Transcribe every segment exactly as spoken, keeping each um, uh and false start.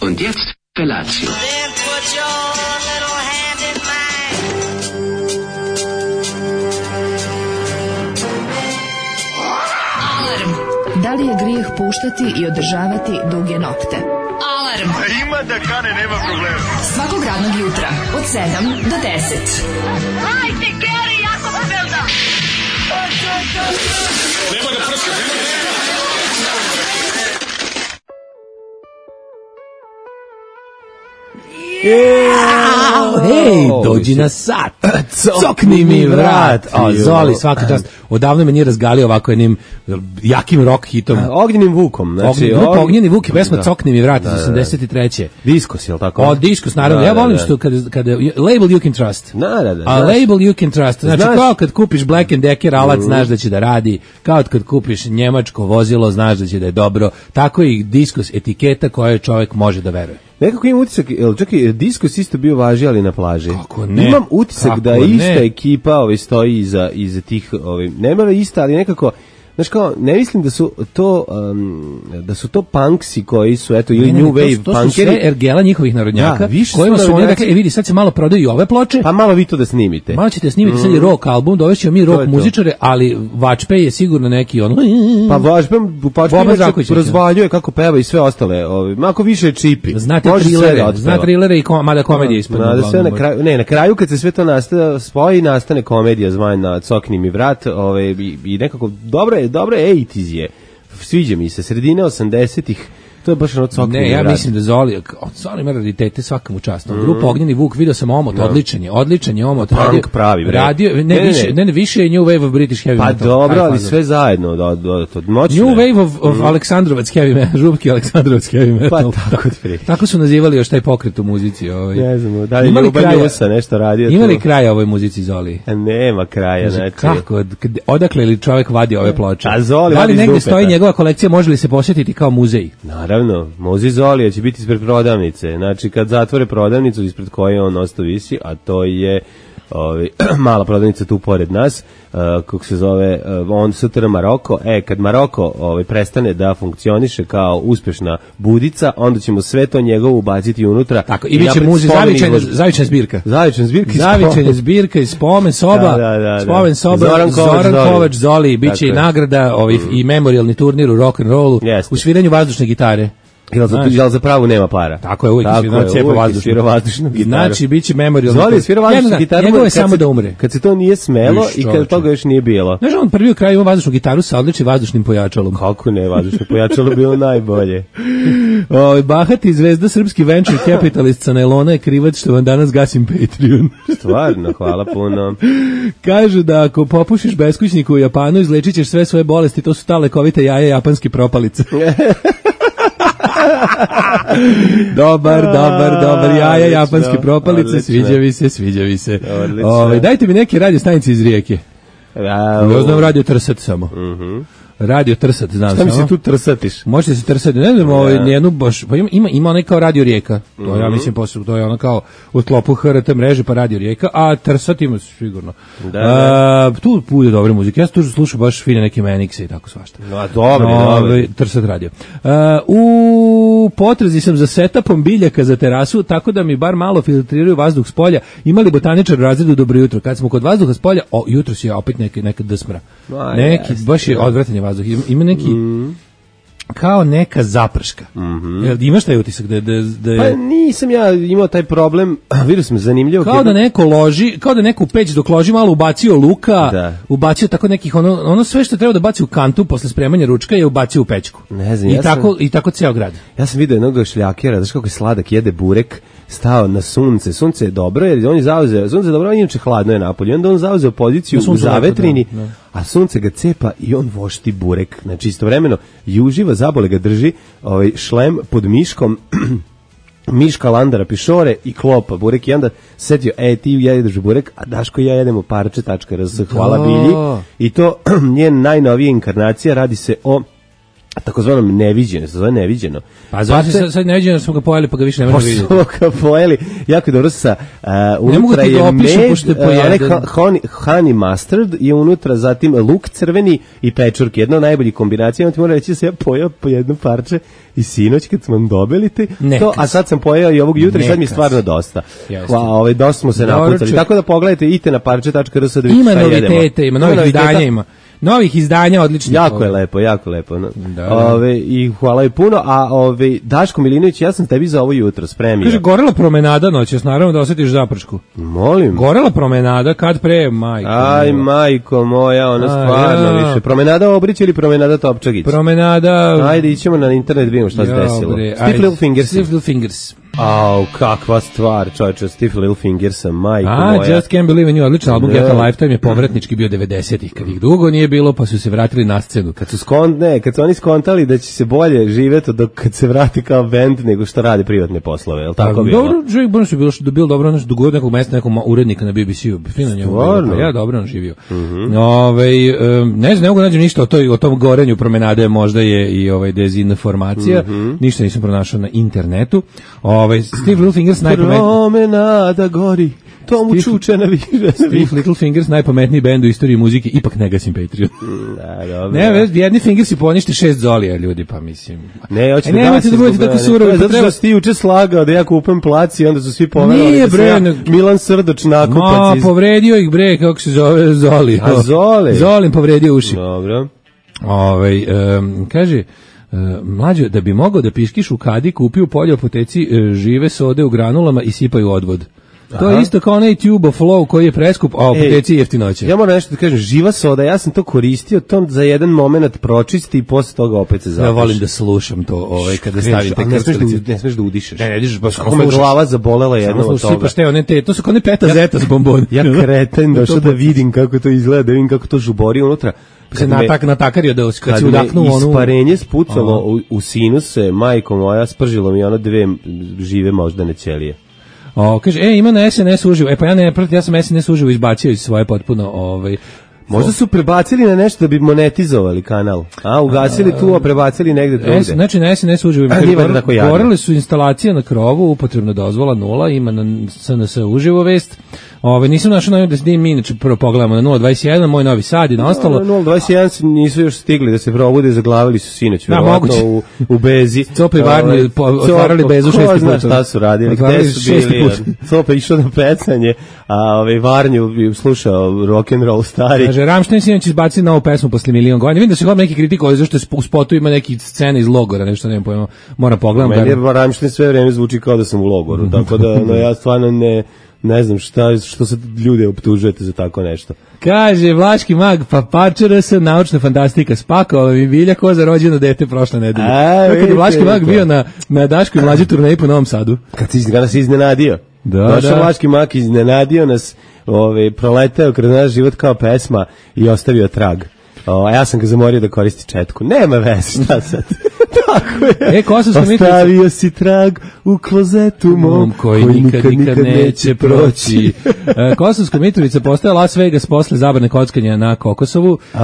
Und jetzt Felatio. Then put your little hand in mine. Alarm. Da li je grijeh puštati i održavati duge nokte? Alarm. Ima da kane, nema problema. Svakog radnog jutra od sedam do deset. Hajde, Geri, jako se velda. Nema da prska, nema da prska. Ej, dođi na sat. Cokni mi vrat. A, Zoli, svaka čast. Odavno me nije razgalio ovako jednim jakim rock hitom. Ognjenim Vukom. Znači, Grupa og... Ognjeni Vuk i pesma da. Cokni mi vrat iz Da, da, da. osamdeset treće. Diskos, je li tako? O, Diskos, naravno. Da, Ja volim da, da. što kada, kada label you can trust. Da, da, da. A Znaš. label you can trust. Znači, Znaš. kao kad kupiš Black and Decker alat, znaš da će da radi. Kao kad kupiš njemačko vozilo, znaš da će da je dobro. Tako i Diskos etiketa koju čovjek može da veruje. Nekako imam utisak, jel, čak i Diskos isto bio važi, ali na plaži. Kako ne? Imam utisak Kako da ista ne? ekipa ovaj, stoji iza, iza tih, ovaj, nema ista, ali nekako, znaš kao, ne mislim da su to um, da su to punksi koji su, eto, ili Ne, ne, new ne, to wave su- to su punkeri. sve ergela njihovih narodnjaka, Da, više su kojima su oni narodnjaci. rekli, e vidi, sad se malo prodaju i ove ploče, Pa malo vi to da snimite. malo ćete snimiti sad i rock album, dovešćemo mi je rock to. muzičare, ali Vačpej je sigurno neki on... Pa važbem, Boban Žaković je. razvaljuje kako peva i sve ostale. Ovaj, mako više je čipi. Znate Može sve da trilere, otpeva. zna trilere i kom, mada komedije ispod. Na, da sve na kraju, ne, na kraju kad se sve to nastane, spoji, nastane komedija zvana Cokni mi vrat, ovaj, i, i nekako, dobro je, dobro je, osamdeset je. Sviđa mi se, sredine osamdesetih, to je baš ono Cokni mi Ne, ja vrat. mislim da Zoli, Zoli ima raritete svakamu častu. Grupa Ognjeni Vuk, video sam omot, odličan je, odličan je omot. Punk radio- pravi, bre. Radio, ne, Ne, ne, ne. više, ne, ne, više je New Wave of British Heavy Pa Metal. dobro, Taj ali fazon. sve zajedno, da, da, to moćno. New je. Wave of, of Aleksandrovac Heavy Metal, župki Aleksandrovac Heavy Metal. Pa tako otprilike. Tako su nazivali još taj pokret u muzici. Ovaj. Ne znam, da li Ima li Ljuba kraja- Njusa nešto radio? Ima li tu? kraja ovoj muzici, Zoli? A nema kraja, Kaže, znači. kako, kad- odakle li čovjek vadi ove ploče? A Zoli da vadi li iz negde dupeta. stoji njegova kolekcija, može li se posjetiti kao muzej? Naravno, Mozi Zolija će biti ispred prodavnice. Znači, kad zatvore prodavnicu ispred koje on ostao visi, a to je ovaj, mala prodavnica tu pored nas, uh, kako se zove, uh, on sutra Maroko. E, kad Maroko ovaj, prestane da funkcioniše kao uspešna budica, onda ćemo sve to njegovo ubaciti unutra. Tako, i bit će napraviti muzej, spomen zavičajna, izložbu. zavičajna zbirka. Zavičajna zbirka. iz Zavičajna spomen. zbirka iz spomen soba, Da, da, da, da. spomen soba, Zoran Zoran Kovač Kovač, Zoli. Zoli, bit će i Tako je. nagrada ovih, i memorialni turnir u rock and rollu, Jeste. u sviranju vazdušne gitare. Jel za, Znaš. jel za pravu nema para? Tako je, uvijek Tako svira je, cepa uvijek je vazdušnu. svirao vazdušnu gitaru. Znači, bit će memorialni Zoli je turnir. svirao vazdušnu Njegov- gitaru. Njegovo je kad samo se- da umre. Kad se to nije smelo Viš, i kad čoveče. toga još nije bilo. Znaš, on prvi u kraju ima vazdušnu gitaru sa odličnim vazdušnim pojačalom. Kako ne, vazdušno pojačalo bilo najbolje. O, bahati zvezda srpski venture capitalist sa nailona je krivac što vam danas gasim Patreon. Stvarno, hvala puno. Kažu da ako popušiš beskućniku u Japanu, izlečit ćeš sve svoje bolesti, to su ta lekovite jaja japanske propalice. dobar, dobar, dobar, jaja Odlično, japanske propalice, odlično. sviđa mi se, sviđa mi se. Odlično. Ovaj, dajte mi neke radio stanice iz Rijeke. A, Ja znam radio Trsat samo. Radio Trsat, znam Šta mi samo. se tu trsatiš? Možete se trsati, ne znam, ovaj, nijednu baš, pa ima, ima, ima onaj kao Radio Rijeka, to ja mislim posle, to je ono kao u sklopu H R T mreže pa Radio Rijeka, a trsat ima sigurno. Da, A, tu bude dobre muzike, ja sam tu slušao baš fine neke Manixe i tako svašta. No, dobro, Ovaj, dobro. Trsat radio. A, u potrazi sam za setupom biljaka za terasu, tako da mi bar malo filtriraju vazduh s polja. Imali botaničar u razredu dobro jutro. Kad smo kod vazduha s polja, o, jutro si je opet neke, neka dsmra. Ma, Neki, jeste, baš je odvratan je vazduh. Ima, ima neki, kao neka zaprška. Jel, imaš taj utisak da, da, da je... Pa nisam ja imao taj problem, vidio sam zanimljivo. Kao da neko loži, kao da neko u peć dok loži malo ubacio luka, Da. ubacio tako nekih ono, ono sve što treba da baci u kantu posle spremanja ručka je ubacio u pećku. Ne znam, I ja sam- tako i tako ceo grad. Ja sam vidio jednog šljakera, znaš kako je sladak, jede burek, stao na sunce. Sunce je dobro, jer on je zauzeo, sunce je dobro, on inače hladno je napolje. Onda on zauzeo poziciju Na u suncu lepo, zavetrini, da, da. a sunce ga cepa i on vošti burek. Znači istovremeno i uživa, zabole ga drži ovaj šlem pod miškom, miška landara pišore i klopa burek i onda setio, e ti jedeš burek, a Daško i ja jedemo parče.rs, hvala Da. Bilji. I to njen najnovija inkarnacija, radi se o takozvanom neviđeno, se zove neviđeno. Pa zato sad, sad neviđeno smo ga pojeli, pa ga više ne možemo vidjeti. Smo ga pojeli, jako dobro sa, uh, unutra je da opišem, med, uh, honey, honey mustard i unutra zatim luk crveni i pečurke. Jedna od najboljih kombinacija, ti moram reći da sam ja pojao po jedno parče i sinoć kad smo dobili ti, to, a sad sam pojao i ovog jutra i sad mi je stvarno dosta. Hva, ovaj, dosta smo se napucali. Tako da pogledajte, idite na parče tačka r s da vidite šta jedemo. Ima novitete, ima novih izdanja, ima. Novih izdanja, odlično. Jako je lepo, jako lepo. No. Da. Ove, i hvala je puno, a ove, Daško Milinović, ja sam tebi za ovo jutro spremio. Kaže, gorela promenada noćas, naravno da osjetiš zapršku. Molim. Gorela promenada, kad pre, majko. Aj, majko moja, ona stvarno ja. više. Promenada Obrić ili promenada Topčagić? Promenada... Ajde, ićemo na internet, vidimo šta se desilo. Stiff Little Fingers. Stiff Little Fingers. Au, kakva stvar, čovječe, Stiff Little Fingers, majko A, moja. Just Can't Believe in You, odličan album, Get a Lifetime je povratnički bio devedesetih, kad ih dugo nije bilo, pa su se vratili na scenu. Kad su skont, ne, kad su oni skontali da će se bolje živjeti dok kad se vrati kao band nego što radi privatne poslove, je li tako bilo? Dobro, Jake Burns je bilo što dobio dobro, ono što dogod nekog mesta, nekog urednika na B B C-u, fino njemu bilo, pa ja dobro on živio. Mm -hmm. Ove, um, ne znam, ne mogu nađem ništa o, toj, o tom gorenju promenade, možda je i ovaj dezinformacija, mm -hmm. ništa nisam pronašao na internetu. Ove, Steve Little Fingers najpametniji. Promenada gori, tomu čuče na više. Steve Little Fingers najpametniji bend u istoriji muzike, ipak ne gasim Patreon. Da, dobro. Ne, jedni Fingersi ponište šest zolija, ljudi, pa mislim. Ne, hoćete da nemojte da budete tako surovi. Zato što si ti juče slagao da ja kupam plac i onda su svi poverovali. Nije, da bre, ja ne... Milan Srdoč nakupac. Ma, iz... povredio ih, bre, kako se zove, Zoli. A Zoli? Zolim povredio uši. Dobro. Ovaj, um, kaže... Uh, mlađo, da bi mogao da piškiš u kadi, kupi u polju apoteci uh, žive sode u granulama i sipaju odvod. To Aha. je isto kao onaj Tube of Flow koji je preskup, a apoteci jeftinoće. Ja moram nešto da kažem, živa soda, ja sam to koristio, to za jedan moment pročisti i posle toga opet se zapiš. Ja volim da slušam to ovaj, kada stavim te krstelice. Ne smeš da udišeš. Ne, ne dižeš, baš kako me glava zabolela jedno od toga. Sipaš te, one te, to su kao ne peta ja, zeta s bombon. Ja kreten došao da vidim kako to izgleda, da vidim kako to žubori unutra. Se natak natakario da kad se udahnu onu isparenje spucalo u, u sinuse, majko moja, spržilo mi ono dve žive moždane ćelije. O, kaže, e, ima na S N S uživo. E, pa ja ne pratim, ja sam S N S uživo izbacio iz svoje potpuno, ovaj... Možda su prebacili na nešto da bi monetizovali kanal. A, ugasili tu, a prebacili negde drugde. Znači, na S N S uživo. Gorele su instalacije na krovu, upotrebna dozvola nula, ima na S N S uživo vest. Ove, nisam našao na da se mi inače prvo pogledamo na nula dvadeset jedan, moj novi sad i na ostalo. Na nula dvadeset jedan nisu još stigli da se probude, zaglavili su sinoć, verovatno u, u Bezi. Copa i Varni otvarali Bezu šesti put. Ko zna šta su radili, gde su bili. Copa išao na pecanje, a ovaj Varnju slušao rock and roll stari. Kaže, Rammstein sinoć izbaci novu pesmu posle milion godina. Vidim da se god neki kritikovali zašto u spotu ima neki scene iz logora, nešto nemam pojma. Moram pogledati. Meni je Rammstein sve vreme zvuči kao da sam u logoru, tako da no, ja stvarno ne ne znam šta, što se ljude optužujete za tako nešto. Kaže, Vlaški mag, pa pačera se, naučna fantastika, spakao mi bilja ko za rođeno dete prošle nedelje. Kad je Vlaški mag bio na, na Daškoj mlađe turneji po Novom Sadu. Kad si nas iznenadio. Da, Došao da. Vlaški mag, iznenadio nas, ove, proleteo kroz naš život kao pesma i ostavio trag. O, a ja sam ga zamorio da koristi četku. Nema veze, šta sad? Tako je. E, Kosovska Mitrovica. Ostavio si trag u klozetu mom, koji, koji nikad, nikad neće proći. e, Kosovska Mitrovica postaje Las Vegas posle zabrane kockanja na Kokosovu e,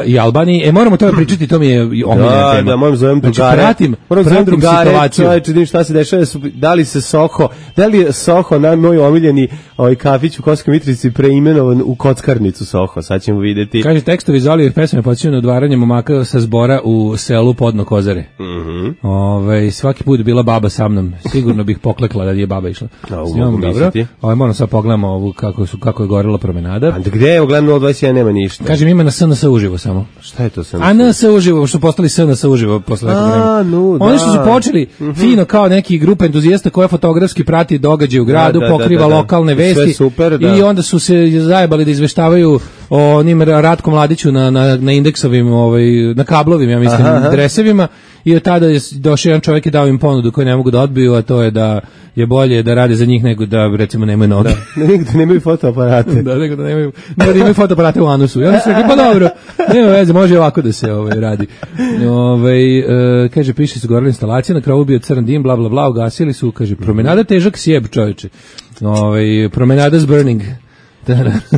i Albaniji. E, moramo to pričati, to mi je omiljena da, tema. Da, moram zovem drugare. Znači, pratim, moram zovem pratim drugare, situaciju. Čovječe, vidim šta se dešava, da li se Soho, da li je Soho, na moj omiljeni ovaj kafić u Kosovskoj Mitrovici preimenovan u kockarnicu Soho, sad ćemo vidjeti. Kaže, tekstovi iz Olijevih pesme počinju na odvaranje momaka sa zbora u selu Podno Kozare. Mhm. Ove, svaki put bila baba sa mnom. Sigurno bih poklekla da je baba išla. A, s njom, dobro. Ove, moram sad pogledamo ovu kako, su, kako je gorila promenada. A gde je, gledam nula dvadeset jedan nema ništa. Kažem, ima na S N S uživo samo. Šta je to S N S? A N S uživo, što postali S N S uživo posle nekog vremena. No, Oni što su počeli mm-hmm. fino kao neki grupa entuzijasta koja fotografski prati događaje u gradu, da, da, pokriva da, da, da. lokalne vesti. Super, da. I onda su se zajebali da izveštavaju o onim Ratku Mladiću na, na, na indeksovim, ovaj, na kablovim, ja mislim, aha, aha. dresevima. I od tada je došao jedan čovjek i dao im ponudu koju ne mogu da odbiju, a to je da je bolje da rade za njih nego da, recimo, nemaju noge. Da, nego da nemaju fotoaparate. da, nego da nemaju, nego da imaju fotoaparate u anusu. I onda su rekli, pa dobro, nema veze, može ovako da se ovaj, radi. Ovaj, e, kaže, piše su gorila instalacija, na krovu bio crn dim, bla, bla, bla, ugasili su, kaže, promenada težak sjeb, čovječe. Ovaj, promenada s burning.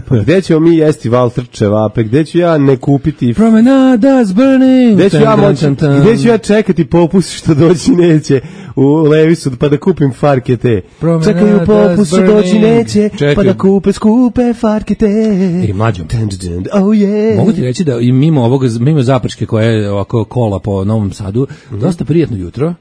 Pa gde ćemo mi jesti Walter čevape, gde ću ja ne kupiti... Promenadas burning. Gde ću ja moći, gde ću ja čekati popust što doći neće u Levisu pa da kupim farke te. Čekaju popust što doći neće pa da kupe skupe farke te. I mlađo. Oh yeah. Mogu ti reći da i mimo ovoga, mimo Zaprške koja je ovako kola po Novom Sadu, mm-hmm. dosta prijatno jutro.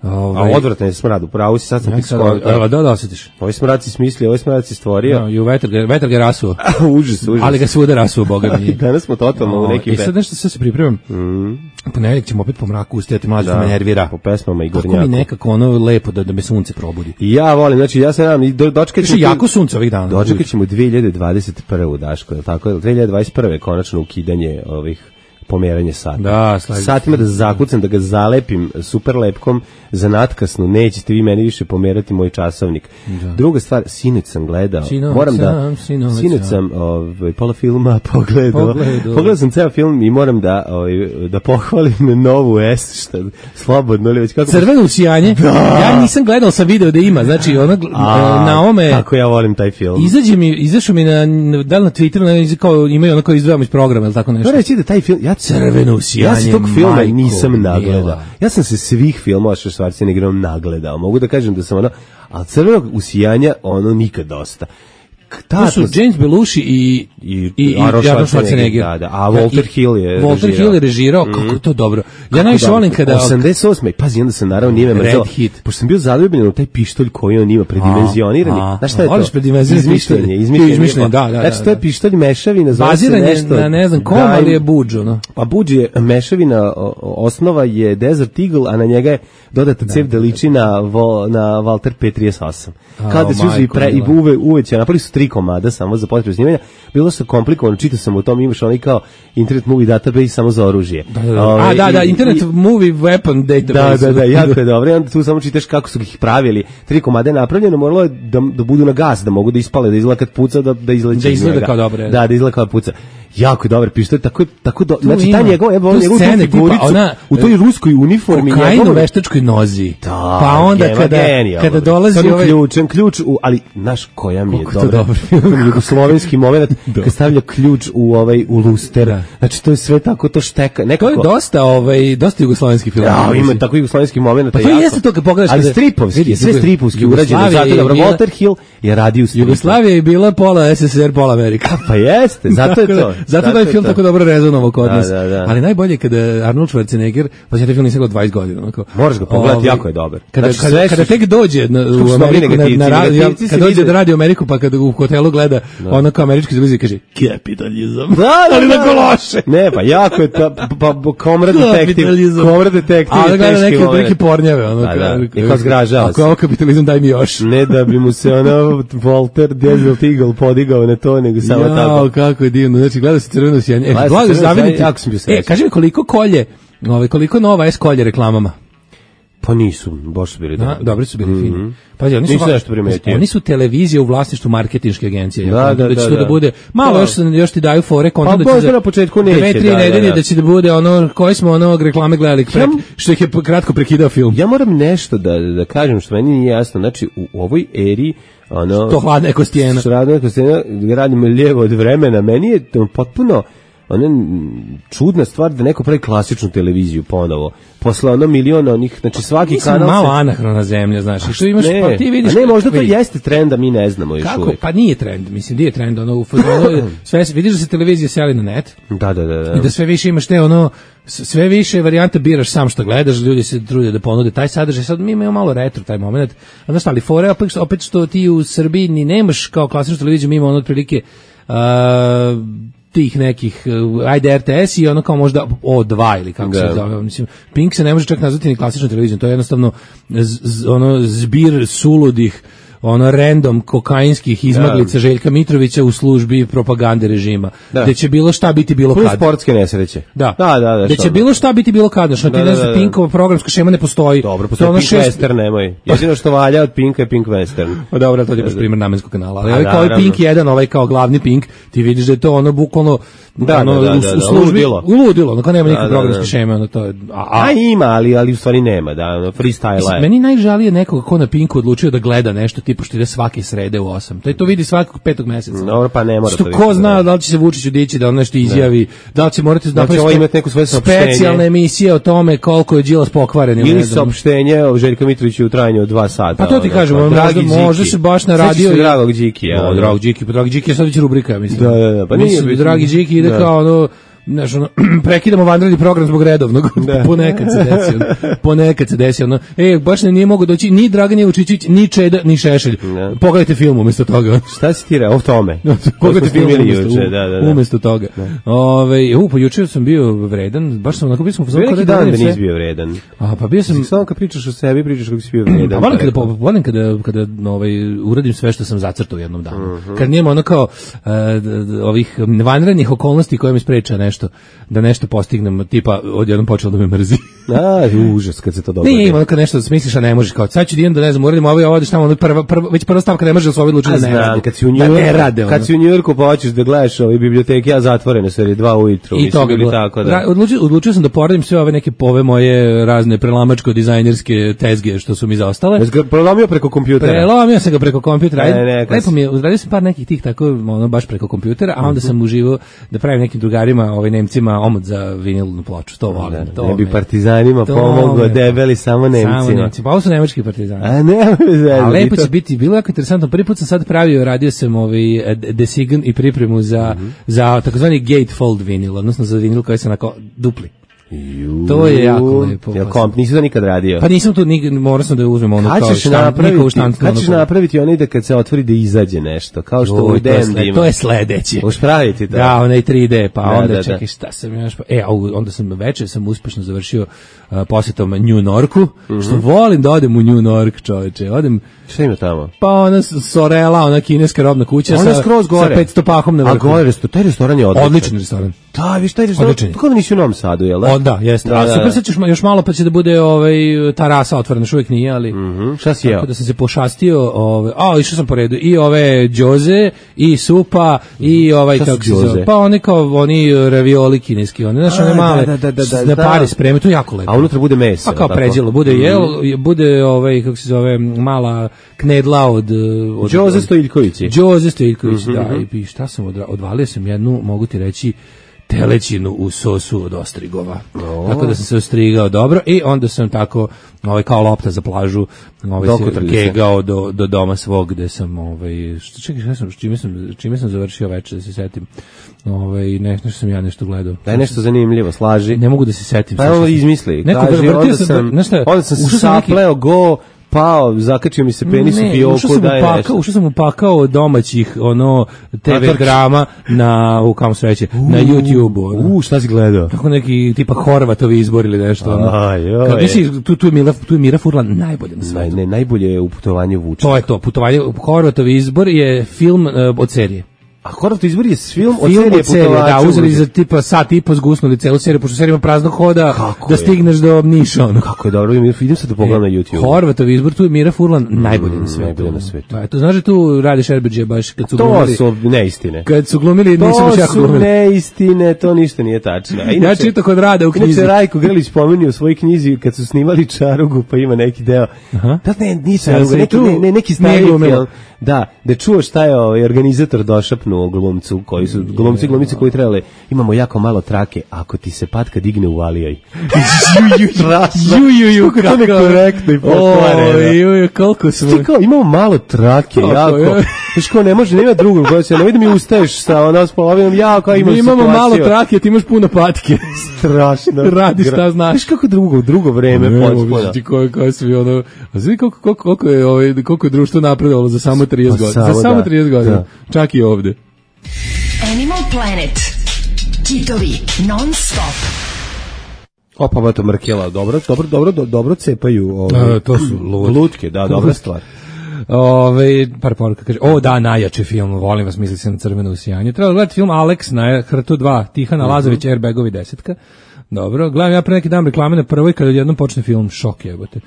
Ovaj, a odvratan je smrad, upravo si, sad sam ti skoro. Da, da, da, osjetiš. Ovaj smrad si smislio, ovaj smrad si stvorio. No, i u vetar ga, vetar ga rasuo. užas, užas. Ali ga svuda rasuo, boga mi. Danas smo totalno no, u nekim... I sad nešto sve se pripremam. Mm. Ponedjeljak ćemo opet po mraku ustajati, mlađe da me nervira. Po pesmama i gornjaku. Kako mi nekako ono lepo da, da me sunce probudi. I ja volim, znači ja se nadam, do, dočekat ćemo... jako sunce ovih dana. Dočekat ćemo dve hiljade dvadeset prve. Daško, je tako? dve hiljade dvadeset prve. konačno ukidanje ovih pomeranje sata. Da, satima da zakucam, da ga zalepim super lepkom za natkasnu, nećete vi meni više pomerati moj časovnik. Da. Druga stvar, sinoć sam gledao, sinoć moram da, sam, sinoć, sinoć sam ovaj, pola filma pogledao, pogledao, pogledao sam ceo film i moram da, ovaj, da pohvalim novu S, šta, slobodno li već kako... Crveno usijanje, da. Ja nisam gledao, sam video da ima, znači ona, A, na ome... Kako ja volim taj film. Izađe mi, izašao mi na, da li na Twitteru, na, kao, imaju ono kao izdvajamo iz programa, ili tako nešto. To reći da taj film, ja crveno usijanje, ja se tog filma nisam nagledao. Ja sam se svih filmova što Schwarzeneggerom nagledao. Mogu da kažem da sam ono, a crvenog usijanja ono nikad dosta. To su James Belushi i i i Arnold Schwarzenegger. Da, da. A Walter Hill je Walter režirao. Hill je režirao, kako je to dobro. Ja najviše volim kada osamdeset osme pazi, onda se naravno nije mrzeo. Pošto sam bio zaljubljen u taj pištolj koji on ima predimenzionirani. Znaš šta je to? Izmišljenje, izmišljenje. Da, da. Znači to je pištolj mešavina, zove se nešto. Na ne znam kom, ali je budž, no. Pa budž je mešavina, osnova je Desert Eagle, a na njega je dodata cev da liči na na Walter P trideset osam. Kada se uzi pre i uve uveće, napali su tri komada samo za potrebu snimanja. Bilo se komplikovano, čitao sam o tom, imaš onaj kao Internet Movie Database samo za oružje. Da, da, da. Ove, A, da, da, Internet i, Movie Weapon Database. Da, da, da, jako je dobro. I onda tu samo čitaš kako su ih pravili. Tri komade je napravljeno, moralo je da, da budu na gas, da mogu da ispale, da izgleda kad puca, da, da izleće. Da izgleda kao dobre. Da, da izgleda kao puca. Jako je dobar pištolj, tako tako do, znači ta njegova, evo njegov figuricu ona u toj ruskoj uniformi, njegov veštačkoj nozi. Da, pa onda kada kada dolazi ovaj ključem ključ u, ali naš koja mi je dobra. Jugoslovenski momenat kad stavlja ključ u ovaj u luster. Znači to je sve tako to šteka. Nekako to je dosta ovaj dosta jugoslovenski film. Ja, ima tako jugoslovenski momenat. Pa to jeste to kad pogledaš, ali stripovski, sve stripovski urađeno. Zato dobro, Walter Hill je radio u stripu. Jugoslavija je bila pola S S S R, pola Amerika. Pa jeste, zato je to. Zato da je film tako dobro rezonovao kod nas. Da, da, da. Ali najbolje kada Arnold Schwarzenegger, pa ja taj film nisam gledao dvadeset godina. Onako, moraš ga pogledati, ovaj, jako je dobar. Kada, znači, kada, kada tek dođe na, u Ameriku, na, na radio, kada dođe da radi u Ameriku, pa kada u hotelu gleda, no. Ono kao američki televizija kaže, kapitalizam. Da, da, ali na kološe. Ne, pa jako je to, pa Comrade Detective. Comrade Detective je teški neke, moment. Neke pornjave. Ono, da, da. I kao zgražao se. Ako je ovo kapitalizam, daj mi još. Ne da bi mu se ono Walter Desert Eagle podigao na to, nego samo ja, tako. Kako je divno. Znači, gleda se crveno sjanje. E, blago zaviditi. E, kaži mi koliko kolje, ovaj, koliko nova S kolje reklamama? Pa nisu, baš su bili dobri. Dobri su bili mm-hmm. fini. Pa oni su, oni su televizije u vlasništvu marketinške agencije. Da, da, da, da, da, da bude malo još još ti daju fore kontent pa, da će na početku neće. Dve, tri da, nedelje da, da. da će da bude ono koji smo onog reklame gledali prek, ja, što ih je kratko prekidao film. Ja moram nešto da da kažem što meni nije jasno. Znači u, u ovoj eri ono to hladna kostijena. Što hladna kostijena radimo lijevo od vremena. Meni je to potpuno ona čudna stvar da neko pravi klasičnu televiziju ponovo. Posle ono miliona onih, znači svaki Mislim, kanal malo se... anahrona zemlja, znaš. I što imaš, ne, pa ti vidiš... A ne, možda to vidi. Jeste trend, a mi ne znamo još Kako? uvijek. Pa nije trend, mislim, nije trend. Ono, u fazonu, sve, vidiš da se televizija seli na net. Da, da, da, da. I da sve više imaš te, ono, sve više varijante biraš sam što gledaš, ljudi se trude da ponude taj sadržaj. Sad mi imamo malo retro taj moment. A znaš, ali fore, opet, opet što ti u Srbiji ni nemaš kao klasičnu televiziju, mi imamo ono otprilike... Uh, tih nekih, ajde R T S i ono kao možda O dva ili kako se zove, mislim, Pink se ne može čak nazvati ni klasičnom televizijom, to je jednostavno z, z, ono zbir suludih, ono random kokainskih izmaglica da. Željka Mitrovića u službi propagande režima. Da. Gde će bilo šta biti bilo kad. Sportske nesreće. Da. Da, da, da. Gde će bilo šta biti bilo kad. Što ti ne znaš, Pinkova programska šema ne postoji. Dobro, postoji Pink šest... Western, nemoj. Jedino što valja od Pinka je Pink Western. O dobro, to je baš primjer namenskog kanala. Ali ovaj kao Pink jedan, ovaj kao glavni Pink, ti vidiš da je to ono bukvalno da, ono, da, da, u, da, u službi, uludilo, ono kao nema nikakve da, programske da. šeme, ono to je... A, a, a ima, ali, ali u stvari nema, da, ono, freestyle je. Meni najžalije nekoga ko na Pinku odlučio da gleda nešto, tipa što ide svake srede u osam. To je to vidi svakog petog meseca. Dobro, pa ne mora što to ko biti, zna da. da li će se Vučić dići da on nešto izjavi, da li će morati Da će ovo imati neku svoje saopštenje. specijalne emisije o tome koliko je Đilas pokvaren ili Ili ne znam. saopštenje o Željka Mitroviću u trajanju od dva sata. Pa to ti ono, kažem, pa, možda, Dragi možda Điki. se baš na Sećaš radio... se Dragog Đikija, O, ono? Dragi Điki, pa Dragi Điki je sad već rubrika, mislim. Da, da, da, pa nije Mislim, bitno. Dragi Điki ide Da. kao ono, znaš, ono, prekidamo vanredni program zbog redovnog. Da. Ponekad se desi, ono, ponekad se desi, ono, e, baš ne, nije mogo doći ni Dragan Jevučićić, ni Čeda, ni Šešelj. Da. Pogledajte film umjesto toga. Šta si ti rekao o tome? Pogledajte film snimili umjesto, juče, da, da, da. umjesto toga. Ove, u, pa juče sam bio vredan, baš sam onako bio sam... Bio neki dan da nisi bio vredan. A, pa bio sam... Samo kad pričaš o sebi, pričaš kako si bio vredan. A volim kada, po- volim kada, kada ovaj, uradim sve što sam zacrtao u jednom danu. Kad nema ono kao uh, d- d- ovih vanrednih okolnosti koje mi spreče nešto, da nešto postignem, tipa odjednom počelo da me mrzi. A, užas kad se to dogodi. Nije ima ono kad nešto smisliš, a ne možeš, kao sad ću da idem da ne znam, uradim ovo i ovo, odeš tamo, ono prva, prva, već prva stavka ne može da se ovaj odlučiti A da ne znam, rade. kad si u Da ne Njujorku, rade, ono. kad si u Njujorku pa hoćeš da gledaš ove biblioteke, a zatvorene su jer je dva ujutru. I mislim, toga je ili bilo. tako da. Ra- Odlučio, odlučio sam da poradim sve ove neke pove moje razne prelamačko-dizajnerske tezge što su mi zaostale. Jesi ga prelomio preko kompjutera? Prelomio sam ga preko kompjutera. Ne, Ajde, ne, kad lepo si- mi je, uradio sam par nekih tih tako, ono, baš preko kompjutera, a onda sam uživao da pravim nekim drugarima, ovaj Nemcima, omot za vinilnu ploču. To volim. Da, to ne bi me- partizanima to pomogao, me- debeli samo Nemcima. Samo Nemci. Pa ovo su nemački partizani. A ne, A lepo će biti, bilo je jako interesantno. Prvi put sam sad pravio, radio sam ovaj eh, design i pripremu za, Mhm. za takozvani gatefold vinil, odnosno za vinil koji se onako dupli. To je jako lepo. Jel komp, nisi to nikad radio? Pa nisam tu, nik, morao sam da uzmem ono Kad kao ćeš štamp, njihovu napraviti, štampnu, kad ono ćeš kao- napraviti onaj da kad se otvori da izađe nešto, kao što Joj, u to, je D M sled, ima. to je sledeće. Možeš praviti to? Da, onaj tri D, pa Da, onda da, da. čekaj šta sam još, pa, e, a u- onda sam večer sam uspešno završio uh, posjetom New Yorku, što volim da odem u New York, čoveče, odem, Šta ima tamo? pa ona s- Sorela, ona kineska robna kuća Ona je sa, skroz gore. sa petsto pahom na A vrhu. gore, resto- taj restoran je odličan. Odličan restoran. Da, viš taj restoran, Odličan je. tako da nisi u Novom Sadu, jel da? O, da, jeste. Da, A da, super, da. sad ćeš ma- još malo pa će da bude ovaj, ta rasa otvorena, još uvijek nije, ali... Mhm, šta si jeo? Tako da sam se pošastio, ovaj, a išao sam po redu, i ove džoze, i supa, i ovaj, Šta su kako se zove, džoze? pa oni kao, oni ravioli kineski, oni, znaš, A, one male, da, da, da, da, na da. pare spreme, to je jako lepo. A unutra bude meso. Pa kao tako? pređelo, bude jel, bude ovaj, kako se zove, mala knedla od... od Đoze od- Stojiljkovići. Đoze Stojiljković, da, i, i šta sam odra- odvalio sam jednu, mogu ti reći, telećinu u sosu od ostrigova. Tako da sam se ostrigao dobro i onda sam tako ovaj kao lopta za plažu ovaj Dokotrali se se. gegao do, do doma svog gde sam ovaj što čekaj šta sam čime sam čime sam završio večer da se setim. Ovaj ne, nešto sam ja nešto gledao. Daj nešto zanimljivo, slaži. Ne mogu da se setim. Pa sad evo što sam- izmisli. Neko Kaži, vrtio onda sam- sam, znaš šta, onda sam se ušao sam neki- sapleo, go, pao, zakačio mi se penis u Ne, fioku, ušao sam, daj upakao, nešto. ušao sam upakao domaćih ono te ve Matorki. drama na u kam sreće na YouTubeu. ono. U, šta si gledao? Kako neki tipa Horvatovi izbor ili nešto. ono. Aj, joj. Kad nisi, tu, tu, je Mira, tu je Mira Furlan najbolja na Naj, svetu. ne, najbolje je u putovanju Vučića. To je to, putovanje, Horvatovi izbor je film uh, od serije. A Horvat izbor je film od Film serije od serije, da, putovača uzeli u- za tipa sat i po zgusnuli celu seriju, pošto serija ima praznog hoda, Kako da je? stigneš do Niša. Ono. Kako je dobro, idem idem sad da pogledam na YouTube. Horvatov izbor, tu je Mira Furlan najbolji na svetu. najbolji na svetu. Da, to znaš da tu radi Šerbeđe baš kad su To glumili. su neistine. Kad su glumili, nisam baš To jako su glumili. neistine, to ništa nije tačno. A Ja inače- čitam kod Rada u knjizi. Inače, Rajko Grlić pominio u svojoj knjizi kad su snimali Čarugu, pa ima neki deo. Aha. Da, ne, nije Sad Čaruga, se neki, tu ne, ne, neki nije stari glumila. film. Da, da čuo šta je ovaj organizator došapnuo glumcu, koji su glumci, glumice koji trebali, imamo jako malo trake, ako ti se patka digne uvalijaj. ju, ju, ju, Kako to nekorektno i pokvareno. Oj, ju, ju, koliko smo... Ti kao, imamo malo trake, Kako, jako. je? Znaš kao, ne može, nema drugog, koja se, ne vidim mi ustaješ sa ono s polovinom, ja kao imam Mi imamo situaciju. malo trake, ti imaš puno patke. Strašno. Radi šta Gra- znaš. Znaš kako drugo, drugo vreme Ne, potpuno. mogu ti koje, koje svi ono... A znaš koliko, koliko, koliko, je, ovaj, koliko je društvo napredovalo za samo trideset Pa godina? samo, Za samo da, trideset godina. da. Čak i ovde. Animal Planet. Hitovi non stop. Opa, ba to Mrkela, dobro, dobro, dobro, do- dobro cepaju ove, A, to su lut- lutke, da, dobra lutke. stvar. Ove, par poruka kaže, o da, najjači film, volim vas, misli se na Crveno usijanje. Treba gledati film Alex na Hrtu dva, Tihana Lazović, Airbagovi desetka. Dobro, gledam ja pre neki dan reklame na Prvoj kada odjednom počne film, šok jebote.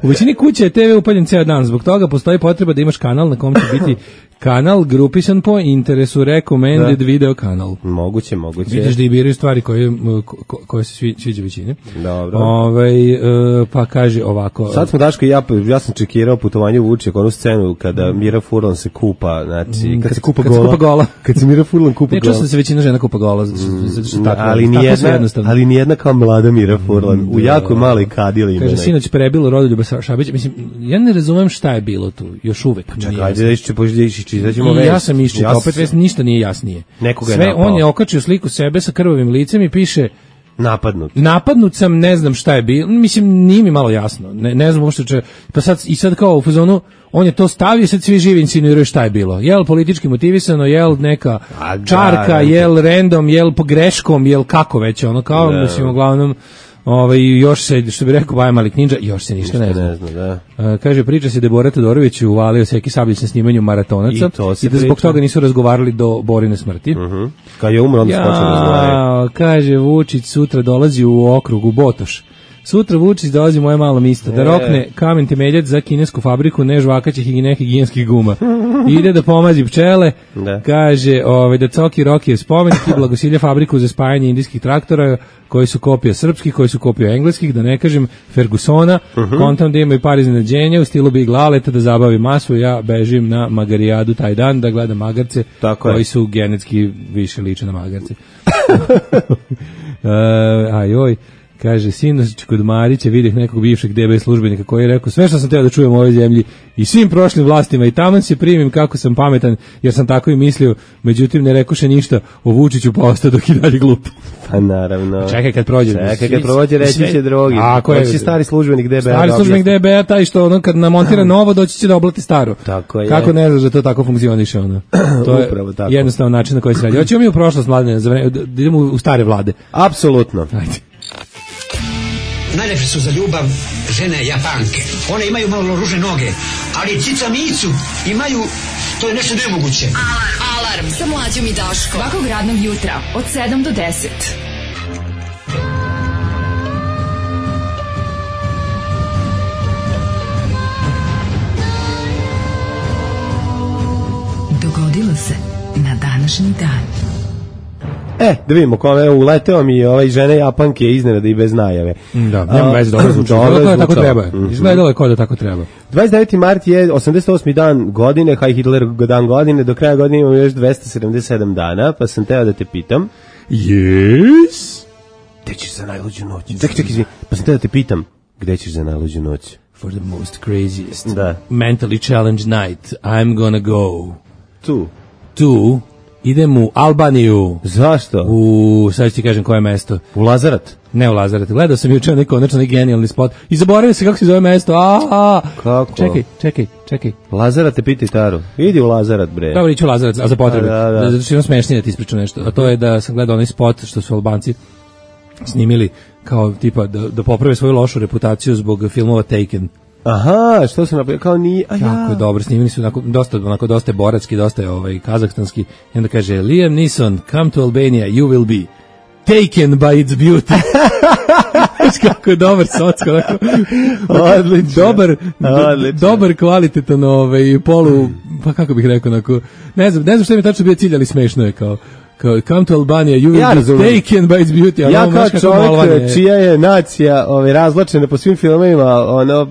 U većini kuća je te ve upaljen ceo dan, zbog toga postoji potreba da imaš kanal na kom će biti kanal grupisan po interesu, recommended da. Video kanal. Moguće, moguće. Vidiš da i biraju stvari koje, ko, koje se svi, sviđa većini. Dobro. Ove, uh, pa kaže ovako. Sad smo Daško i ja, ja sam čekirao putovanje u Vučjak, onu scenu kada Mira Furlan se kupa, znači, kad, kad se kupa kad gola. Se kupa gola. Kad se Mira Furlan kupa ne, gola. Ne, čuo se većina žena kupa gola, zato što, zato što tako, ali tako nijedna, jednostavno. Ali nijedna kao mlada Mira Furlan, mm, u jako maloj kadili. Kaže, sinoć prebilo Rodoljuba Šabića. Mislim, ja ne razumem šta je bilo tu, još uvek. Čekaj, ajde da išće, pođe čitaćemo vest. Ja ja sam iščitao, opet vest, ništa nije jasnije. Sve, je on je okačio sliku sebe sa krvavim licem i piše napadnut. Napadnut sam, ne znam šta je bilo. Mislim, nije mi malo jasno. Ne, ne znam uopšte če... Pa sad, i sad kao u fazonu, on je to stavio, sad svi živi insinuiraju šta je bilo. Jel politički motivisano, jel neka A, čarka, da, jel random, jel pogreškom, jel kako već, ono kao, da. Mislim, uglavnom, ovaj, još se, što bi rekao Baja Malik Ninja, još se ništa, ništa ne zna. Ne zna da. Uh, kaže, priča se da je Bora Todorović uvalio Seki Sablić na snimanju Maratonaca i, i da zbog toga nisu razgovarali do Borine smrti. Uh -huh. Kad je umro, onda se počeo razgovarati. Kaže, Vučić sutra dolazi u okrug, u Botoš. Sutra Vučić dolazi moje malo misto, da rokne kamen temeljac za kinesku fabriku nežvakaćih i nehigijenskih guma. Ide da pomazi pčele, da. Kaže ovaj, da Coki Rokijev spomenik i blagosilja fabriku za spajanje indijskih traktora, koji su kopija srpskih, koji su kopija engleskih, da ne kažem Fergusona, uh -huh. Kontam da ima i par iznenađenja, u stilu Big Laleta da zabavi masu, ja bežim na Magarijadu taj dan da gledam magarce, tako koji je. Su genetski više liče na magarce. uh, ajoj. Kaže, sinoć kod Marića vidjeh nekog bivšeg de be službenika koji je rekao sve što sam teo da čujem u ovoj zemlji i svim prošlim vlastima i taman se primim kako sam pametan jer sam tako i mislio, međutim ne rekoše ništa o Vučiću pa ostao dok i dalje glup. Pa naravno. Čekaj kad prođe. Čekaj kad prođe reći će drogi. Ako je stari službenik de be. Stari službenik de be taj što ono kad namontira novo doći će da oblati staro. Tako je. Kako ne znaš da to tako funkcioniše ono. To je tako. Jednostavan način na koji se radi. Hoćemo mi u prošlost mladine, da idemo u stare vlade. Apsolutno. Ajde. Najlepše su za ljubav žene Japanke. One imaju malo ružne noge, ali cica micu imaju, to je nešto nemoguće. Alarm, alarm, sa mlađom i Daškom. Svakog radnog jutra, od sedam do deset. Dogodilo se na današnji dan. E, da vidimo kome uleteo mi ovaj žene Japanke iznenada i bez najave. Da, nema veze, dobro zvuči. Izgledalo je tako treba. Izgledalo je kao da tako treba. dvadeset deveti mart je osamdeset osmi dan godine, Heil Hitler dan godine, do kraja godine imamo još dvesta sedamdeset sedam dana, pa sam teo da te pitam. Yes? Gde ćeš za najluđu noć? Čekaj, čekaj, izvini, pa sam teo da te pitam, gde ćeš za najluđu noć? For the most craziest, da. mentally challenged night, I'm gonna go. Tu. Tu. Idem u Albaniju. Zašto? U, sad ću ti kažem koje mesto. U Lazarat? Ne u Lazarat. Gledao sam juče neki konačno neki genijalni spot. I zaboravio se kako se zove mesto. A, a. Kako? Čekaj, čekaj, čekaj. Lazarat te pitaj Taru. Idi u Lazarat, bre. Dobro, iću u Lazarat, a za potrebe. Da, da. Zato što imam smešnije da ti ispričam nešto. A to je da sam gledao onaj spot što su Albanci snimili kao tipa da, da poprave svoju lošu reputaciju zbog filmova Taken. Aha, što se napravio, kao nije, a ja. Kako je dobro, snimili su onako, dosta, onako dosta je boratski, dosta je ovaj, kazahstanski, i onda kaže, Liam Neeson, come to Albania, you will be taken by its beauty. Znaš kako je dobar socko, onako, odlično, dobar, odlično. dobar kvalitetan ovaj, polu, pa kako bih rekao, onako, ne znam, ne znam što mi tačno bio cilj, ali smešno je kao, kao come to Albania, you will ja be taken by its beauty. Ja kao čovjek čija je nacija ove, razločena po svim filmovima, ono,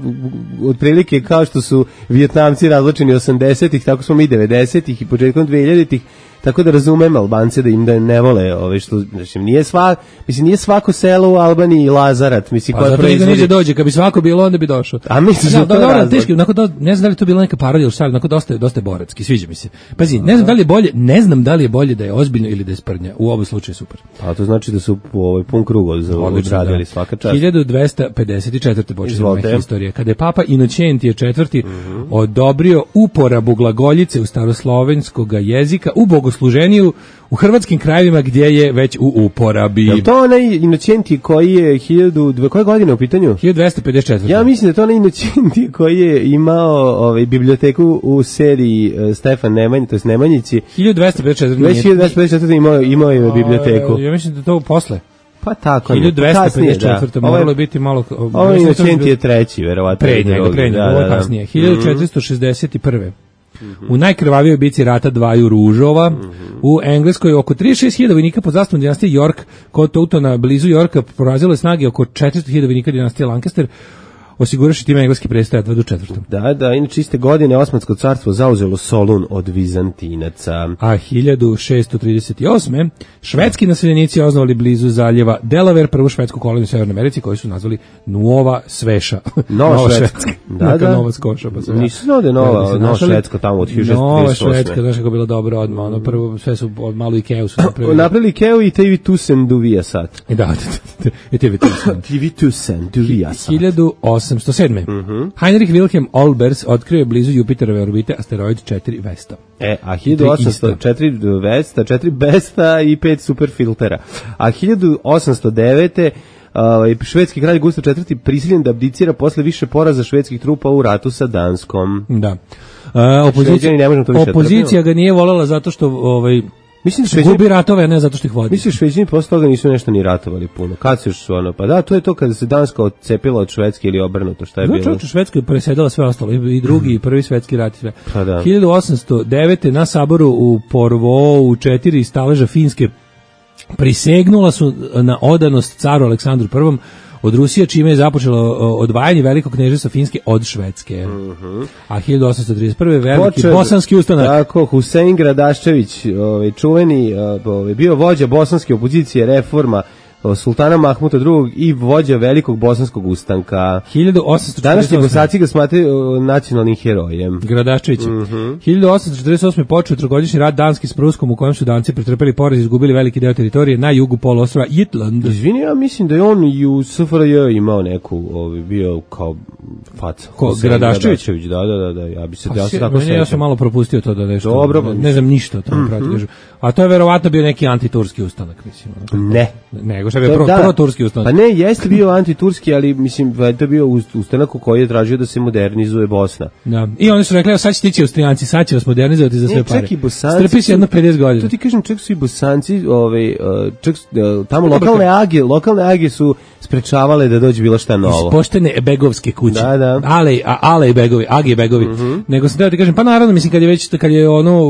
otprilike kao što su Vijetnamci razločeni osamdesetih, tako smo mi devedesetih i početkom dvehiljaditih, tako da razumem Albance da im da ne vole, ove što znači nije sva, mislim nije svako selo u Albaniji Lazarat, mislim pa, koja proizvodi. Zato da dođe, kad bi svako bilo onda bi došao. A misliš da to dobro, razlog? Teški, onako da ne znam da li to bila neka parodija, ali onako dosta dosta je boratski, sviđa mi se. Pazi, ne znam da li je bolje, ne znam da li je bolje da je ozbiljno ili da je sprdnja. U oba slučaju super. A to znači da su po ovaj pun krug za odradili svaka čast. hiljadu dvesta pedeset četvrte počinje istorija, kada je Papa Inocentije četvrti. Mm-hmm. odobrio uporabu glagoljice u staroslovenskog jezika u bogosluženju u hrvatskim krajevima gdje je već u uporabi. Je to onaj Inocenti koji je hiljadu, koje godine u pitanju? hiljadu dvesta pedeset četvrte. Ja mislim da to onaj Inocenti koji je imao ovaj, biblioteku u seriji uh, Stefan Nemanj, to je Nemanjici. hiljadu dvesta pedeset četvrte. Već hiljadu dvesta pedeset četvrte imao, imao je biblioteku. Ja mislim da to posle. Pa tako. hiljadu dvesta pedeset četvrte Kasnije, da. moralo je biti malo... Ovo je Inocenti je treći, verovatno. Pre njega, pre njega, ovo je kasnije. hiljadu četiristo šezdeset prve U najkrvavijoj bici rata dvaju ružova u Engleskoj oko trideset šest hiljada vojnika pod zastavom dinastije York kod Tautona blizu Yorka porazilo je snage oko četiristo hiljada vojnika dinastije Lancaster, osiguraši time engleski prestaje do četvrtom. Da, da, inače iste godine Osmansko carstvo zauzelo Solun od Vizantinaca. A hiljadu šessto trideset osme švedski naseljenici osnovali blizu zaljeva Delaware prvu švedsku koloniju u Severnoj Americi koju su nazvali Nova Sveša. Nova, Nova Švedska. Da, da, da. Nova Skoša. Pa se nisu znao da je Nova, Nova Švedska tamo od hiljadu šesto trideset osme. Nova Švedska, znaš kako je bilo dobro odmah. Ono, prvo sve su od malu Ikeu su napravili. Napravili Ikeu i T V Tusen duvija sat. I da, i T V Tusen. T V Tusen duvija sat. hiljadu osamsto sedme Mm-hmm. Heinrich Wilhelm Olbers otkrio je blizu Jupiterove orbite asteroid četiri Vesta. E, a hiljadu osamsto četiri Vesta, četiri Besta i pet superfiltera. A hiljadu osamsto devete Uh, švedski kralj Gustav četvrti prisiljen da abdicira posle više poraza švedskih trupa u ratu sa Danskom. Da. Uh, opozicija, opozicija ga nije voljela zato što ovaj mislim da gubi ratove, a ne zato što ih vodi. Mislim da Šveđani posle toga nisu nešto ni ratovali puno. Kad se još ono, pa da, to je to kada se Danska odcepila od Švedske ili obrnuto, šta je no, bilo? Čovječ, u Švedskoj presedala sve ostalo, i drugi, i prvi svetski rat i sve. Pa da. hiljadu osamsto devete na saboru u Porvoo u četiri staleža Finske prisegnula su na odanost caru Aleksandru prvom od Rusije, čime je započelo odvajanje velikog kneževstva Finske od Švedske. Mm-hmm. A hiljadu osamsto trideset prve veliki Počer, bosanski ustanak. Tako, Husein Gradaščević, ovaj, čuveni, ovaj, bio vođa bosanske opozicije Reforma, sultana Mahmuta drugog i vođa velikog bosanskog ustanka. hiljadu osamsto četrdeset osme Današnji Bosanci ga smatraju nacionalnim herojem. Gradaščević. Mm-hmm. hiljadu osamsto četrdeset osme počeo trogodišnji rat Danski s Pruskom u kojem su Danci pretrpeli poraz i izgubili veliki deo teritorije na jugu poluostrva Jutland. Izvini, ja mislim da je on i u S F R J imao neku, ovaj, bio kao faca. Ko, Gradaščević? Da, da, da, da, ja bi se, Pa, ja se tako meni, ja sam malo propustio to da nešto, dobro, ne, ne znam ništa o tome, mm-hmm. A to je verovatno bio neki antiturski ustanak, mislim. Ne. Nego što je bio pro, da, pro-turski ustanak. Pa ne, jeste bio antiturski, ali mislim da je to bio ustanak u koji je tražio da se modernizuje Bosna. Da. I oni su rekli, sad će tići Austrijanci, sad će vas modernizovati za sve ne, pare. Strpi se jedno pedeset godina. To ti kažem, čak su i Bosanci, ovaj, čak, tamo lokalne age, lokalne age su sprečavale da dođe bilo šta novo. Iz poštene begovske kuće. Da, da. Ale, a, ale i begovi, age i begovi. Mm-hmm. Nego sam teo ti kažem, pa naravno, mislim, kad je već, kad je ono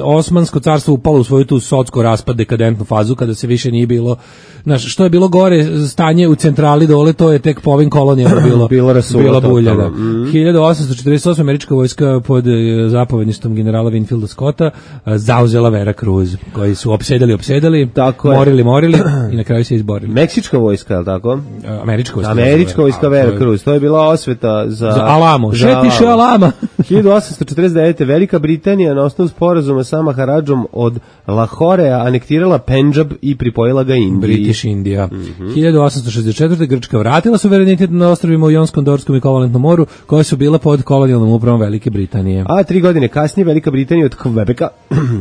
Osmansko carstvo upalo u svoju tu socko raspad, dekadentnu fazu, kada se više nije bilo, znaš, što je bilo gore stanje u centrali dole, to je tek po ovim kolonijama bilo, bilo rasulo, bila bulja. Da. Mm. hiljadu osamsto četrdeset osme američka vojska pod zapovedništvom generala Winfielda Scotta zauzela Vera Cruz, koji su opsedali, opsedali, tako morili, je. morili i na kraju se izborili. Meksička vojska, je li tako? Američka vojska. Američka vojska Vera Cruz, to je bila osveta za... Za Alamo, šetiše Alama. hiljadu osamsto četrdeset devete Velika Britanija na osnovu sporazuma sa Maharadžom od Lahorea anektirala Pendžab i pripojila ga Indiji. British Indija. Mm-hmm. hiljadu osamsto šezdeset četvrte Grčka vratila suverenitet na ostrvima u Jonskom, Dorskom i Kovalentnom moru, koje su bila pod kolonijalnom upravom Velike Britanije. A tri godine kasnije Velika Britanija od Quebeca,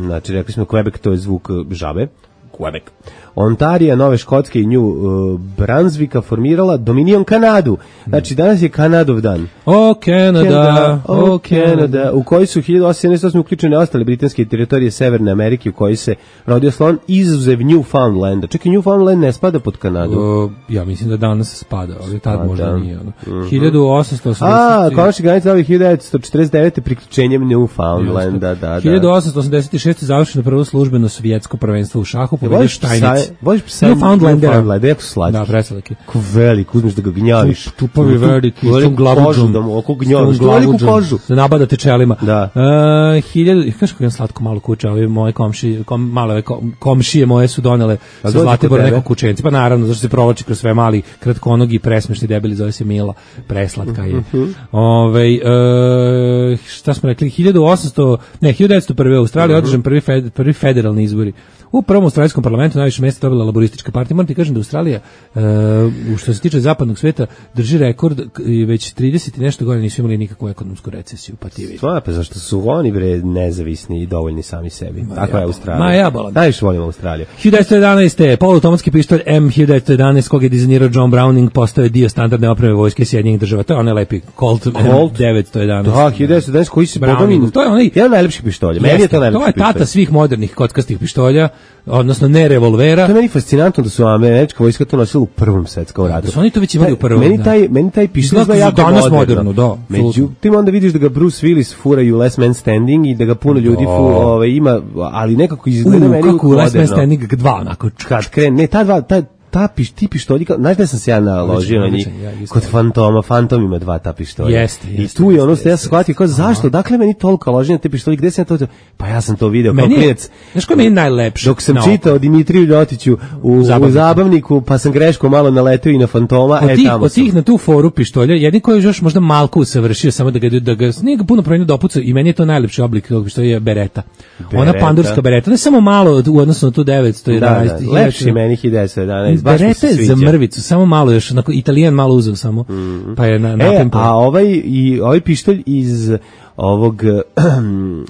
znači rekli smo Quebec, to je zvuk žabe, Quebec, Ontarija, Nove Škotske i New uh, Brunswicka formirala Dominion Kanadu. Znači, danas je Kanadov dan. O, Canada, o, Canada, u kojoj su hiljadu osamsto sedamdeset osme uključene ostale britanske teritorije Severne Amerike u kojoj se rodio slon, izuzev Newfoundlanda. Čekaj, Newfoundland ne spada pod Kanadu. O, ja mislim da danas spada, ali tad A, možda da. nije. Ono. Mm-hmm. hiljadu osamsto osamdeset A, konačni granica ovih hiljadu devetsto četrdeset devete priključenjem Newfoundlanda, da, da. hiljadu osamsto osamdeset šeste završeno prvo službeno svjetsko prvenstvo u šahu, pobedio Štajnic. Voliš psa Newfoundlandera. Newfoundlander, jako slatki. Da, preslaki. Ko velik, uzmeš da ga gnjaviš. Tupavi veliki, s tom glavuđom. Da mu oko gnjaviš, veliku kožu. Da nabadate čelima. Da. Uh, hiljadu, kaš kako je slatko malo kuće, ali moje komši, kom, male kom, komšije moje su donele sa Zlatibora neko kućenci. Pa naravno, zašto se provlači kroz sve mali, kratkonogi, presmešni debeli, zove se Mila. Preslatka je. Uh-huh. Ove, uh, šta smo rekli, hiljadu osamsto, ne, hiljadu devetsto prve u Australiji uh-huh. održan prvi, fed, prvi federalni izbori. U prvom australijskom parlamentu najviše mjesta dobila laboristička partija. Moram ti kažem da Australija, uh, što se tiče zapadnog sveta, drži rekord i već trideset i nešto godina nisu imali nikakvu ekonomsku recesiju. Pa ti vidi. Stvarno, pa zašto su oni bre nezavisni i dovoljni sami sebi. Ma Tako ja je Australija. Ma ja bolam. Najviše volim Australiju. hiljadu devetsto jedanaeste poluautomatski pištolj M hiljadu devetsto jedanaest kog je dizajnirao John Browning postao je dio standardne opreme vojske Sjedinjenih država. To je onaj lepi Colt, Colt? M devetsto jedanaest. Da, hiljadu devetsto jedanaest koji se Browning. To je onaj jedan najlepših pištolja. Meni je to najlepši To je tata svih modernih kockastih pištolja. odnosno ne revolvera. To je meni fascinantno da su američka vojska to nosila u prvom svetskom ratu. Da su oni to već imali u prvom. Meni taj, meni taj pištolj izgleda jako danas moderno. moderno, da. Međutim, onda vidiš da ga Bruce Willis fura u Last Man Standing i da ga puno ljudi fu, ovaj, ima, ali nekako izgleda U, meni kako u Last Man moderno. Standing dva, onako. Kad krene, ne, ta dva, ta, ta piš, ti pištolji, kao- znaš da sam se ja naložio na njih, odličan, ja isto. kod Fantoma, Fantom ima dva ta pištolja. Jeste, I jeste, tu je jeste, ono što ja jeste, sam shvatio, kao zašto, dakle meni toliko loženja te pištolji, gde sam ja to, pa ja sam to video kao Meni je, klinac. znaš ko mi je najlepše? Dok sam na oko? čitao Dimitriju Ljotiću u, u Zabavniku. zabavniku, pa sam greško malo naletio i na Fantoma, Od e tih, tamo od sam. tih na tu foru pištolja, jedni koji je još možda malko usavršio, samo da ga, da ga nije ga puno promenio dopuca i meni je to najlepši oblik tog pištolja je bereta. Ona Bereta. pandurska bereta, ne samo malo u odnosu na tu devetsto Da, jedanaest. da, lepši meni hiljadu devetsto jedanaest, baš mi Bereta se je za sviđa. mrvicu, samo malo još, onako, Italijan malo uzeo samo, pa je na, E, natempo. a ovaj, i, ovaj pištolj iz ovog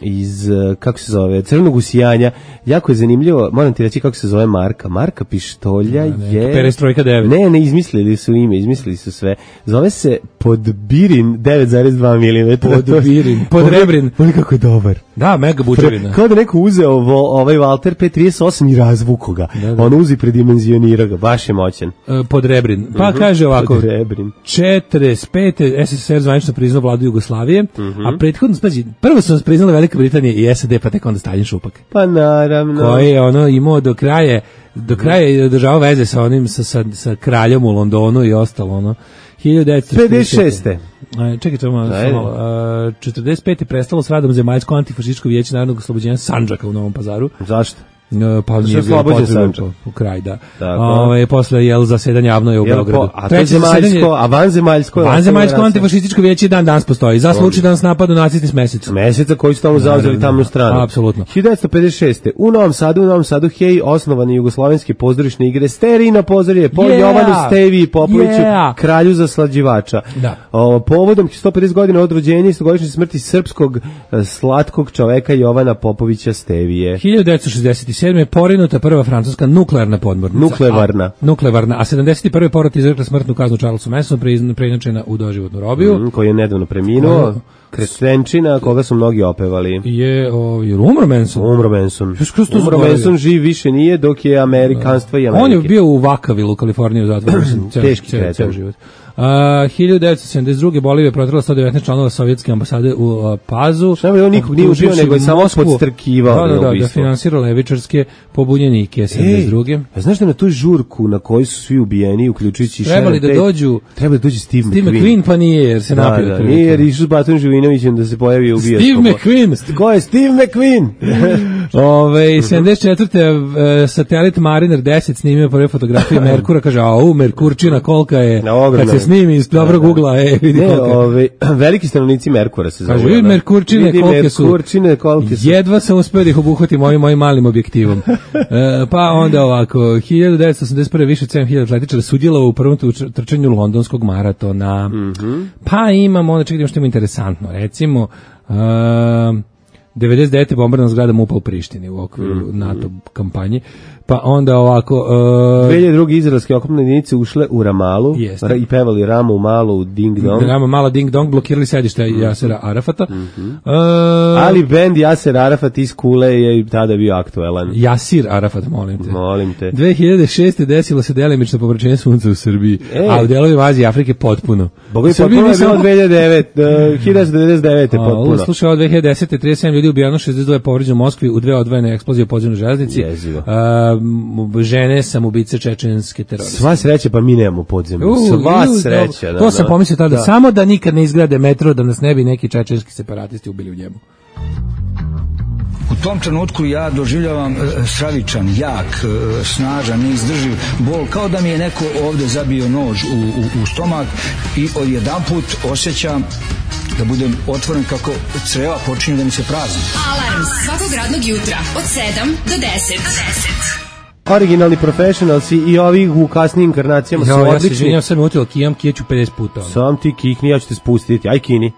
iz, kako se zove, crvenog usijanja, jako je zanimljivo, moram ti reći kako se zove marka. Marka pištolja je... Perestrojka devet. Ne, ne, izmislili su ime, izmislili su sve. Zove se Podbirin devet zarez dva milimetra. Podbirin, Podrebrin. On je kako je dobar. Da, mega bučevina. Kao da neko uzeo vo, ovaj Walter P trideset osam i razvuko ga. Da, da. On uzi predimenzionira ga, baš je moćan. E, Podrebrin. Pa kaže ovako, Podrebrin. četrdeset pete S S S R zvanično priznao vladu Jugoslavije, a prethodno, spazi, prvo su nas priznali Velika Britanija i S A D, pa tek onda Stalin Šupak, Pa naravno. koji je ono imao do kraja, do kraja je održavao veze sa onim, sa, sa, sa kraljom u Londonu i ostalo, ono. hiljadu devetsto pedeset šeste. A, čekaj, to malo, Ajde. samo, a, četrdeset pete prestalo s radom Zemaljsko antifašističko vijeće narodnog oslobođenja Sandžaka u Novom Pazaru. Zašto? E, pa nije je bilo oslobođen potrebno Sandžak. po- u kraj, da. Tako. Ove, posle jel zasedanje javno je u Jel Beogradu. po- a to Treće zemaljsko, zasedanje- a vanzemaljsko je Vanzemaljsko ostalo antifašističko vijeće i dan danas postoji. Za slučaj da nas napadu nacisti s mesecom. meseca koji su tamo zauzeli Naravno. tamnu stranu. Apsolutno. hiljadu devetsto pedeset šeste. U Novom Sadu, u Novom Sadu, hej, osnovane jugoslovenske pozorišne igre Sterina pozorje po Yeah! Jovanu Stevi Popoviću, Yeah! kralju zaslađivača. Da. O, povodom sto pedeset godina od rođenja i stogodišnje smrti srpskog e, slatkog čoveka Jovana Popovića Stevije. hiljadu devetsto šezdeset sedme porinuta prva francuska nuklearna podmornica. Nuklevarna. A, nuklearna. A sedamdeset prve porot izrekla smrtnu kaznu Charlesu Mansonu, pre- preinačena u doživotnu robiju. Mm, koji je nedavno preminuo. Ko- Kretenčina, koga su mnogi opevali. Je, o, je umro Manson. Umro Manson. Još kroz to Umro zaboravio. Manson živ više nije, dok je Amerikanstva i Amerike. On je bio u Vakavilu, u Kaliforniji, u zatvoru. mislim, ceo- Teški ceo- kreten. ceo život. A, hiljadu devetsto sedamdeset druge. Bolivija je protrela sto devetnaest članova sovjetske ambasade u a, Pazu. Šta bi, on nikog nije ubio, nego je samo Moskvu- podstrkivao da, da, na da, da ubistvo. finansira levičarske pobunjenike sedamdeset druge. a znaš da na tu žurku na kojoj su svi ubijeni, uključujući Trebali da Sharon Tate, dođu Trebali da dođe Steve, Steve McQueen. McQueen, pa nije, jer se Da, napio. da, otprilike. nije jer išao s Batom Živinovićem da se pojavi i ubija. Steve skobo. McQueen. Ko je Steve McQueen? Ove, sedamdeset četvrte. e, satelit Mariner deset snimio prve fotografije Merkura, kaže, a u, Merkurčina kolika je, Na ogromna kad se je. snimi iz dobrog ugla, e, vidi Ne, kolika je. ove, veliki stanovnici Merkura se zove. Kaže, vidi Merkurčine Vidi kolike su. Merkurčine kolike su. Jedva sam uspio da ih obuhvatim ovim mojim malim objektivom. E, pa onda ovako, hiljadu devetsto osamdeset prve više od sedam hiljada atletičara sudjelovalo u prvom tuč- trčanju londonskog maratona. Mhm. Pa imamo, onda čekaj, što ima interesantno, recimo, um, devedeset devete bombardna zgrada MUP-a u Prištini u okviru Mhm. NATO kampanje. Pa onda ovako... Uh, dve hiljade druge izraelske oklopne jedinice ušle u Ramalu Jeste. ra- i pevali Ramu Malu Ding Dong. Drama mala ding dong, blokirali sedište Jasera Arafata. Uh, Ali bend Jaser Arafat iz Kule je i tada bio aktuelan. Jasir Arafat, molim te. Molim te. dve hiljade šeste. desilo se delimično pomračenje sunca u Srbiji, Ej. a u delovima Azije i Afrike potpuno. Boga i U Srbiji potpuno je mi bilo samo- dve hiljade devete, hiljadu devedeset devete A, ovo potpuno. slušaj, od dve hiljade desete. trideset sedam ljudi ubijeno, šezdeset dva je povređeno u Moskvi u dve odvojene eksplozije u podzemnoj železnici. Jezivo. A, m, žene samoubice čečenske teroriste. Sva sreća, pa mi nemamo podzemlju. U, Sva ju, sreća. dobro. Da, To sam da. pomislio tada, Da. samo da nikad ne izgrade metro, da nas ne bi neki čečenski separatisti ubili u njemu. U tom trenutku ja doživljavam e, stravičan, jak, e, snažan, neizdrživ bol, kao da mi je neko ovde zabio nož u, u, u stomak i odjedanput osjećam da budem otvoren kako creva počinju da mi se prazni. Alarm svakog radnog jutra od sedam do deset. Originalni professionalsi i ovi u kasnim inkarnacijama su Ja, ja se odlični. izvinjam, sad me utilo kijam, kijeću pedeset puta. ono. Sam ti kikni, ja ću te spustiti. Aj kini.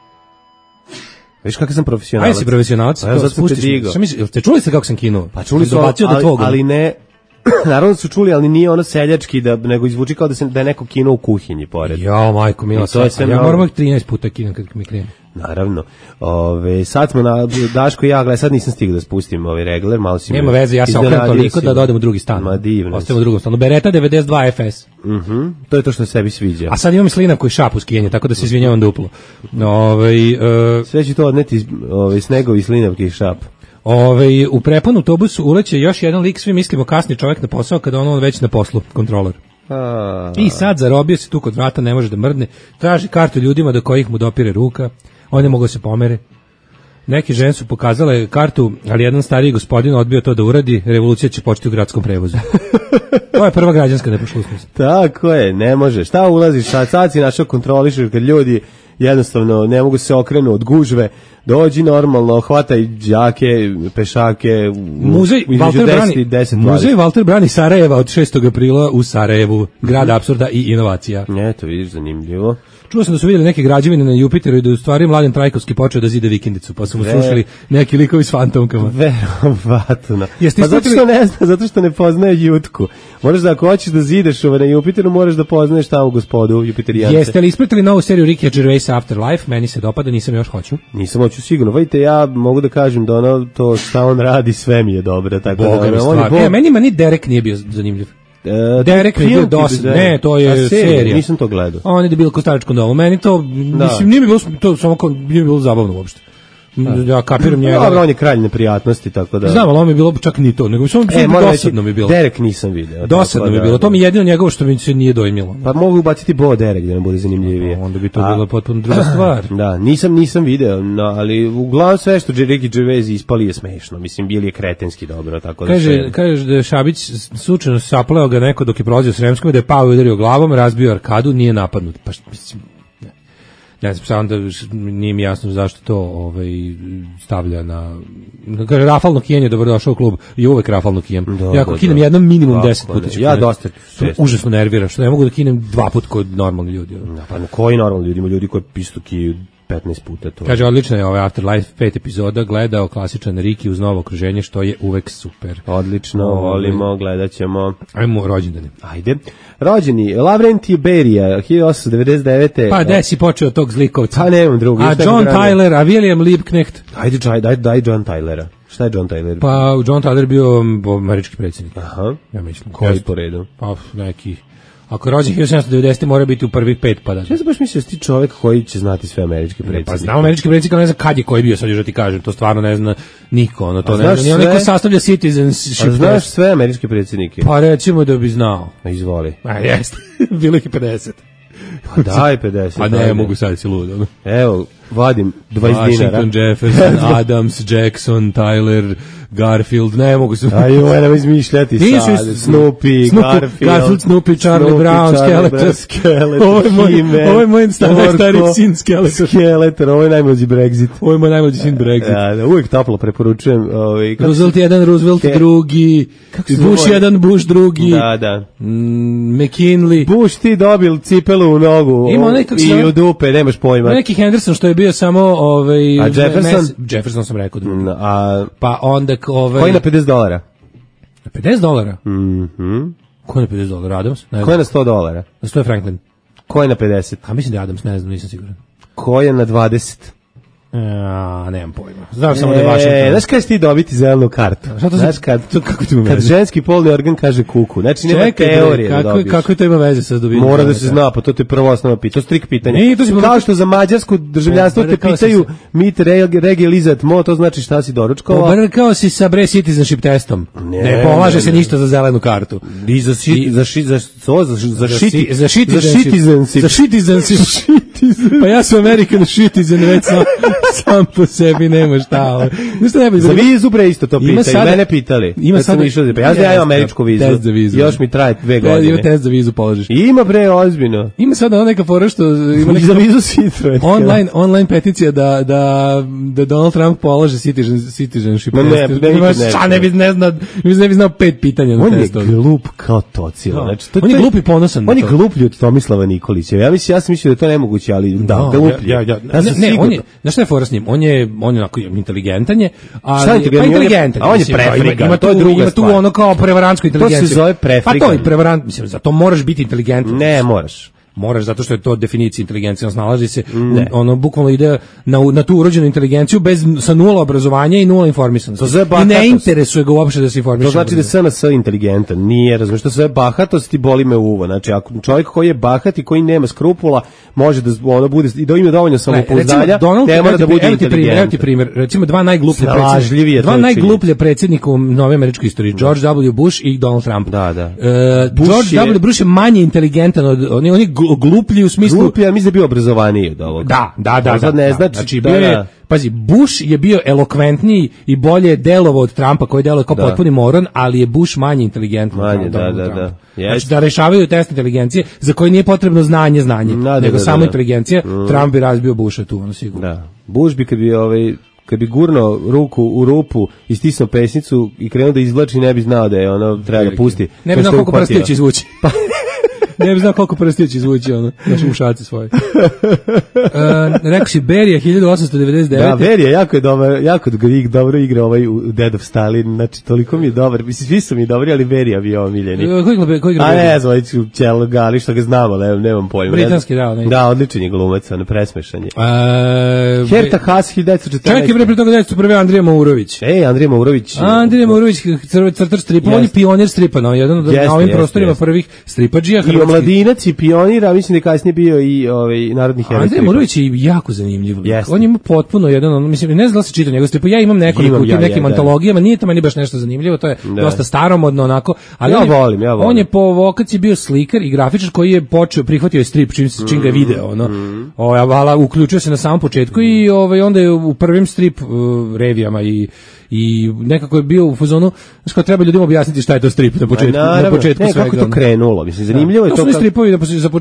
Viš kakav sam profesionalac. Ajde si profesionalac, Pa ja to zato sam te spustiš me. digao. Šta misliš, jel ste čuli ste kako sam kinuo? Pa čuli su, Dobacio do ali, tvog. ali ne, naravno su čuli, ali nije ono seljački, da, nego izvuči kao da, se, da je neko kinuo u kuhinji pored. Ja, majko, mila, I to je sve ja mnogo. moram uvijek trinaest puta kinem kad mi krene. Naravno. Ove, sad smo na Daško i ja, gledaj, sad nisam stigao da spustim ovaj regler, malo si Nema me veze, ja se okrenem iznenadio toliko si da me. dodem u drugi stan. Ma divno. Ostavimo u drugom stanu. Beretta devedeset dva F S. Mhm. To je to što sebi sviđa. A sad imam i slinav koji šapu skijanje, tako da se izvinjavam duplo. Ovaj e, Sve ću to odneti iz ovaj, snegovi, slinavke i šap. ovaj u prepun autobusu uleće još jedan lik, svi mislimo kasni čovjek na posao kada on već na poslu, kontroler. A, I sad zarobio se tu kod vrata, ne može da mrdne, traži kartu ljudima do kojih mu dopire ruka, on ne mogu da se pomere. Neke žene su pokazale kartu, ali jedan stariji gospodin odbio to da uradi, revolucija će početi u gradskom prevozu. To je prva građanska neposlušnost. Tako je, ne može. Šta ulaziš, sad, sad si našao kontrolišeš kad ljudi jednostavno ne mogu se okrenu od gužve, dođi normalno, hvataj đake, pešake, Muzej Walter Brani, deset, Muzej Walter Brani Sarajeva od šestog aprila u Sarajevu, grad apsurda i inovacija. Eto, vidiš, zanimljivo. Čuo sam da su vidjeli neke građevine na Jupiteru i da je u stvari Mladen Trajkovski počeo da zida vikendicu, pa su mu Ve- srušili neki likovi s fantomkama. Verovatno. Jeste Pa zato ispratili- što ne zna, zato što ne poznaje Jutku. Moraš da ako hoćeš da zideš ove na Jupiteru, moraš da poznaješ tamo gospodu Jupiterijance. Jeste li ispratili novu seriju Rickyja Gervaisa Afterlife? Meni se dopada, nisam još hoću. Nisam hoću sigurno. Vidite, ja mogu da kažem da ono, to šta on radi, sve mi je dobro. Tako Boga da, mi on je stvar. bog. E, meni ma ni Derek nije bio zanimljiv. E, Derek mi je bio film ti dosadno. bi- Ne, to je A, serija. Nisam to gledao. On je debil ko staračkom domu. Meni to, mislim, nije mi bilo, to samo kao, nije mi bilo zabavno uopšte. Ja kapiram njega. Dobro, on je kralj neprijatnosti, tako da... Znam, ali on mi je bilo čak ni to, nego samo E, moram reći, dosadno mi je bilo. Derek nisam video. Dosadno tako mi je da- bilo. To mi je jedino njegovo što mi se nije dojmilo. Pa mogu ubaciti Bo Derek da ne bude zanimljivije. Onda bi to A- bilo potpuno druga stvar. Da, nisam nisam video, no, ali uglavnom sve što Ricky Gervais ispali je smešno. Mislim, bili je kretenski dobro, tako da Kaže, sve- kaže da je Šabić slučajno sapleo ga neko dok je prolazio Sremskom, da je pao i udario glavom, razbio arkadu, nije napadnut. Pa šta, mislim, ne. Ne znam, samo da š- nije mi jasno zašto to ovaj, stavlja na... Kaže, rafalno kijenje, dobrodošao u klub, i uvek rafalno kijem. Da, Ja ako da, kinem da. jednom minimum Tako deset da. puta ću Ja kinuti. dosta To me često. užasno nervira, što ne mogu da kinem dva puta kod normalni ljudi. ono. Pa na koji normalno ljudi, ima ljudi koji pistu kiju petnaest puta to. Kaže, odlično je ovaj Afterlife, pet epizoda, gledao klasičan Riki uz novo okruženje, što je uvek super. Odlično, Ovaj. volimo, gledat ćemo. Ajmo rođendane. Ajde. Rođeni, Lavrentije Berija, hiljadu osamsto devedeset devete. Pa gde si počeo tog zlikovca? Pa nemam drugo. A još nekog John ranije. Tyler, a William Liebknecht? Ajde, daj, daj, daj John Tylera. Šta je John Tyler? Pa John Tyler bio um, američki predsjednik. Aha. Ja mislim. Koji po redu? Pa neki. Ako je rođen hiljadu sedamsto devedesete mora biti u prvih pet, pa da. Ja sam baš mislio da si ti čovek koji će znati sve američke predsjednike. Pa znam američki predsjednik, ali ne znam kad je koji bio, sad još da ti kažem, to stvarno ne zna niko, ono to A ne znaš zna, ni onaj ko sve? sastavlja citizenship. A znaš sve američke predsjednike? Pa recimo da bi znao. Pa izvoli. A jeste, bilo ih je pedeset. Pa daj pedeset. Pa ne, ajde. mogu sad si lud, ono. Evo, vadim dvadeset dinara. Washington, Jefferson, Adams, Jackson, Tyler, Garfield, ne mogu se... Aj, ovo nam izmišljati Nisu sad. is- Snoopy, Snoopy, Garfield. Garfield, Snoopy, Charlie Brown, Skeletor. Skeletor, Ovo je moj- He-Man, ovo je moj star- Orko, stari sin Skeletor. Skeletor, ovo je najmlađi Brexit. Ovo je moj najmlađi sin Brexit. Ja, da, uvijek toplo preporučujem. Ovaj, kako Roosevelt se- jedan, Roosevelt Ke- drugi, Kako se Bush zove? jedan, Bush drugi, Da, da. mm, McKinley, Bush ti dobil cipelu u nogu Ima o, onaj, kako se i zove? u dupe, nemaš pojma. neki Henderson što je bio samo ovaj, A Jefferson? mes- Jefferson sam rekao drugi. Mm, A Pa onda k- ovaj, koji na pedeset dolara? pedeset dolara? Mhm. Ko je na pedeset dolara? Adams? Ne Ko je znam. na sto dolara? Na sto je Franklin. Ko je na pedeset? A mislim da je Adams, ne znam, nisam siguran. Ko je na dvadeset? A, nemam pojma. Znam samo da je E, Washington. znaš kada ti dobiti zelenu kartu? Šta to znaš za- kad, to kako ti ima kad veze? ženski polni organ kaže kuku. Znači nema Čekaj, bre, teorije da kako, dobiješ. kako to ima veze sa dobivanjem? Mora da zelene se karte? zna, pa to ti je prvo osnovno pitanje. To je strik pitanje. Nije, to si Kao povrkao- što za mađarsko državljanstvo te Povrkao si pitaju se. mit regilizat mo, to znači šta si doručkovao. Pobrkao si sa bre citizenship testom. Ne, Ne, polaže ne, se ne. ništa za zelenu kartu. I za šit, I- za šit, za što, za, za si- šiti, za za citizenship. Za citizenship. Pa ja sam American citizen, već sam, sam po sebi nema šta. Ovo. Znaš šta najbolje? Za vizu bre isto to Ima pitaju, sada- mene pitali. ima Kad sam sada- išao, pa ja znam ja imam američku vizu. Test za vizu. Još mi traje dve Da, Ima godine. test za vizu položiš. I ima bre ozbiljno. Ima sada ona neka fora što ima Ima neka za vizu Citroen. online online peticija da da da Donald Trump polaže citizen, citizenship Ma ne, test. ne, Imaš- nikad ne. Šta ne bi ne zna, ne bi znao pet pitanja na On je testu. glup kao tocilo. Da. Znači, to, On je to glup i ponosan na On je to. gluplji od Tomislava Nikolića. Ja mislim, ja sam mislio da je to nemoguće, ali da, gluplji. Ja, ja, ja. Ja sam ne, ne, siguran. on je, znaš šta je fora s njim? On je, on je onako inteligentan je, ali, Šta je inteligentan? pa On je- inteligentan. a on je mislim, prefrikan, Ima, ima to je tu, druga ima tu stvar. ono kao prevarantsko inteligenciju. zove prefrikan. Pa to je prevarant, mislim, za to moraš biti inteligentan. Ne, moraš. moraš zato što je to definicija inteligencije, on snalazi se, ne. ono bukvalno ide na, na tu urođenu inteligenciju bez, sa nula obrazovanja i nula informisanosti. I ne interesuje ga uopšte da se informiše. To znači da je S N S inteligentan, nije, razumiješ, to sve bahatost i boli me uvo. Znači, ako čovjek koji je bahat i koji nema skrupula, može da ono bude, i da ima dovoljno samopouzdanja, ne mora da bude inteligentan. Evo ti primjer, recimo dva najgluplje predsjednika, dva najgluplje predsjednika u novoj američkoj istoriji, George W. Bush i Donald Trump. Da, da. Uh, George je... W. Bush je manje inteligentan od oni, oni gluplji u smislu. Gluplji, a mislim da je bio obrazovaniji od ovoga. Da, da, da. Sad ne da, znači, znači da, bio je, da. pazi, Bush je bio elokventniji i bolje delovao od Trumpa, koji deluje kao da. potpuni moron, ali je Bush manje inteligentan. Manje, da, da, da. Znači da rešavaju test inteligencije za koje nije potrebno znanje, znanje, da, nego da, samo da, inteligencija. Mm. Trump bi razbio Busha tu, ono sigurno. Da. Bush bi kad bi ovaj kad bi gurno ruku u rupu i stisnuo pesnicu i krenuo da izvlači, ne bi znao da je ono treba da pusti. Ne bi znao koliko prstiju će izvući. Ne bi znao koliko prstiju će izvući ono, naše ušaci svoje. Uh, rekao si Berija hiljadu osamsto devedeset devete. Da, Berija jako je dobar, jako dobro igra ovaj u Dead of Stalin, znači toliko mi je dobar. Mislim, svi su mi dobri, ali Berija bi je omiljeni. Uh, koji igra, koji igra Berija? A ne znam, Čelo Gali, što ga znamo, ne, nemam pojma. Britanski, da. Ne. Da, odličan je glumac, ono, presmešan je. Uh, Herta Haas, hiljadu devetsto četrnaeste. Čekaj, bre, pre toga devetsto prve. Andrija Maurović. Ej, Andrija Maurović. Andrija Maurović, crtač stripa, on je pionir stripa, no, jedan od na ovim prostorima prvih stripadžija hrvatskih. I pionira, mislim da je kasnije bio i ovaj narodni heroj. Andrej Morović je jako zanimljiv. Yes. On ima potpuno jedan, on, mislim, ne znam da se čita njegov strip. Ja imam nekoliko u tim ja, nekim ja, antologijama, nije to meni baš nešto zanimljivo, to je da. dosta staromodno onako, ali ja on, je, volim, ja volim. on je po vokaciji bio slikar i grafičar koji je počeo, prihvatio je strip čim, čim ga video, ono. Mm. O, vala, uključio se na samom početku mm. i ovaj, onda je u prvim strip uh, revijama i i nekako je bio u fazonu, znači kao treba ljudima objasniti šta je to strip na početku, naravno, na početku ne, svega. Kako to krenulo, mislim, zanimljivo da. je to. To su stripovi da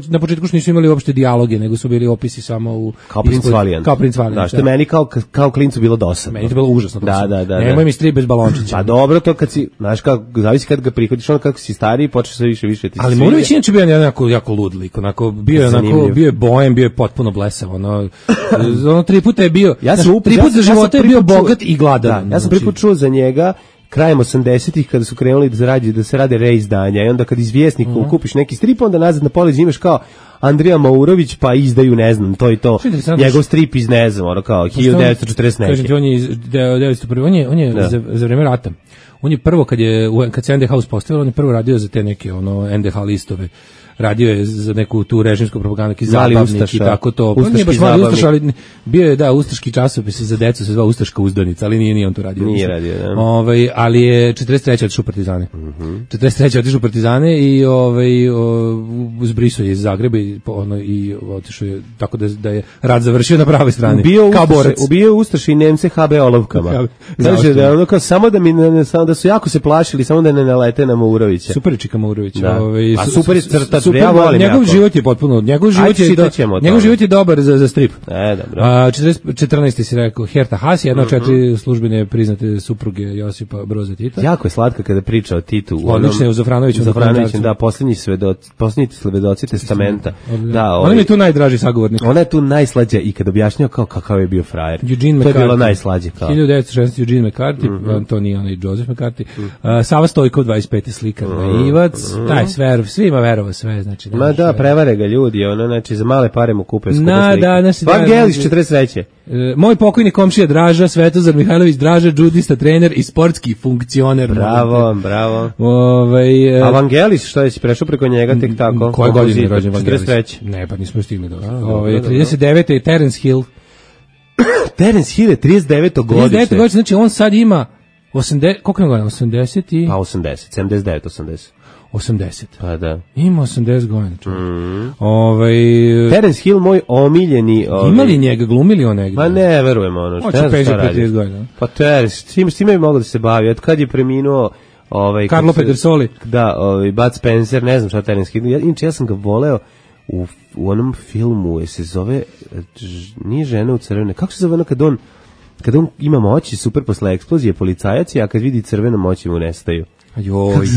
na početku što nisu imali uopšte dijaloge, nego su bili opisi samo u kao Prince Valiant. Kao Prince Valiant. Da, što je meni kao kao klincu bilo dosadno. Meni je to bilo užasno. Da, da, da. Nemoj mi strip bez balončića. Pa dobro, to kad si, znaš kako, zavisi kad ga prihvatiš, on kako si stariji, počneš sve više više ti. Ali Morović inače bio jedan jako jako lud lik, onako bio je onako bio je bojem, bio je potpuno blesav, ono ono tri puta je bio. Ja sam tri puta za života je bio bogat i gladan. Ja sam prvi put čuo za njega krajem osamdesetih kada su krenuli da zarađuju da se rade reizdanja i onda kad iz Vjesnika uh-huh. kupiš neki strip, onda nazad na polici imaš kao Andrija Maurović, pa izdaju, ne znam, to i to. Njegov strip iz, ne znam, ono kao hiljadu devetsto četrdeset neke. Kažem ti, on je iz devetsto prve. On je, on je za, za vreme rata. On je prvo, kad je kad se N D H uspostavilo, on je prvo radio za te neke ono N D H listove. Radio je za neku tu režimsku propagandu, neki zabavnik i tako to. Pa nije baš mali ustaš, ali bio je, da, ustaški časopis za decu se zvao Ustaška uzdanica, ali nije, nije on to radio. Nije radio, da. Ovaj, ali je četrdeset treće otišao u Partizane. Mm-hmm. četrdeset treće otišao u Partizane i ovaj, zbrisao je iz Zagreba i, ono, i otišao je, tako da, da je rad završio na pravoj strani. Ubio kao borac. Ubio Ustaše i Nemce H B olovkama. Znači da, ono kao, samo da, mi ne, samo da su jako se plašili, samo da ne nalete na Maurovića. Super je čika Maurović. Da. Ovaj, a super je crta. Super, ja volim njegov jako. Život je potpuno, njegov život je do, njegov život je dobar za za strip. E, dobro. A četrnaesti si rekao Herta Haas, jedna od mm-hmm. četiri službene priznate supruge Josipa Broza Tita. Jako je slatka kada priča o Titu. Odlično je u Zafranoviću. Zafranoviću, da, poslednji svedoci, poslednji svedoci testamenta. Da, on ovaj, je tu najdraži sagovornik. Ona je tu najslađa i kad objašnjava kao kakav je bio frajer. Eugene to je bilo najslađe kao. hiljadu devetsto šesnaeste. Eugene McCarthy, mm-hmm. to nije onaj Joseph McCarthy. Mm-hmm. Uh, Sava Stojko dvadeset peti slikar, mm-hmm. naivac, taj sve, svima verovao sve, znači. Ma da, prevare ga ljudi, ono, znači, za male pare mu kupe skupe slike. Da, znači, Vangelis, četrdeset treće. E, moj pokojni komšija Draža, Svetozar Mihajlović Draža, džudista, trener i sportski funkcioner. Bravo, bravo. Ovaj, a Vangelis, što je si prešao preko njega tek tako? Koje godine je rođen Vangelis? četrdeset treće. Ne, pa nismo stigli do. Ovaj, trideset devete. je Terence Hill. Terence Hill je trideset deveto godište. trideset deveto godište, znači on sad ima osamdeset, koliko je godina? osamdeset i... Pa osamdeset, sedamdeset devet, osamdeset. osamdeset. Pa da. Ima osamdeset godina. Mm. Ovaj Terence Hill, moj omiljeni... Ovaj... Ima li njega, glumili on negdje? Ma ne, verujem ono. Hoće peđe pedeset godina. Pa Terence, s tim, s time bi mogao da se bavi. Od kad je preminuo... Ovaj, Carlo Pedersoli. Da, ovaj, Bud Spencer, ne znam šta Terence Hill. Ja, inče, ja sam ga voleo u, u onom filmu, je se zove... Nije žena u crvene. Kako se zove ono kad on... Kad on ima moći, super posle eksplozije, policajac, a kad vidi crveno moći mu nestaju. Ajoj,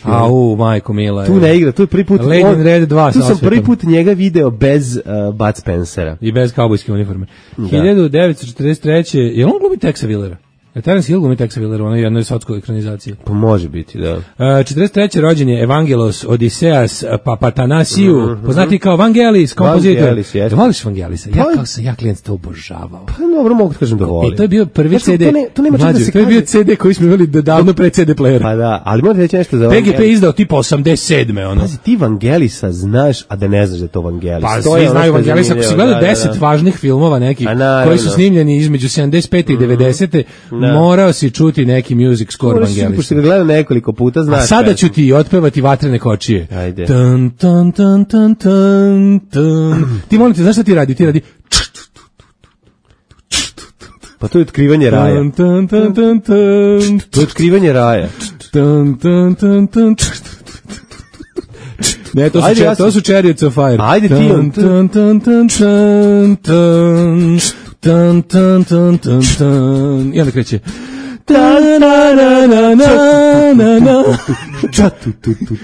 au, majko mila. Tu ne igra, tu je prvi put... On, Red dva, tu sam prvi put njega video bez uh, Bud Spencera. I bez kaubojske uniforme. Mm, hiljadu devetsto četrdeset treće. Je on glumi Texa Willera? Terence Hill glumi Texa Willera u onoj jednoj sotskoj ekranizaciji. Pa može biti, da. Uh, četrdeset treće rođen je Evangelos Odiseas Papatanasiju, mm-hmm. poznati kao Vangelis, kompozitor. Vangelis, jeste. Voliš Vangelisa? Ja Pa- kao sam, ja klijent to obožavao. Pa dobro, mogu da kažem da volim. I to je bio prvi Znači, C D. to ne- to nema čak da Mlađe, se to je bio kaže. C D koji smo imali davno pre C D playera. Pa da, ali moram reći nešto za P G P Vangelis. izdao tipa osamdeset sedme ono. Pazi, ti Vangelisa znaš, a da ne znaš da je to Vangelis. Pa To je svi ono znaju što je Vangelisa, ako si zanimljivo, gledao da, da, deset da. važnih filmova nekih A naravno. koji su snimljeni između sedamdeset pete i devedesete Da. morao si čuti neki music score Moraš, pošto Vangelisa. ga gledam nekoliko puta, znaš. A sada pesmu. ću ti otpevati Vatrene kočije. Ajde. Tan, tan, tan, tan, tan, tan. Ti molim te, znaš šta ti radi? Ti radi Pa to je otkrivanje raja. tan, tan, tan, tan, tan, To je otkrivanje raja. tan, tan, tan, tan. Ne, to su, Ajde, če- ja sam- to su Chariots of Fire. Ajde ti on- Tan, tan, tan, tan, tan, tan, tan, tan, tan, tan. I onda kreće. Ta na na na na na na.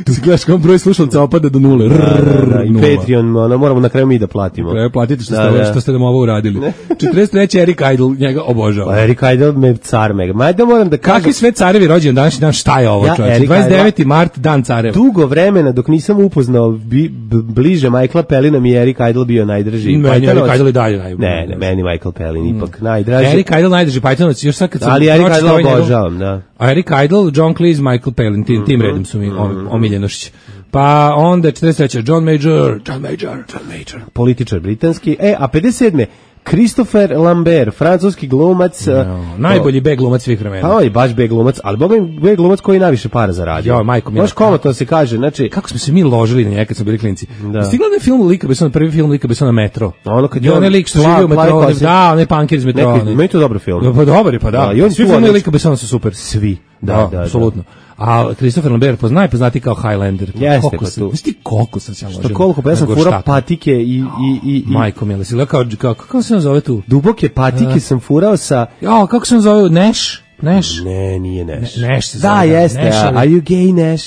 Si gledaš kao broj slušalca opada do nule. Da, da, da, I Nula. Patreon, ono, moramo na kraju mi da platimo. Treba platiti što, Da, ste, ovo- da. što ste nam ovo uradili. četrdeset treće Eric Idle, njega obožava. Pa Eric Idle me car mega. Ma ajde moram da kažem. Kakvi sve carevi rođen današnji dan, šta je ovo Ja, čovječe? Eric dvadeset deveti mart, dan careva. Dugo vremena dok nisam upoznao bi, b, bliže Michaela Pellina mi je Eric Idle bio najdrži. Meni Pythonovac- Eric Idle i dalje najbolji. Ne, ne, meni Michael Pellin ipak najdraži. Eric Idle najdrži Pythonovac, još sad kad sam Ali Eric pročitao Idle ovaj njegov- obožavam, da. A Eric Idle, John Cleese, Michael Palin, tim, tim redom su mi om- omiljenošći. Pa onda četrdeset treće John Major, John Major, John Major. Političar britanski. E, a pedeset sedme Christopher Lambert, francuski glumac. No, najbolji B glumac svih vremena. Pa on je baš B glumac, ali boga mi B glumac koji najviše para zaradio. Jo, majko mila. Baš komotno se kaže, znači... Kako smo se mi ložili na njega kad smo bili klinci. Da. Jeste gledali film Lika Bessona, prvi film Lika Bessona Metro? Ono kad I je on onaj lik što pla- živi u plavi metrou, kosi. da, onaj punkir iz metroa. Neki, onaj. meni to dobro film. Ja, pa dobar je, pa da. Da, i on Svi tu filmovi odlično. Lika Bessona su super. Svi. Da, Da, da, apsolutno. A Christopher Lambert poznaj poznati kao Highlander. Jeste, Koliko pa se- tu. Znaš ti koliko sam se ja Što ložio koliko, pa ja na sam furao gorštaku? patike i... i, i, i Majko mila, si gledao kao, kao, kako se on zove tu? duboke patike sam furao sa... Ja, kako se on zove? Nash? Nash? Ne, nije Neš. Ne- Neš se Da, zove, da, jeste. Neš, a- ali- Are you gay, Neš?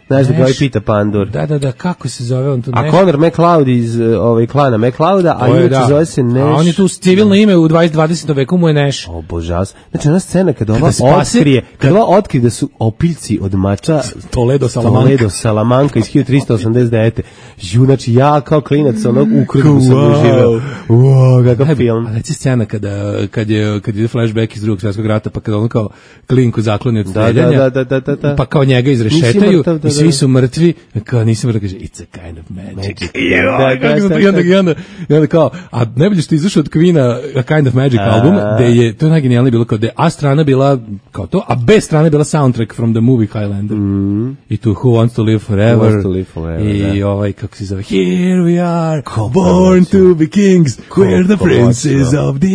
Znaš da ga ovaj Neš. pita Pandur. Da, da, da, kako se zove on tu? A Nash? Conor McLeod iz uh, ovaj klana McLeoda, a To je, inače zove se Neš. A on je tu civilno ime u dvadesetom dvadesetom veku mu je Nash. O, božas. Znači, ona scena kada ova Kada spase- otkrije, kada ova otkrije da su opiljci od mača Toledo Salamanca. Toledo Salamanca iz hiljadu trista osamdeset devete. Ju, znači, ja kao klinac, onog ukradnu sam Wow. uživao. Wow, kakav Najbolje, film. A reći scena kada, kad je, kad je flashback iz drugog svjetskog rata, pa kada on kao klinku zakloni od Da, streljanja, da, da, da, da, da. pa kao njega Nisi izrešetaju mrtav, da, i svi da. su mrtvi, kao nisi mrtav, kaže, it's a kind of magic. Magic. Jeo, Da, da, kako sam da, to- i onda, da. i onda, i onda kao, a najbolje što je izašao od Queen-a A Kind of Magic album, gde je, to je najgenijalnije bilo kao da je A strana bila kao to, a B strana bila soundtrack from the movie Highlander. I tu Who Wants to Live Forever. Who Wants to Live Forever, I da. ovaj, kako se zove, Here we are, Ko born hoće. to be kings, we're the Ko princes hoće. of the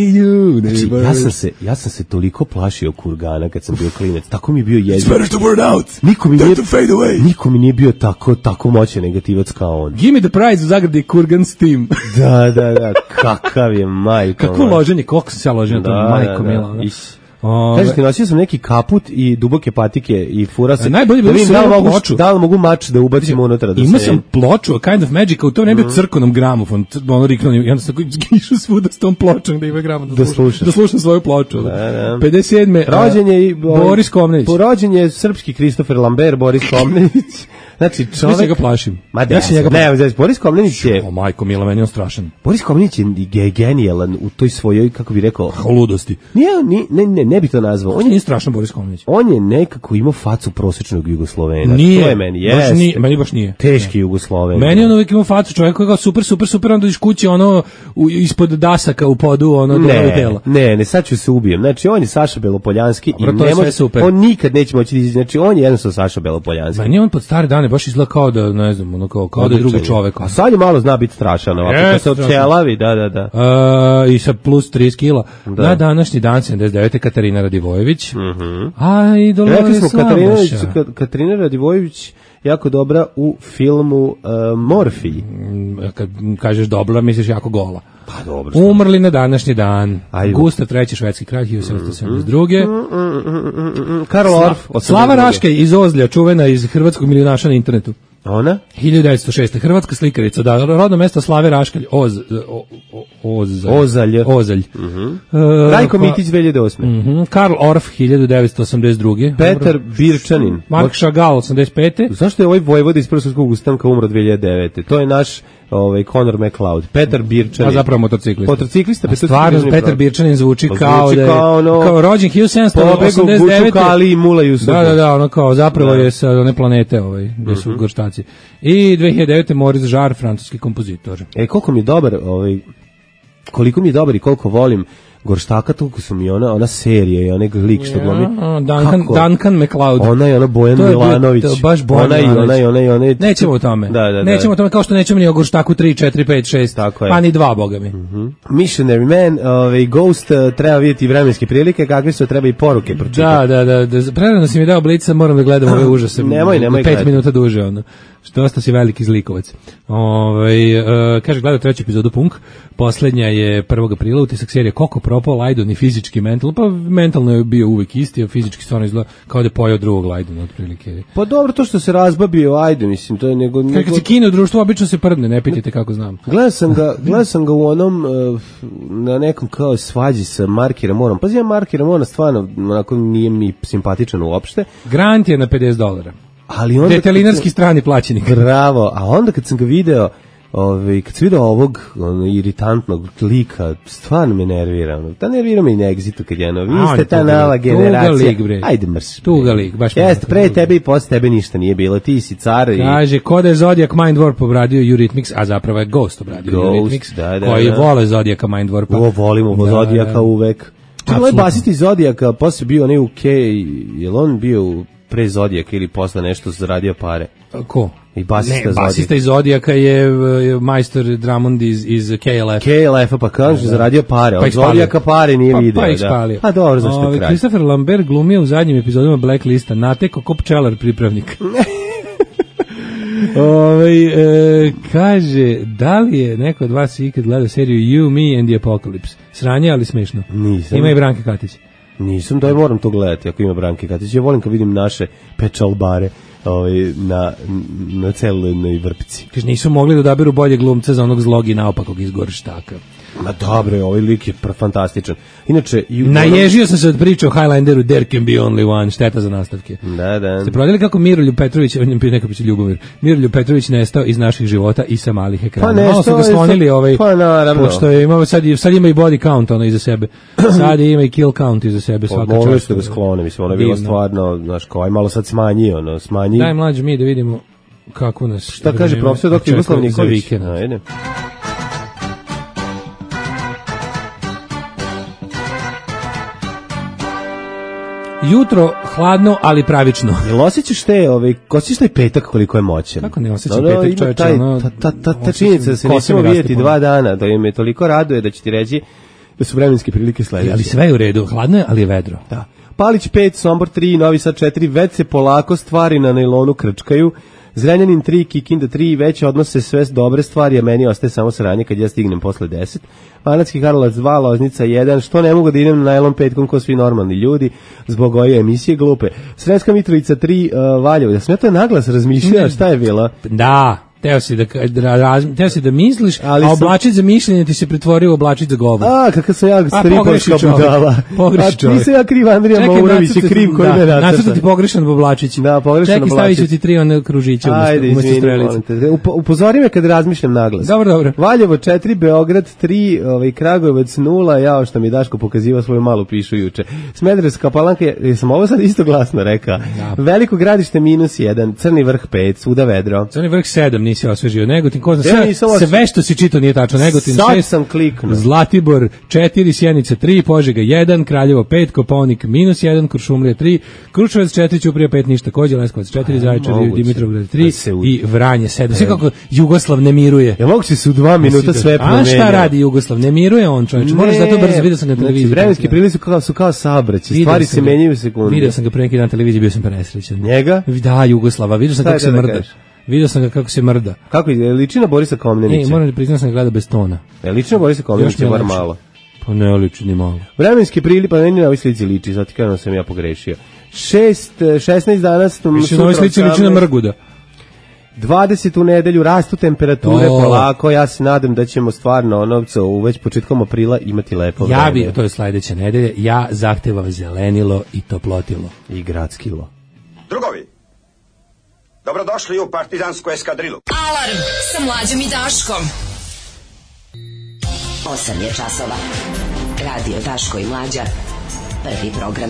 Znači, universe. ja sam se, ja sam se toliko plašio kurgana kad sam bio klinac. Tako mi je bio It's jezik. better to burn out Niko mi than nije, to fade away. niko mi nije bio tako, tako moćan negativac kao on. Give me the prize u zagradi Kurgan's team. Da, da, da, kakav je majko. Kako loženje, koliko sam se ja ložio na Da, tom, majko da, da. mila. ono. Iš. Ove, Kažete, nosio sam neki kaput i duboke patike i fura se. A najbolje je bilo da vidim što da li imam mogu, ploču. da li mogu mač da ubacim unutra. Da Imao se- sam ploču, a Kind of Magic, a u tom ne bio crkonom gramofon, c- ono riknuo, i onda sam tako išao svuda s tom pločom da ima gramofon, da, Da slušam, slušaš. da slušam svoju ploču. Da, da. pedeset sedme Rođen je i ovaj, Boris Komnenić. Rođen je srpski Kristofer Lambert, Boris Komnenić. Znači, Ja čovek... se ga plašim. Ma Ja da, se njega ne, plašim. znači, Boris Komnenić je... O, majko mila, meni je on strašan. Boris Komnenić je ge- genijalan u toj svojoj, kako bi rekao... O ludosti. Nije, ni, ne, ne, ne bi to nazvao. On je, Nije strašan Boris Komnenić. on je nekako imao facu prosječnog Jugoslovena. Nije. To je meni, baš jest. nije, meni baš nije. Teški Jugosloven. Meni on uvijek ima facu čovjek koji je kao super, super, super, onda iš kući ono u, ispod dasaka u podu, ono do Ne, tela. ne, ne, sad ću se ubijem. Znači, on je Saša Belopoljanski Dobro, i to je ne sve može, super. on nikad neće moći da izađe. Znači, on je jednostavno Saša Belopoljanski. Meni on pod stare dane baš izgleda kao da, ne znam, ono kao, kao da je drugi čovjek. A sad je malo zna biti strašan, ovako, Jeste, kad se strašan. odćelavi, da, da, da. Uh, i sa plus trideset kila. Na današnji dan sedamdeset devete Katarina Radivojević. Mhm. A i Rekli Dolores smo, Katarina, Slabaša. Ka- Katarina Radivojević jako dobra u filmu uh, Morfij. Mm, Kad kažeš dobra, misliš jako gola. Pa dobro. Umrli na današnji dan. Ajde. Gustav treći švedski kralj hiljadu sedamsto sedamdeset druge. Karl Orff. Slava Raškaj iz Ozlja, čuvena iz hrvatskog milionaša na internetu. Ona? hiljadu devetsto šeste. Hrvatska slikarica, da, rodno mesto Slave Raškalj, Oz, o, o, Ozalj. Ozalj. Ozalj. Mhm. Uh, Rajko Mitić dve hiljade osme. Mhm. Karl Orff hiljadu devetsto osamdeset druge. Petar Birčanin. Mark Chagall osamdeset pete. Zašto je ovaj vojvoda iz Prvog svjetskog ustanka umro dve hiljade devete? To je naš ovaj Conor McLeod. Petar Birčanin. A zapravo motociklista. Motociklista. A stvarno Petar Birčanin zvuči Pa kao zvuči da je, kao ono- kao rođen hiljadu sedamsto osamdeset devete. Pobegu Guču i Mula Jusufu. Da, da, da, ono kao zapravo Da. je sa one planete ovaj, gde su gorštaci. I dve hiljade devete. Maurice Jarre, francuski kompozitor. E, koliko mi je dobar, ovaj, koliko mi je dobar i koliko volim Gorštaka, toliko su mi ona, ona serija i onaj lik što glumi. Ja, Duncan, Kako? Duncan McLeod. Ona je ona Bojan To je bio- Milanović. to je baš Bojan ona i Milanović. ona i ona i ona. i- Nećemo o tome. Da, da, da. Nećemo o tome kao što nećemo ni o Gorštaku tri, četiri, pet, šest. Tako je. Pa ni dva, boga mi. Missionary Man, ovaj, Ghost, eh, treba vidjeti vremenske prilike, kakve su, treba i poruke pročitati. Da, da, da, da. Prerano si mi dao Blica, moram da gledam ove užase. Nemoj, nemoj Pet gledati. minuta duže, ono. Što dosta si veliki zlikovac. Ovaj uh, kaže, gledao treću epizodu Punk, poslednja je prvog aprila, utisak serije Koko propao Lajdon i fizički mentalno, pa mentalno je bio uvek isti, a fizički stvarno izgleda kao da je pojao drugog Lajdona, otprilike. Pa dobro, to što se razbabio, ajde, mislim, to je nego... Kad, nego... kad se kine u društvu, obično se prdne, ne pitajte kako znam. Gledao sam ga, gledao sam ga u onom, eh, na nekom kao svađi sa Marki Ramonom. Pazi, ja Marki Ramona stvarno, onako, nije mi simpatičan uopšte, Grant je na pedeset dolara. ali onda... Detelinarski strani plaćenik. Bravo, a onda kad sam ga video, ovaj, kad sam video ovog ono, iritantnog lika, stvarno me nervira. Ono. Ta nervira me i na Exitu kad je ono, vi A, on ste je ta tuga nova lik, tuga generacija. lik, bre. Ajde mrš. Tuga lik, baš Jeste, mi pre tuga. tebe i posle tebe ništa nije bilo. Ti si car i... Kaže, ko da je Zodiac Mind Warp obradio Eurythmics, a zapravo je Ghost obradio Ghost, Eurythmics, da, da, koji da. vole Zodiaca Mind Warpa. O, volimo Da, Zodijaka da. uvek. Čekaj, ovaj Apsolutno. basist iz Zodijaka, posle bio onaj u K, je li on bio u- pre Zodijaka ili posle nešto zaradio pare? Ko? I basista Ne, Zodijaka. basista iz Zodiaka je uh, majstor Drummond iz, iz K L F. K L F-a pa kaže, zaradio pare, Pa od ih spalio. Zodijaka pare nije pa, video. Pa ih da. spalio. Pa dobro, zašto je Ovaj, kraj? Christopher Lambert glumio u zadnjim epizodama Blacklista, nateko ko pčelar pripravnik. Ovaj e, kaže, da li je neko od vas ikad gledao seriju You, Me and the Apocalypse? Sranje, ali smešno. Nisam. Ima i Branka Katić. Nisam, da moram to gledati ako ima Branke Katić. Ja volim kad vidim naše pečalbare ovaj, na, na celoj vrpici. Kaže, nisu mogli da odaberu bolje glumca za onog zlog i naopakog iz Gorštaka. Ma dobro, ovaj lik je pr- fantastičan. Inače... i u- Naježio sam se od priče o Highlanderu, There can be only one, šteta za nastavke. Da, da. Ste prodali kako Miroljub Petrović, neka piće Ljubomir, Miroljub Petrović nestao iz naših života i sa malih ekrana. Pa nešto Malo su ga je sklonili, to- ovaj, pa naravno. pošto je imao, sad, sad ima i body count ono iza sebe. Sad ima i kill count iza sebe, svaka Mogli čast. ste ga sklone, mislim, ono je bilo Divno. stvarno, znaš, kao, aj malo sad smanji, ono, smanji. Daj mlađe mi da vidimo kako nas... Šta kaže vreme profesor doktor očekuje Jugoslav za Nikolić? vikend. Ajde. Jutro hladno, ali pravično. Jel osjećaš te, ovaj, osjećaš taj petak koliko je moćan? Kako ne osjećam Ono, petak, ima čoveče, taj- ono, ta, ta, ta, ta osjećam činjenica da se kose nećemo mi raste vidjeti po- dva dana, da me toliko raduje da će ti reći da su vremenske prilike sledeće. Ali sve je u redu, hladno je, ali je vedro. Da. Palić pet, Sombor tri, Novi Sad četiri, već se polako stvari na nailonu krčkaju. Zrenjanin tri, Kikinda tri, već odnose sve dobre stvari, a meni ostaje samo sranje kad ja stignem posle deset. Banatski Karlovac dva, Loznica jedan, što ne mogu da idem na nailon petkom ko svi normalni ljudi, zbog ove emisije glupe. Sremska Mitrovica tri, uh, Valjevo, da sam ja to naglas razmišljao, šta je bilo? Da, teo si da, da, raz, teo si da misliš, Ali a sam- oblačić za mišljenje ti se pretvorio u oblačić za govor. A, kakav sam ja pogreši stripovska čovjek, budala. pogreši A čovjek. nisam ja kriv, Andrija Čekaj, Maurović je nacrtati- kriv koji da, me nacrta. nacrtati pogrešan Boblačić. Da, pogrešan Čekaj, stavit ću Boblačić. ti tri one kružiće umesto, Ajde, umesto izvini, strelice. molim te. Up- upozori me kad razmišljam naglas. Dobro, dobro. Valjevo četiri, Beograd tri, ovaj, Kragujevac nula, jao što mi je Daško pokazivao svoju malu pišu juče. Smederevska Palanka, jesam ovo sad isto glasno rekao. Da. Veliko Gradište minus jedan, Crni vrh pet, svuda vedro. Crni vrh sedam nisi osvežio, Negotin, ko zna, Ja sve, nisam osvežio. sve što si čitao nije tačno, Negotin Sad šest, sam kliknuo. Zlatibor četiri, Sjenica tri, Požega jedan, Kraljevo pet, Kopaonik minus jedan, Kuršumlija tri, Kruševac četiri, Ćuprija pet, ništa, Kođe, Leskovac četiri, Zaječar, moguće. Dimitrovgrad tri Da se u- i Vranje sedam. Sve kako Jugoslav ne miruje. Ja mogu se su dva minuta sve A promenio. šta radi Jugoslav? Ne miruje on, čovječ. Moraš zato brzo, vidio sam ga na televiziji. Znači, vremenski prilike su kao, su kao saobraćaj, Vidio stvari sam se ga. menjaju u sekunde. Vidio sam ga pre neki dan na televiziji, bio sam presrećan. Njega? Da, Jugoslava, vidio sam Šta kako je se to da mrda. kažeš? Vidio sam ga kako se mrda. Kako je, liči na Borisa E, Komnenića? moram da priznam sam ga gleda bez tona. E, liči na Borisa Još Komnenića, mi je bar lepše. malo. Pa ne liči ni malo. Vremenski prili, pa meni na ovoj slici liči, zato kažem da sam ja pogrešio. Šest, šesnaest dana... Više na ovoj slici liči na Mrguda. dvadesetu nedelju, rastu temperature O. polako, ja se nadam da ćemo stvarno ono, u već početkom aprila imati lepo Ja vreme. bi, to je sledeće nedelje, ja zahtevam zelenilo i toplotilo. I gradskilo. Drugovi, dobrodošli u partizansku eskadrilu. Alarm sa Mlađom i Daškom. osam je časova. Radio Daško i Mlađa. Prvi program.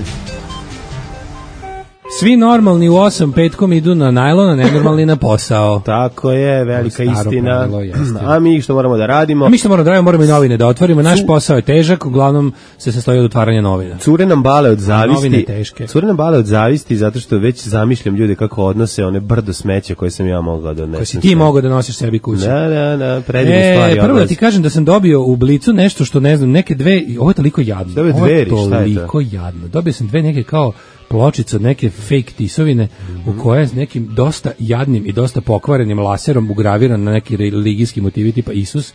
Svi normalni u osam petkom idu na najlon, a nenormalni na posao. Tako je, velika Staro istina. pravilo, jeste. A mi što moramo da radimo? A mi što moramo da radimo, moramo i novine da otvorimo. Naš posao je težak, uglavnom se sastoji od otvaranja novina. Cure nam bale od Novine zavisti. teške. Cure nam bale od zavisti zato što već zamišljam ljude kako odnose one brdo smeća koje sam ja mogao da odnesem. Koje si ti mogao da nosiš sebi kući. Da, da, da, predivne E, stvari. prvo da odlaze. ti kažem da sam dobio u Blicu nešto što ne znam, neke dve, ovo je toliko jadno. Dobio Ovo je dveri, šta je to? toliko jadno. Dobio sam dve neke kao pločice od neke fake tisovine Mhm. u koje je s nekim dosta jadnim i dosta pokvarenim laserom ugraviran na neki religijski motivi tipa Isus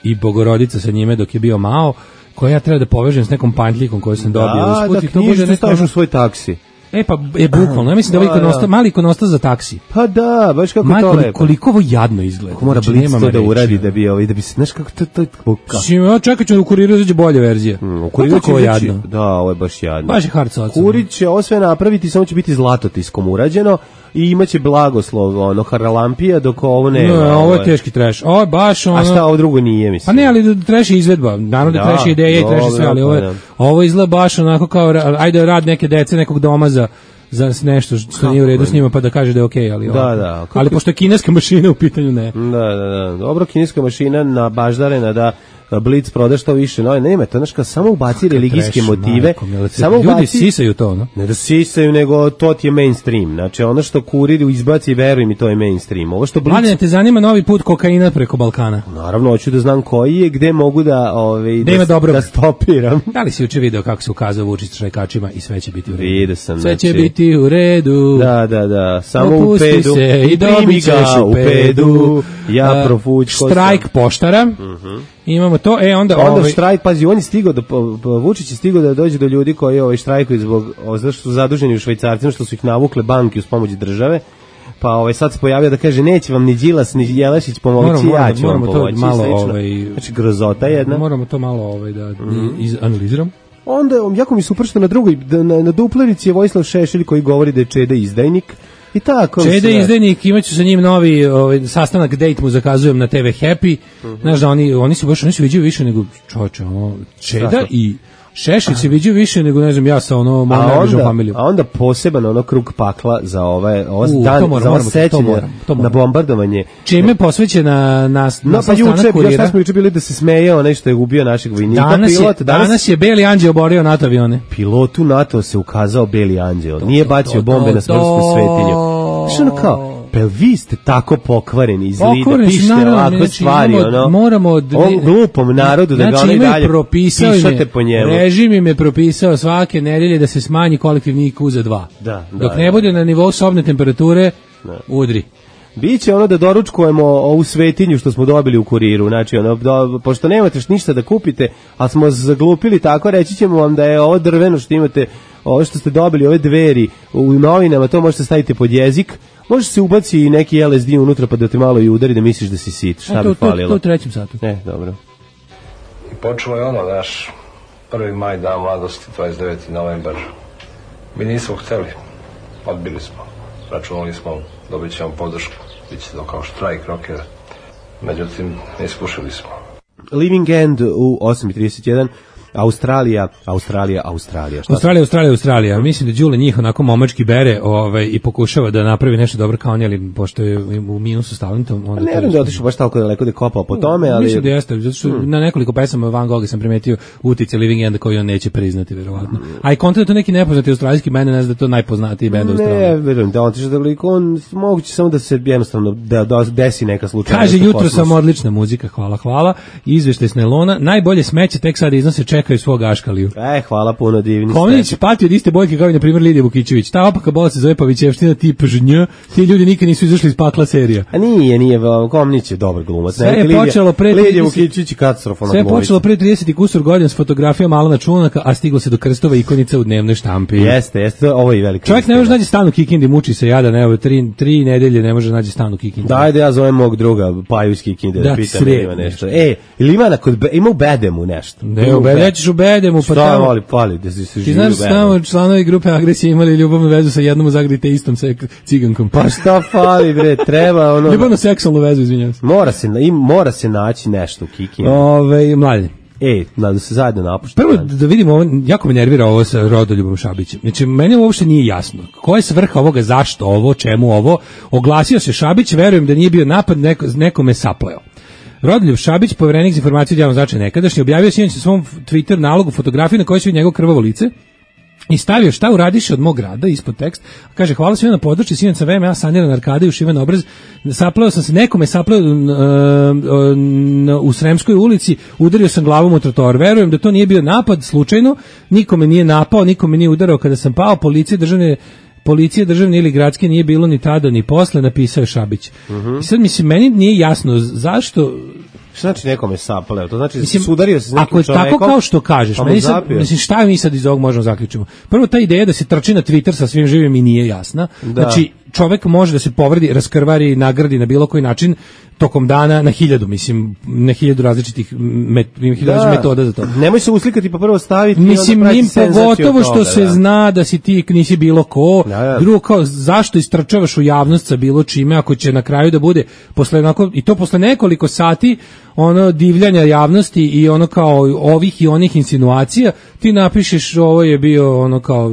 i Bogorodica sa njime dok je bio Mao, koje ja treba da povežem s nekom pantljikom koju sam dobio Da, usput da i to bude knjižicu neko staviš ono- u svoj taksi. E pa, je bukvalno, ja mislim da je Da, ovo ikonostas, da. mali ikonostas za taksi. Pa da, baš kako je Majko, to lepo. koliko ovo jadno izgleda. Ko mora Znači, Blic nemam to da reči, uradi ono. da bi ovaj da bi se znaš kako to to kako Mislim, ja čekat ću da u kuriru izađe bolja verzija. u Kako kuriru će ovo izaći- jadno? Da, ovo je baš jadno. Baš je hard soca. Kurić će ovo sve napraviti, samo će biti zlatotiskom urađeno i imaće blagoslov ono Haralampija dok ovo ne. Ne, ovo je teški trash. Ovo je baš ono... A šta ovo drugo nije, mislim? Pa ne, ali trash je izvedba. Naravno da, Da, trash je ideja i trash je sve, dobro, ali ovo, pa je, da. ovo izgleda baš onako kao, ra- ajde rad neke dece, nekog doma za za nešto što nije u redu s njima pa da kaže da je okej, ali Da, ovako. da, kako- Ali pošto je kineska mašina u pitanju, ne. Da, da, da. Dobro, kineska mašina na baždarena da Blitz proda što više. No, nema, to znaš kao samo ubaci religijske Trash, motive. majko mila, Samo ljudi ubaci, sisaju to, no? ne da sisaju, nego to ti je mainstream. Znači, ono što kurir izbaci, veruj mi, to je mainstream. Ovo što Blitz... Mladene, te zanima novi put kokaina preko Balkana? Naravno, hoću da znam koji je, gde mogu da, ovaj, Da ima dobro. da stopiram. Da li si juče video kako se ukazao Vučić štrajkačima i sve će biti u redu? Vidio sam, Sve će znači- biti u redu. Da, da, da, samo Opusti u pedu. se i primi dobit ćeš ga u pedu. Ja A, profućko Štrajk poštara. Imamo to, e onda... Onda ovaj, štrajk, pazi, on je stigao da po- po- Vučić je stigao da dođe do ljudi koji ovaj štrajkuju zbog o, zato što su zaduženi u Švajcarcima, što su ih navukle banke uz pomoć države. Pa ovaj sad se pojavio da kaže neće vam ni Đilas ni Jelešić pomoći, Moramo- ja moramo- ću vam moramo to pomoći. i malo, slično. ovaj, Znači grozota jedna. moramo to malo ovaj, da izanaliziramo. Onda um, jako mi super što na drugoj da, na, na duplerici je Vojislav Šešelj koji govori da je Čeda izdajnik. I tako. Čede sve. izdajnik, imaću sa njim novi ovaj, sastanak, date mu zakazujem na te ve Happy. Znaš da oni, oni su baš, oni se viđaju više nego čoče, ono, Čeda Strašno. i Šešelj se viđaju više nego, ne znam, ja sa ono, mojom A najbližom onda, familijom. a onda poseban ono krug pakla za ove, ovo U, dan, to moram, za ovo moramo, to sećanje moram, to na moram. bombardovanje. Čime je posvećena na, No, na pa sastanak juče, ja kurira. šta smo juče bili da se smeje onaj što je ubio našeg vojnika, Danas je, pilot. danas je Beli Anđeo oborio NATO avione. Pilotu NATO se ukazao Beli anđeo. Nije bacio to, bombe to, na smrtsku to. svetinju. Znaš ono kao, pel vi ste tako pokvareni iz lida, Pokvareni su, pišete naravno, ovakve znači, stvari, moramo- ono, moramo d- ovom glupom narodu da ga znači, ono i imaju dalje propisao im je- pišate po njemu. Režim im je propisao svake nedelje da se smanji kolektivni I Q za dva. Da, da, Dok ne da. bude na nivou sobne temperature, udri. Biće ono da doručkujemo ovu svetinju što smo dobili u kuriru, znači ono, do, pošto nemate š ništa da kupite, a smo zaglupili tako, reći ćemo vam da je ovo drveno što imate, ovo što ste dobili, ove dveri u novinama, to možete staviti pod jezik, može se ubaci i neki L S D unutra pa da te malo i udari da misliš da si sit, šta E, bi to, to, falilo? to u trećem satu. Ne, dobro. I počelo je ono, naš prvi maj, dan mladosti, dvadeset deveti novembar. Mi nismo hteli, odbili smo. Računali smo, dobit ćemo podršku, bit će to kao štrajk rokera. Međutim, iskušali smo. Living End u osam i trideset jedan, Australija, Australija, Australija. Šta Australija, Australija, Australija. Mislim da Đule njih onako momački bere ovaj, i pokušava da napravi nešto dobro kao oni, ali pošto je u minusu s talentom, onda... Ne to- vjerujem da je otišao baš tako daleko da je kopao po tome, ali... Mislim da jeste, zato što Hmm. na nekoliko pesama Van Gogha sam primetio utice Living Enda koji on neće priznati, verovatno. A i kontra je to neki nepoznati australijski bend, ne znam da je to najpoznatiji bend u Ne, Australiji. verujem da on otišao daleko, on moguće samo da se jednostavno da, da desi neka slučajnost. Kaže, u jutro kosmosu. sam odlična muzika, hvala, hvala. Izveštaj s Nelona, najbolje smeće tek sad iznose čekaju svog Aškaliju. E, hvala puno, divni. Komnić pati od iste boljke kao i na primjer Lidija Vukićević. Ta opaka bolest se zove Pavićevština tip žnj. Ti ljudi nikad nisu izašli iz pakla serija. A nije, nije, Komnić je dobar glumac. Sve je počelo pre Lidija Vukićević katastrofalna Sve je glumica. počelo pre trideset i kusur godina s fotografijama Alana Čunaka, a stiglo se do krstova ikonica u dnevnoj štampi. Jeste, jeste, ovo je i velika. Čovjek ne može naći stan u Kikindi, muči se jadan, evo, tri, tri nedelje ne može naći stan u Kikindi. Dajde, ja zovem mog druga Paju iz Kikinde da, da pitam da ima nešto. E, ili ima, na kod, ima u Bedemu nešto? Ne, u Bedemu, ćeš u Bedemu, pa šta tamo. Šta voli, pali, da si se živi u Bedemu? Ti znaš, tamo članovi grupe Agresije imali ljubavnu vezu sa jednom u Zagradi istom cigankom. Pa šta fali, bre, treba ono... Ljubavno seksualnu vezu, izvinjam se. Mora se, im, mora se naći nešto u Kikindi. Ove, mladine. E, da se zajedno napušta. Prvo da vidimo, ovo, jako me nervira ovo sa Rodoljubom Šabićem. Znači, meni uopšte nije jasno. Koja je svrha ovoga, zašto ovo, čemu ovo? Oglasio se Šabić, verujem da nije bio napad, neko, nekome sapleo. Rodoljub Šabić, povjerenik za informaciju od javnog značaja nekadašnji, objavio sinoć na svom Twitter nalogu fotografiju na kojoj se vidi njegovo krvavo lice i stavio šta uradiše od mog grada ispod tekst. Kaže, hvala svima na podršci, sinoć sam V M A saniran arkade i ušiven obraz. Sapleo sam se, nekome sapleo uh, uh, u Sremskoj ulici, udario sam glavom u trotoar. Verujem da to nije bio napad slučajno, nikome nije napao, nikome nije udarao kada sam pao, policije državne Policije državne ili gradske nije bilo ni tada ni posle, napisao je Šabić. Uh-huh. I sad mislim, meni nije jasno zašto... Šta znači nekome sapleo? To znači mislim, sudario se s nekim ako je čovekom, tako kao što kažeš, meni sad, mislim, šta mi sad iz ovog možemo zaključiti? Prvo, ta ideja da se trči na Twitter sa svim živim mi nije jasna. Da. Znači, čovek može da se povredi, raskrvari, nagradi na bilo koji način tokom dana na hiljadu, mislim, na hiljadu različitih met, da. metoda za to. Nemoj se uslikati pa prvo staviti mislim, njim pogotovo što se da. zna da si ti nisi bilo ko, da, da. Drugo kao zašto istrčavaš u javnost sa bilo čime ako će na kraju da bude posle onako, i to posle nekoliko sati ono divljanja javnosti i ono kao ovih i onih insinuacija, ti napišeš ovo je bio ono kao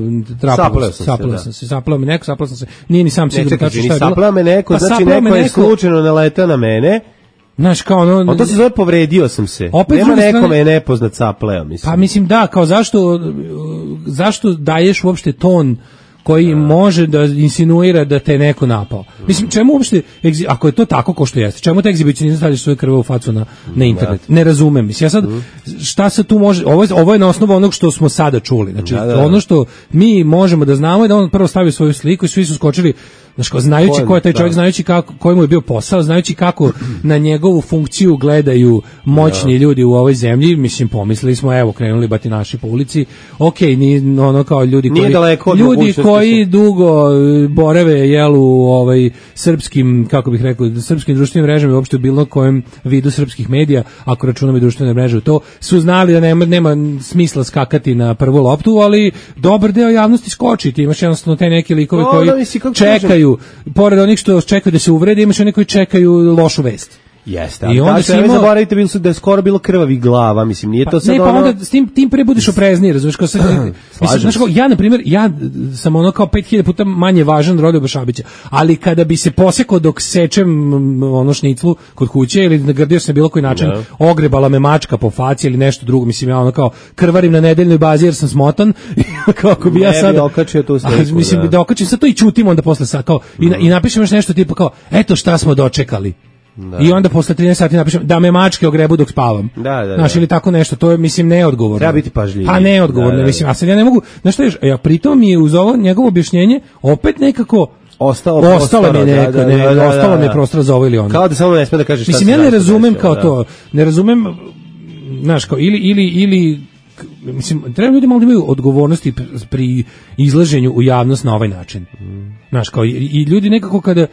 sapleo sam, sapleo sam se, sapleo me neko, sapleo sam se, nije ni sam sigurno tačno šta je bilo. Sapleo me neko, pa znači neko je neko, slučajno naletao na mene. Znaš, kao ono... On to se zove povredio sam se. Nema nekome je nepoznat sapleo, mislim. Pa mislim da, kao zašto, zašto daješ uopšte ton koji može da insinuira da te neko napao. Mislim, čemu uopšte, ako je to tako ko što jeste, čemu te egzibicionizam stavljaš svoje krve u facu na, na internet? Ne razumem. Mislim, ja sad, šta se tu može, ovo je, ovo je na osnovu onog što smo sada čuli. Znači, da, da. ono što mi možemo da znamo je da on prvo stavio svoju sliku i svi su skočili, znači, znajući ko je taj čovjek, znajući kako, koji mu je bio posao, znajući kako na njegovu funkciju gledaju moćni ljudi u ovoj zemlji, mislim, pomislili smo, evo, krenuli batinaši po ulici, okej, ni ono kao ljudi koji, ljudi koji dugo borave, jel, u ovaj, srpskim, kako bih rekao, srpskim društvenim mrežama i uopšte u bilo kojem vidu srpskih medija, ako računamo i društvene mreže, to su znali da nema, nema smisla skakati na prvu loptu, ali dobar deo javnosti skoči, ti imaš jednostavno te neke likove no, koji no, misli, čekaju, pored onih što čekaju da se uvrede, imaš oni koji čekaju lošu vest. Jeste, i onda se imao... zaboravite bilo su da je skoro bilo krvavih glava, mislim, nije to pa, sad ne, ono... pa onda s tim, tim pre budiš oprezniji, razumiješ, kao sad... mislim, znaš, kao, ja, na primjer, ja sam ono kao pet hiljada puta manje važan od Rodoljuba Šabića, ali kada bi se posekao dok sečem ono šniclu kod kuće ili nagrdio se na bilo koji način, no. ogrebala me mačka po faci ili nešto drugo, mislim, ja ono kao krvarim na nedeljnoj bazi jer sam smotan, kako bi ja sad... Ne bi okačio tu sliku, mislim, da. da okačim sad to i čutim onda posle sad, kao, i, mm. i napišem još nešto tipa kao, eto šta smo dočekali. Da. I onda posle trinaest sati napišem da me mačke ogrebu dok spavam. Da, da, znaš, ili tako nešto, to je, mislim, neodgovorno. Treba biti pažljiviji. Pa neodgovorno, da, da, mislim, a sad ja ne mogu, znaš što je, ja pritom mi je uz ovo njegovo objašnjenje opet nekako ostalo ostalo mi neka, da, da, ne, da, da, ostalo mi je prostora za ovo ili ono. Kao da samo ne sme da kažeš šta. Mislim, ja ne razumem kao da. to, ne razumem, znaš, kao ili ili ili mislim, treba ljudi malo da imaju odgovornosti pri izlaženju u javnost na ovaj način. Mm. Znaš, kao i, i ljudi nekako kada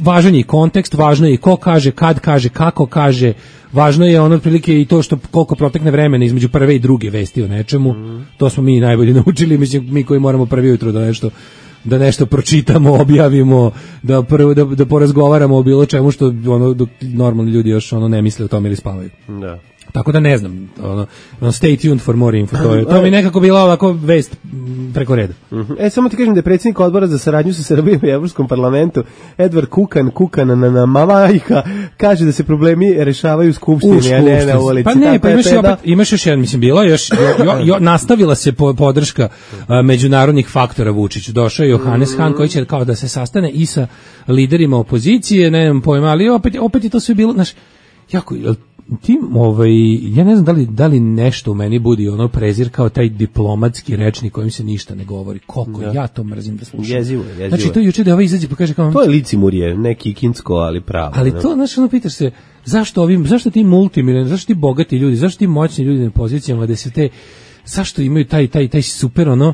važan je i kontekst, važno je i ko kaže, kad kaže, kako kaže, važno je ono otprilike i to što koliko protekne vremena između prve i druge vesti o nečemu, mm. to smo mi najbolje naučili, mislim, mi koji moramo prvi jutro da nešto da nešto pročitamo, objavimo, da prvo da, da porazgovaramo o bilo čemu što ono dok normalni ljudi još ono ne misle o tome ili spavaju. Da. Tako da ne znam, ono, stay tuned for more info, to, je, to mi nekako bila ovako vest preko reda. Uh-huh. E, samo ti kažem da je predsjednik odbora za saradnju sa Srbijom i Evropskom parlamentu, Edvard Kukan, Kukan na, na Mamajka, kaže da se problemi rešavaju u skupštini, a ne na ulici. Pa ne, pa imaš, opet, da... imaš još jedan, mislim, bila još, jo, jo, jo, nastavila se po, podrška a, međunarodnih faktora Vučiću. Došao je Johannes mm-hmm. Han koji će kao da se sastane i sa liderima opozicije, ne znam pojma, ali opet, opet je to sve bilo, znaš, jako, ti, ovaj, ja ne znam da li, da li nešto u meni budi ono prezir kao taj diplomatski rečnik kojim se ništa ne govori. Koliko ja, ja to mrzim da slušam. Jezivo je, jezivo. Znači, to juče da ovaj izađe pa kaže kao... To je licimurje, neki kinsko, ali pravo. Ali ne? to, znači, ono pitaš se, zašto ovim, zašto ti multimilioneri, zašto ti bogati ljudi, zašto ti moćni ljudi na pozicijama da se te, zašto imaju taj, taj, taj super, ono,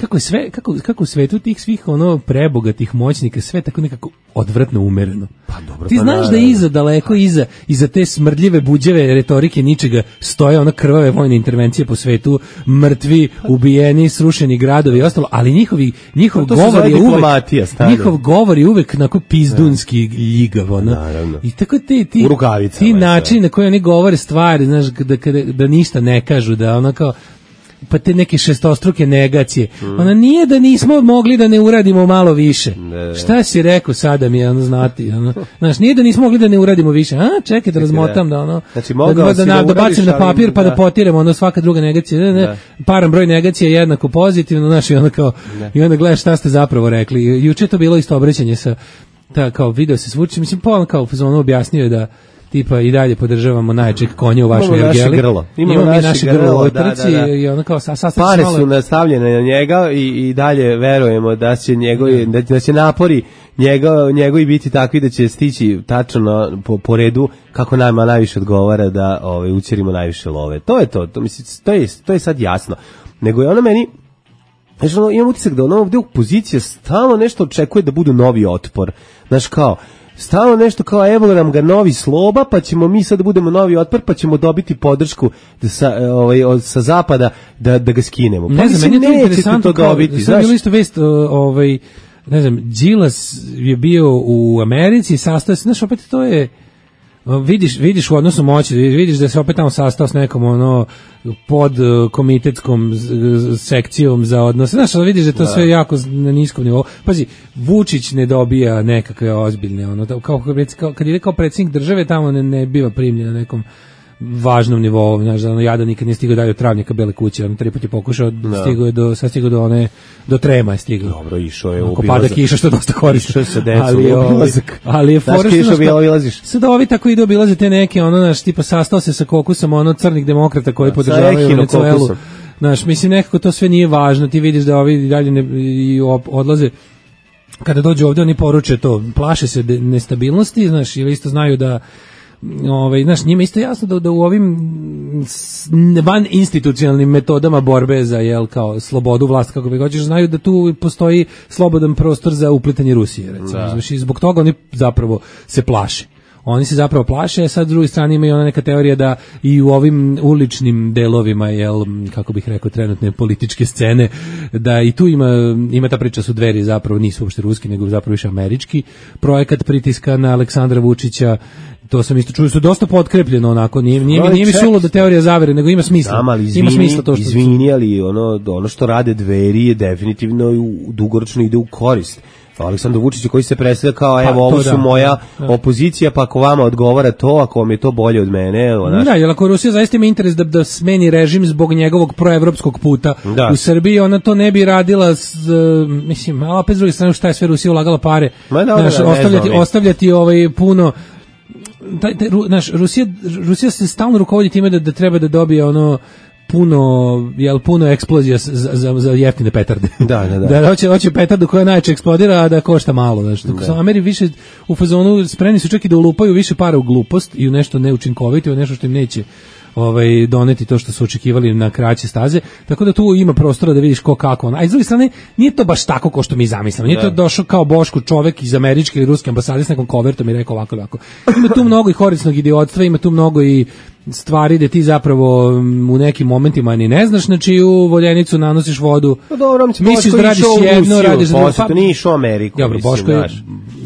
kako je sve, kako, kako u svetu tih svih ono prebogatih moćnika sve tako nekako odvratno umereno. Pa dobro, ti pa znaš naravno. da iza daleko iza iza te smrdljive buđeve retorike ničega stoje ono krvave vojne intervencije po svetu, mrtvi, ubijeni, srušeni gradovi i ostalo, ali njihovi njihov to govor je uvek stane. njihov govor je uvek onako pizdunski ljigav, ono. I tako ti ti ti načini na koji oni govore stvari, znaš, da kada da ništa ne kažu, da ono kao pa te neke šestostruke negacije. Mm. Ona nije da nismo mogli da ne uradimo malo više. Ne. Šta si rekao sada mi je ono znati, ono. Znaš, nije da nismo mogli da ne uradimo više. A, čekaj da razmotam da ono. Znači, da, da, da, da, da bacim na papir da. Pa da potiramo ono svaka druga negacija. Ne, ne, paran broj negacija je jednako pozitivno, znaš, i onda kao ne. I onda gledaš šta ste zapravo rekli. Juče to bilo isto obraćanje sa ta kao video se svuči, mislim pa on kao ono objasnio je da tipa i dalje podržavamo najjačeg konja u vašoj ergeli. Imamo, Imamo naše naše grlo, grlo u da, trci da, da. i ono kao sa, pare su nastavljene na njega i, i dalje verujemo da će njegovi, da, da će napori njega, njegovi biti takvi da će stići tačno po, po redu kako nama najviše odgovara da ovaj, ućerimo najviše love. To je to, to, mislim, to, je, to je sad jasno. Nego je ono meni, znači, ono, imam utisak da ono ovdje opozicija stalno nešto očekuje da bude novi otpor. Znaš kao, stalno nešto kao evo nam ga novi Sloba, pa ćemo mi sad da budemo novi otpor, pa ćemo dobiti podršku sa, ovaj, od, sa zapada da, da ga skinemo. Pa ne znam, meni je to interesantno to dobiti. Sad je bilo isto vest, ovaj, ne znam, Đilas je bio u Americi, sastao se, znaš, opet to je, vidiš, vidiš u odnosu moći, vidiš da se opet tamo sastao s nekom ono pod komitetskom sekcijom za odnose, znaš, vidiš da je to da. Sve jako na niskom nivou. Pazi, Vučić ne dobija nekakve ozbiljne, ono, kao, kao kad je kao predsjednik države tamo ne, ne biva primljen na nekom važnom nivou, znaš, da ono jada nikad nije stigao dalje od Travnjaka Bele kuće, on tri put je pokušao, no. stigao je do, sad stigao do one, do Trema je stigao. Dobro, išao je u obilazak. Pada kiša što je dosta korisno. Išao se decom ali, u obilazak. Ali je fora što bi obilaziš. Sad ovi tako idu obilaze te neke, ono, znaš, tipa sastao se sa kokusom, ono, crnih demokrata koji podržavaju Venezuelu. Znaš, mislim, nekako to sve nije važno, ti vidiš da ovi dalje ne, i odlaze. Kada dođu ovdje, oni poruče to, plaše se de, nestabilnosti, znaš, ili isto znaju da ovaj, znaš, njima isto jasno da, da u ovim van institucionalnim metodama borbe za, jel, kao slobodu vlast, kako vi hoćeš, znaju da tu postoji slobodan prostor za uplitanje Rusije, recimo. Da. Znaš, i zbog toga oni zapravo se plaše. Oni se zapravo plaše, a sad s druge strane ima i ona neka teorija da i u ovim uličnim delovima, jel, kako bih rekao, trenutne političke scene, da i tu ima, ima ta priča su Dveri zapravo nisu uopšte ruski, nego zapravo više američki projekat pritiska na Aleksandra Vučića. To sam isto čuo, su dosta potkrepljeno onako, nije, nije, nije mi sulo da teorija zavere, nego ima smisla. Znam, ali izvini, ima smisla to što izvini, ali ono, ono što rade Dveri je definitivno u, dugoročno ide u korist. Aleksandar Vučić koji se predstavlja kao evo, pa, ovo su da, moja da. opozicija, pa ako vama odgovara to, ako vam je to bolje od mene, evo, naš... Da, jer ako Rusija zaista ima interes da, da smeni režim zbog njegovog proevropskog puta da. u Srbiji, ona to ne bi radila s, mislim, ali opet s druge strane šta je sve Rusija ulagala pare, Ma, da, naš, da, ostavljati, ostavljati ovaj puno taj, taj, naš, Rusija, Rusija se stalno rukovodi time da, da treba da dobije ono puno, jel, puno eksplozija za, za, za jeftine petarde. Da, da, da. Da hoće, hoće petardu koja najče eksplodira, a da košta malo. Znači, dok su Ameri više u fazonu spremni su čak i da ulupaju više para u glupost i u nešto neučinkovito, u nešto što im neće ovaj, doneti to što su očekivali na kraće staze, tako da tu ima prostora da vidiš ko kako on. A iz druge strane, nije to baš tako kao što mi zamislimo. Nije to došao kao Boško čovek iz američke ili ruske ambasade s nekom kovertom i rekao ovako ovako. Ima tu mnogo i horisnog idiotstva, ima tu mnogo i stvari da ti zapravo u nekim momentima ni ne znaš, znači u voljenicu nanosiš vodu. Pa dobro, misliš da radiš jedno, radiš za drugo. Pa nije išao u Ameriku. Dobro, Boško je,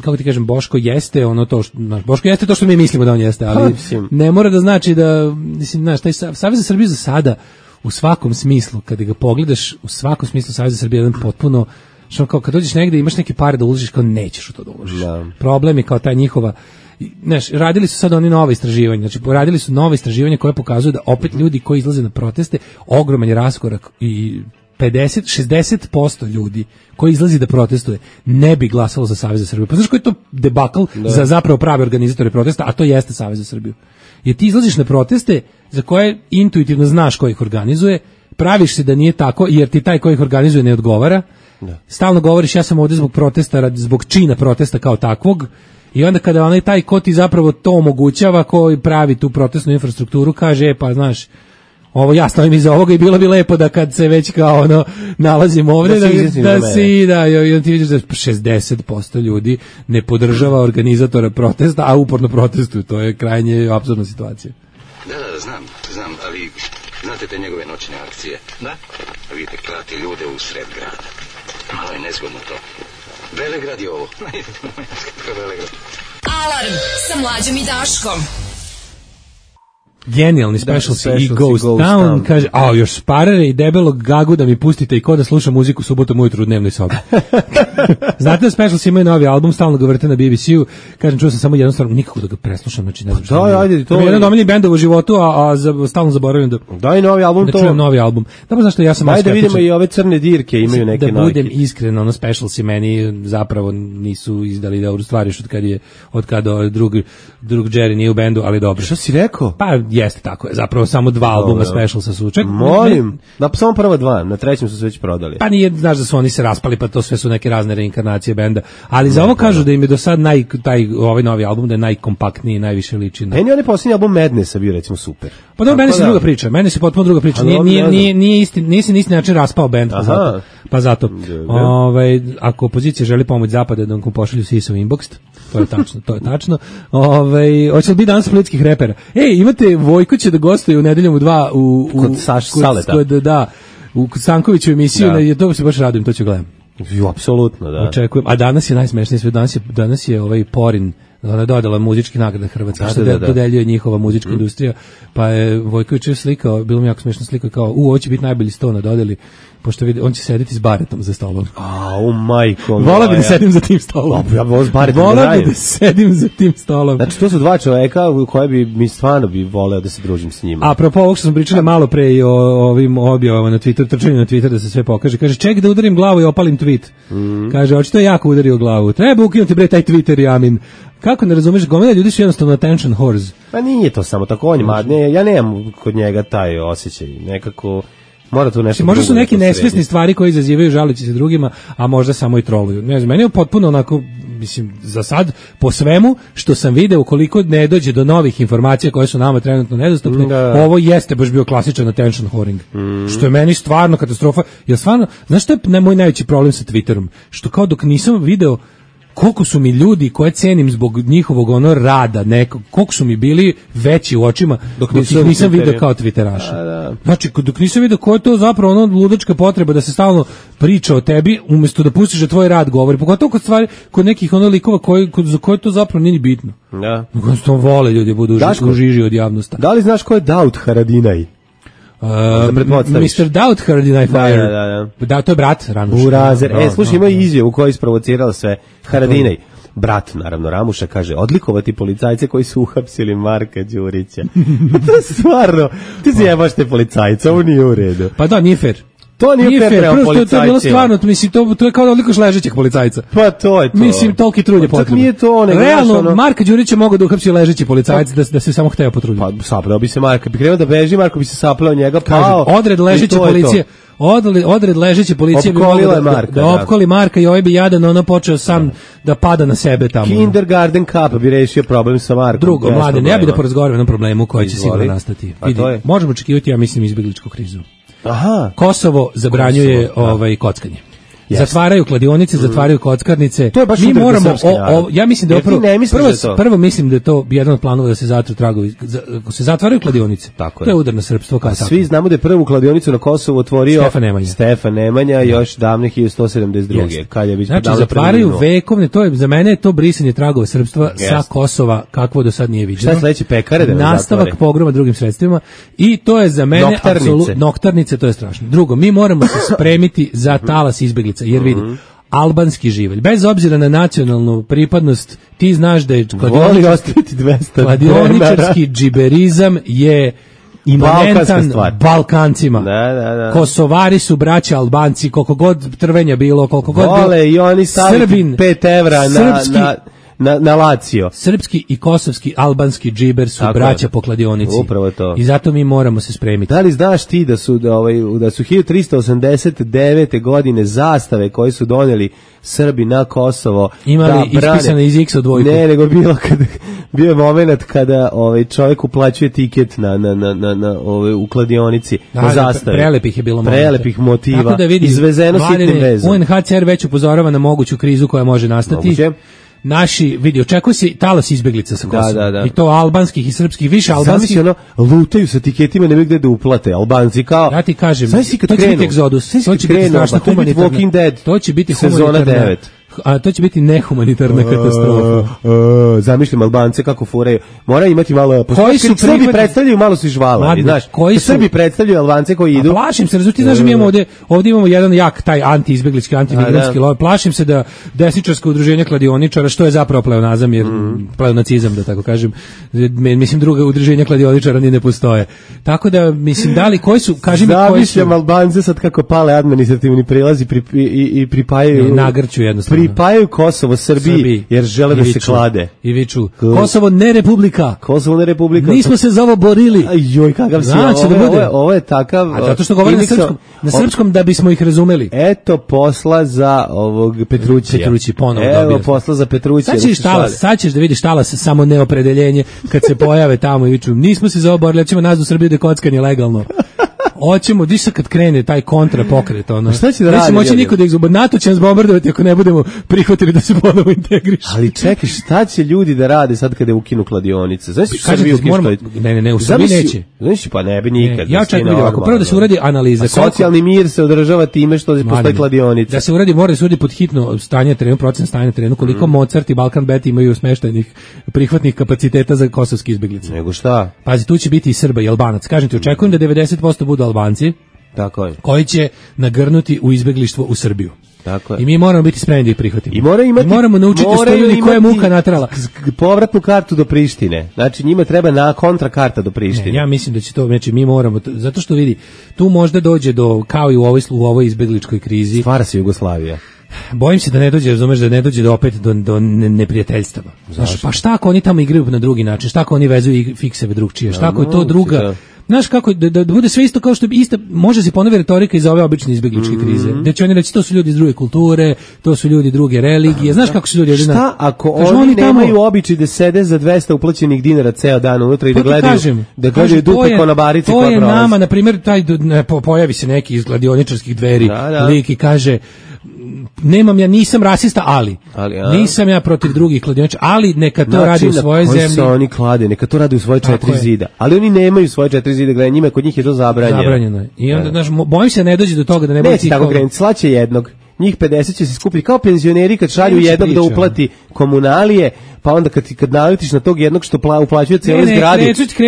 kako ti kažem, Boško jeste ono to što, znaš, Boško jeste to što mi mislimo da on jeste, ali ne mora da znači da, mislim, znaš, taj Savez za Srbiju za sada u svakom smislu, kada ga pogledaš, u svakom smislu Savez za Srbiju je jedan potpuno, što kao kad dođeš negde imaš neke pare da uložiš, kao nećeš u to da uložiš. Da. Problem je kao taj njihova, znaš, radili su sad oni nova istraživanja, znači radili su nova istraživanja koje pokazuju da opet ljudi koji izlaze na proteste, ogroman je raskorak i pedeset do šezdeset posto ljudi koji izlazi da protestuje ne bi glasalo za Savez za Srbiju. Pa znaš koji je to debakl za zapravo prave organizatore protesta, a to jeste Savez za Srbiju. Jer ti izlaziš na proteste za koje intuitivno znaš ko ih organizuje, praviš se da nije tako jer ti taj ko ih organizuje ne odgovara. Da. Stalno govoriš ja sam ovdje zbog protesta, zbog čina protesta kao takvog. I onda kada onaj taj ko ti zapravo to omogućava, ko pravi tu protestnu infrastrukturu, kaže, e, pa znaš, ovo ja stavim iza ovoga i bilo bi lepo da kad se već kao ono nalazim ovdje, da, da, da si, da, i onda ti vidiš da šezdeset posto ljudi ne podržava organizatora protesta, a uporno protestuju, to je krajnje apsurdna situacija. Da, da, znam, znam, ali znate te njegove noćne akcije? Da. Vidite, klati ljude u sred grada. Malo je nezgodno to. Velegrad je ovo. Velegrad. Alarm sa Mlađom i Daškom. Genijalni specialty i Ghost Town, kaže, a još Sparere i debelog Gagu da mi pustite i ko da sluša muziku subotom ujutru u dnevnoj sobi. Znate da specialci imaju novi album, stalno ga vrte na B B C-u, kažem, čuo sam samo jednu stvar, nikako da ga preslušam, znači ne znam što. Da, ajde, to je jedan domiljeni bendov u životu, a, a za, stalno zaboravim da daj novi album, da to čujem novi album. Da, znaš što ja sam ajde da vidimo i ove crne dirke imaju neke da navike. budem iskren, ono specialci meni zapravo nisu izdali da u stvari od kad je od kada drug drug Jerry nije u bendu, ali dobro. Što si rekao? Pa jeste tako je, zapravo samo dva albuma specialsa su. Ček, molim, da samo prva dva, na trećem su se već prodali. Pa nije, znaš da su oni se raspali, pa to sve su neke razne reinkarnacije benda. Ali za ovo kažu da im je do sad naj, taj, ovaj novi album da je najkompaktniji, najviše liči na... Meni on je posljednji album Madnessa bio recimo super. Pa dobro, meni se druga priča, meni se potpuno druga priča. Nije, nije, nije, nije isti, nisi na isti način raspao bend, pa zato. Pa zato. Ovaj, ako opozicija želi pomoć zapada da vam pošalju sisa u inbox, to je tačno, to je tačno. Ovaj, hoće li biti danas splitskih repera? Ej, imate Vojko će da gostuje u nedeljom u dva u, u kod Saš Saleta. Kod, da, u Sankoviću emisiju, da. Na, to se baš radujem, to ću gledam. Jo, apsolutno, da. Očekujem. A danas je najsmešnije sve, danas je, danas je ovaj Porin, ona je dodala muzički nagrade Hrvatske, da, što da, da. dodeljuje njihova muzička mm. industrija, pa je Vojković slikao, bilo mi jako smešno slikao kao, u, ovo će biti najbolji sto na dodeli, pošto vidi, on će sedeti s baretom za stolom. A, u majko. Vola bi da sedim za tim stolom. Ja vola s baretom. Vola bi da sedim za tim stolom. Znači, to su dva čoveka koje bi, mi stvarno bi voleo da se družim s njima. A apropo ovog što smo pričali malo pre i o ovim objavama na Twitter, trčanju na Twitter da se sve pokaže. Kaže, ček da udarim glavu i opalim tweet. Mm. Kaže, očito je jako udario glavu. Treba ukinuti bre taj Twitter, Jamin. Kako ne razumeš, gomila ljudi su jednostavno attention whores. Pa nije to samo tako, on ima, ne, ja nemam kod njega taj osjećaj, nekako mora tu nešto. Možda su neki nesvesni stvari koji izazivaju žaleći se drugima, a možda samo i troluju. Ne znam, meni je potpuno onako, mislim, za sad, po svemu što sam video, koliko ne dođe do novih informacija koje su nama trenutno nedostupne, da. Ovo jeste baš bio klasičan attention whoring. Mm. Što je meni stvarno katastrofa. Jer stvarno, znaš što je moj najveći problem sa Twitterom? Što kao dok nisam video koliko su mi ljudi koje cenim zbog njihovog ono rada, neko, koliko su mi bili veći u očima dok, dok nisam, nisam vidio kao Twitteraša. Da. Znači, dok nisam vidio ko je to zapravo ono ludačka potreba da se stalno priča o tebi, umjesto da pustiš da tvoj rad govori. Pogotovo kod stvari, kod nekih ono likova koji, kod, za koje to zapravo nije ni bitno. Da. Kod to vole ljudi budu u žiži od javnosti. Da li znaš ko je Daud Haradinaj? Um, mister Daud Haradinaj Fire. Da, da, da. Da, to je brat Ramuša. Burazer. E, slušaj, ima izjavu koja je isprovocirala sve. Haradinaj, brat, naravno, Ramuša, kaže, odlikovati policajce koji su uhapsili Marka Đurića. To je stvarno, ti zjebaš te policajce, ovo nije u redu. Pa da, nije fair. To nije, nije fair prema policajcima. To je bilo stvarno, mislim, to, to je kao da odlikoš ležećeg policajca. Pa to je to. Mislim, toliki trud je potrebno. Nije to, nego realno, ono... Marka Đurića mogao da uhapsi ležeći policajac, da, da se samo hteo potruditi. Pa sapleo bi se Marka, bi krenuo da beži, Marko bi se sapleo njega, pao. Kaže, odred ležeće policije, odred, odred ležeće policije bi mogao da, Marka, da, da opkoli Marka i ovaj bi jadan ono počeo sam da, da pada na sebe tamo. Kindergarten Cup bi rešio problem sa Markom. Drugo, mladen, ja bih da porazgovaram o jednom problemu koji će sigurno nastati. Vidi, možemo očekivati, ja mislim, izbjegličku krizu. Aha. Kosovo zabranjuje Kosovo, ovaj kockanje. Yes. Zatvaraju kladionice, mm. zatvaraju kockarnice. To je baš mi moramo o, o, ja mislim da je prvo, prvo, da to? prvo mislim da je to jedan od planova da se zatru tragovi, ako se zatvaraju kladionice. Tako to je udar na srpstvo kao svi znamo da je prvu kladionicu na Kosovu otvorio Stefan Nemanja. Stefan Nemanja još davne hiljadu sto sedamdeset druge kad je znači zatvaraju vekovne, to je za mene je to brisanje tragova srpstva yes. sa Kosova kakvo do sad nije viđeno. Šta sledeće pekare da nastavak zatvore. Pogroma drugim sredstvima i to je za mene apsolutno noktarnice, to je strašno. Drugo, mi moramo se spremiti za talas izbeglica jer vidi albanski živelj. Bez obzira na nacionalnu pripadnost, ti znaš da je kladioničarski džiberizam je imanentan Balkancima. Da, da, da. Kosovari su braća Albanci, koliko god trvenja bilo, koliko god vole, i oni staviti pet evra na, srpski, na na, na Lazio. Srpski i kosovski, albanski džiber su Tako braća je. po kladionici. Upravo to. I zato mi moramo se spremiti. Da li znaš ti da su da ovaj da su hiljadu trista osamdeset devete godine zastave koje su doneli Srbi na Kosovo imali da brane, ispisane iz X dvojku. Ne, nego bilo kad bio je momenat kada ovaj čovjek uplaćuje tiket na na na na, na ovaj u kladionici da, na da, zastave. Prelepih je bilo momenta. Prelepih motiva. Tako da vidi, izvezeno sitnim vezom. U N H C R već upozorava na moguću krizu koja može nastati. Moguće. Naši, vidi, očekuje se talas izbeglica sa Kosova. Da, da, da. I to albanskih i srpskih, više albanskih. Zamisli ono, lutaju sa tiketima, nemaju gde da uplate, Albanci kao... Ja ti kažem, to će krenu, biti egzodus, to će biti strašna humanitarna... Walking Dead, to će biti sezona devet. A to će biti nehumanitarna katastrofa. Uh, uh, zamišljam Albance kako furaju. Mora imati malo... Koji su Srbi prihvati... predstavljaju, malo su žvala. Znaš, koji su... Srbi predstavljaju Albance koji idu... A plašim se, razumijete, znaš, mi imamo ovde, ovde imamo jedan jak, taj anti-izbeglički, anti-migrantski lobby. Plašim se da desničarsko udruženje kladioničara, što je zapravo pleonazam, jer mm. pleonacizam, da tako kažem, mislim, druga udruženja kladioničara ni ne postoje. Tako da, mislim, da li, koji su, kaži mi koji su... Zamišljam Albance sad kako pale administrativni prilazi pri, i, i, i pripajaju... Ne, nagrću jednostavno. Pripajaju Kosovo Srbiji, Srbiji jer žele da se klade. I viču, Kosovo ne republika. Kosovo ne republika. Nismo se za ovo borili. Joj, kakav si. Znači, ovo, da bude. Ovo, je, ovo je takav... A zato što govori na srpskom, na srpskom da bismo ih razumeli. Eto posla za ovog Petrućija. Petrući ponovo Evo dobio. posla za Petrućija. Sad ćeš, talas, sad ćeš da vidiš talas samo neopredeljenje kad se pojave tamo i viču, nismo se za ovo borili, ćemo nas u Srbiju da kockanje legalno. Hoćemo, diš sad kad krene taj kontra pokret, ono. Šta će da radi? Neće moći niko da ih zbog NATO će nas bombardovati ako ne budemo prihvatili da se ponovo integrišu. Ali čekaj, šta će ljudi da rade sad kada ukinu kladionice? Znaš što Kažete, Srbiju moramo, ne, ne, ne, u Srbiji neće. Znaš, pa ne bi nikad. Ne, ja čekam vidim, ako prvo da se uradi analiza. A socijalni mir se održava time što postoji kladionica. Da se uradi, mora da se uradi pod hitno stanje terenu, procent stanja terenu, koliko mm. Mozart i Balkan Bet imaju smeštajnih prihvatnih kapaciteta za kosovske izbeglice. Nego šta? Pazi, tu će biti i Srba i Albanac. Kažem ti, očekujem da devedeset posto budu Albanci. Tako je. Koji će nagrnuti u izbeglištvo u Srbiju. Tako je. I mi moramo biti spremni da ih prihvatimo. I mora imati, I moramo naučiti što ljudi koja je muka natrala. Povratnu kartu do Prištine. Znači njima treba na kontra karta do Prištine. Ne, ja mislim da će to, znači mi moramo, zato što vidi, tu možda dođe do, kao i u ovoj, u ovoj izbegličkoj krizi. Stvara se Jugoslavija. Bojim se da ne dođe, razumeš, da ne dođe do opet do, do neprijateljstava. Znaš, pa šta ako oni tamo igraju na drugi način? Šta ako oni vezuju i fikseve drugčije? Šta ako je to druga... Znaš kako, da, da bude sve isto kao što bi ista, može se ponovi retorika iz ove obične izbegličke mm-hmm. krize. Da će oni reći, to su ljudi iz druge kulture, to su ljudi druge religije. Znaš kako su ljudi... Šta ako oni, oni nemaju tamo... običaj da sede za dvesta uplaćenih dinara ceo dan unutra i da gledaju, kažem, da gledaju dupe ko na barici koja prolazi? To je nama, na primjer, taj, ne, pojavi se neki iz gladioničarskih dveri, da, da. lik i kaže... Nemam ja, nisam rasista, ali, ali nisam ja protiv drugih kladioničara, ali neka to znači, radi u svojoj zemlji. Se oni klade, neka to radi u svoje četiri je. zida. Ali oni nemaju svoje četiri zida, gledaj, njima kod njih je to zabranjeno. Zabranjeno je. I onda, znaš, bojim se ne dođe do toga da ne bude... Neće tako krenuti, slaće jednog. Njih pedeset će se skupiti kao penzioneri kad šalju jednog da uplati komunalije, pa onda kad, kad naletiš na tog jednog što pla, uplaćuje cijelu zgradu,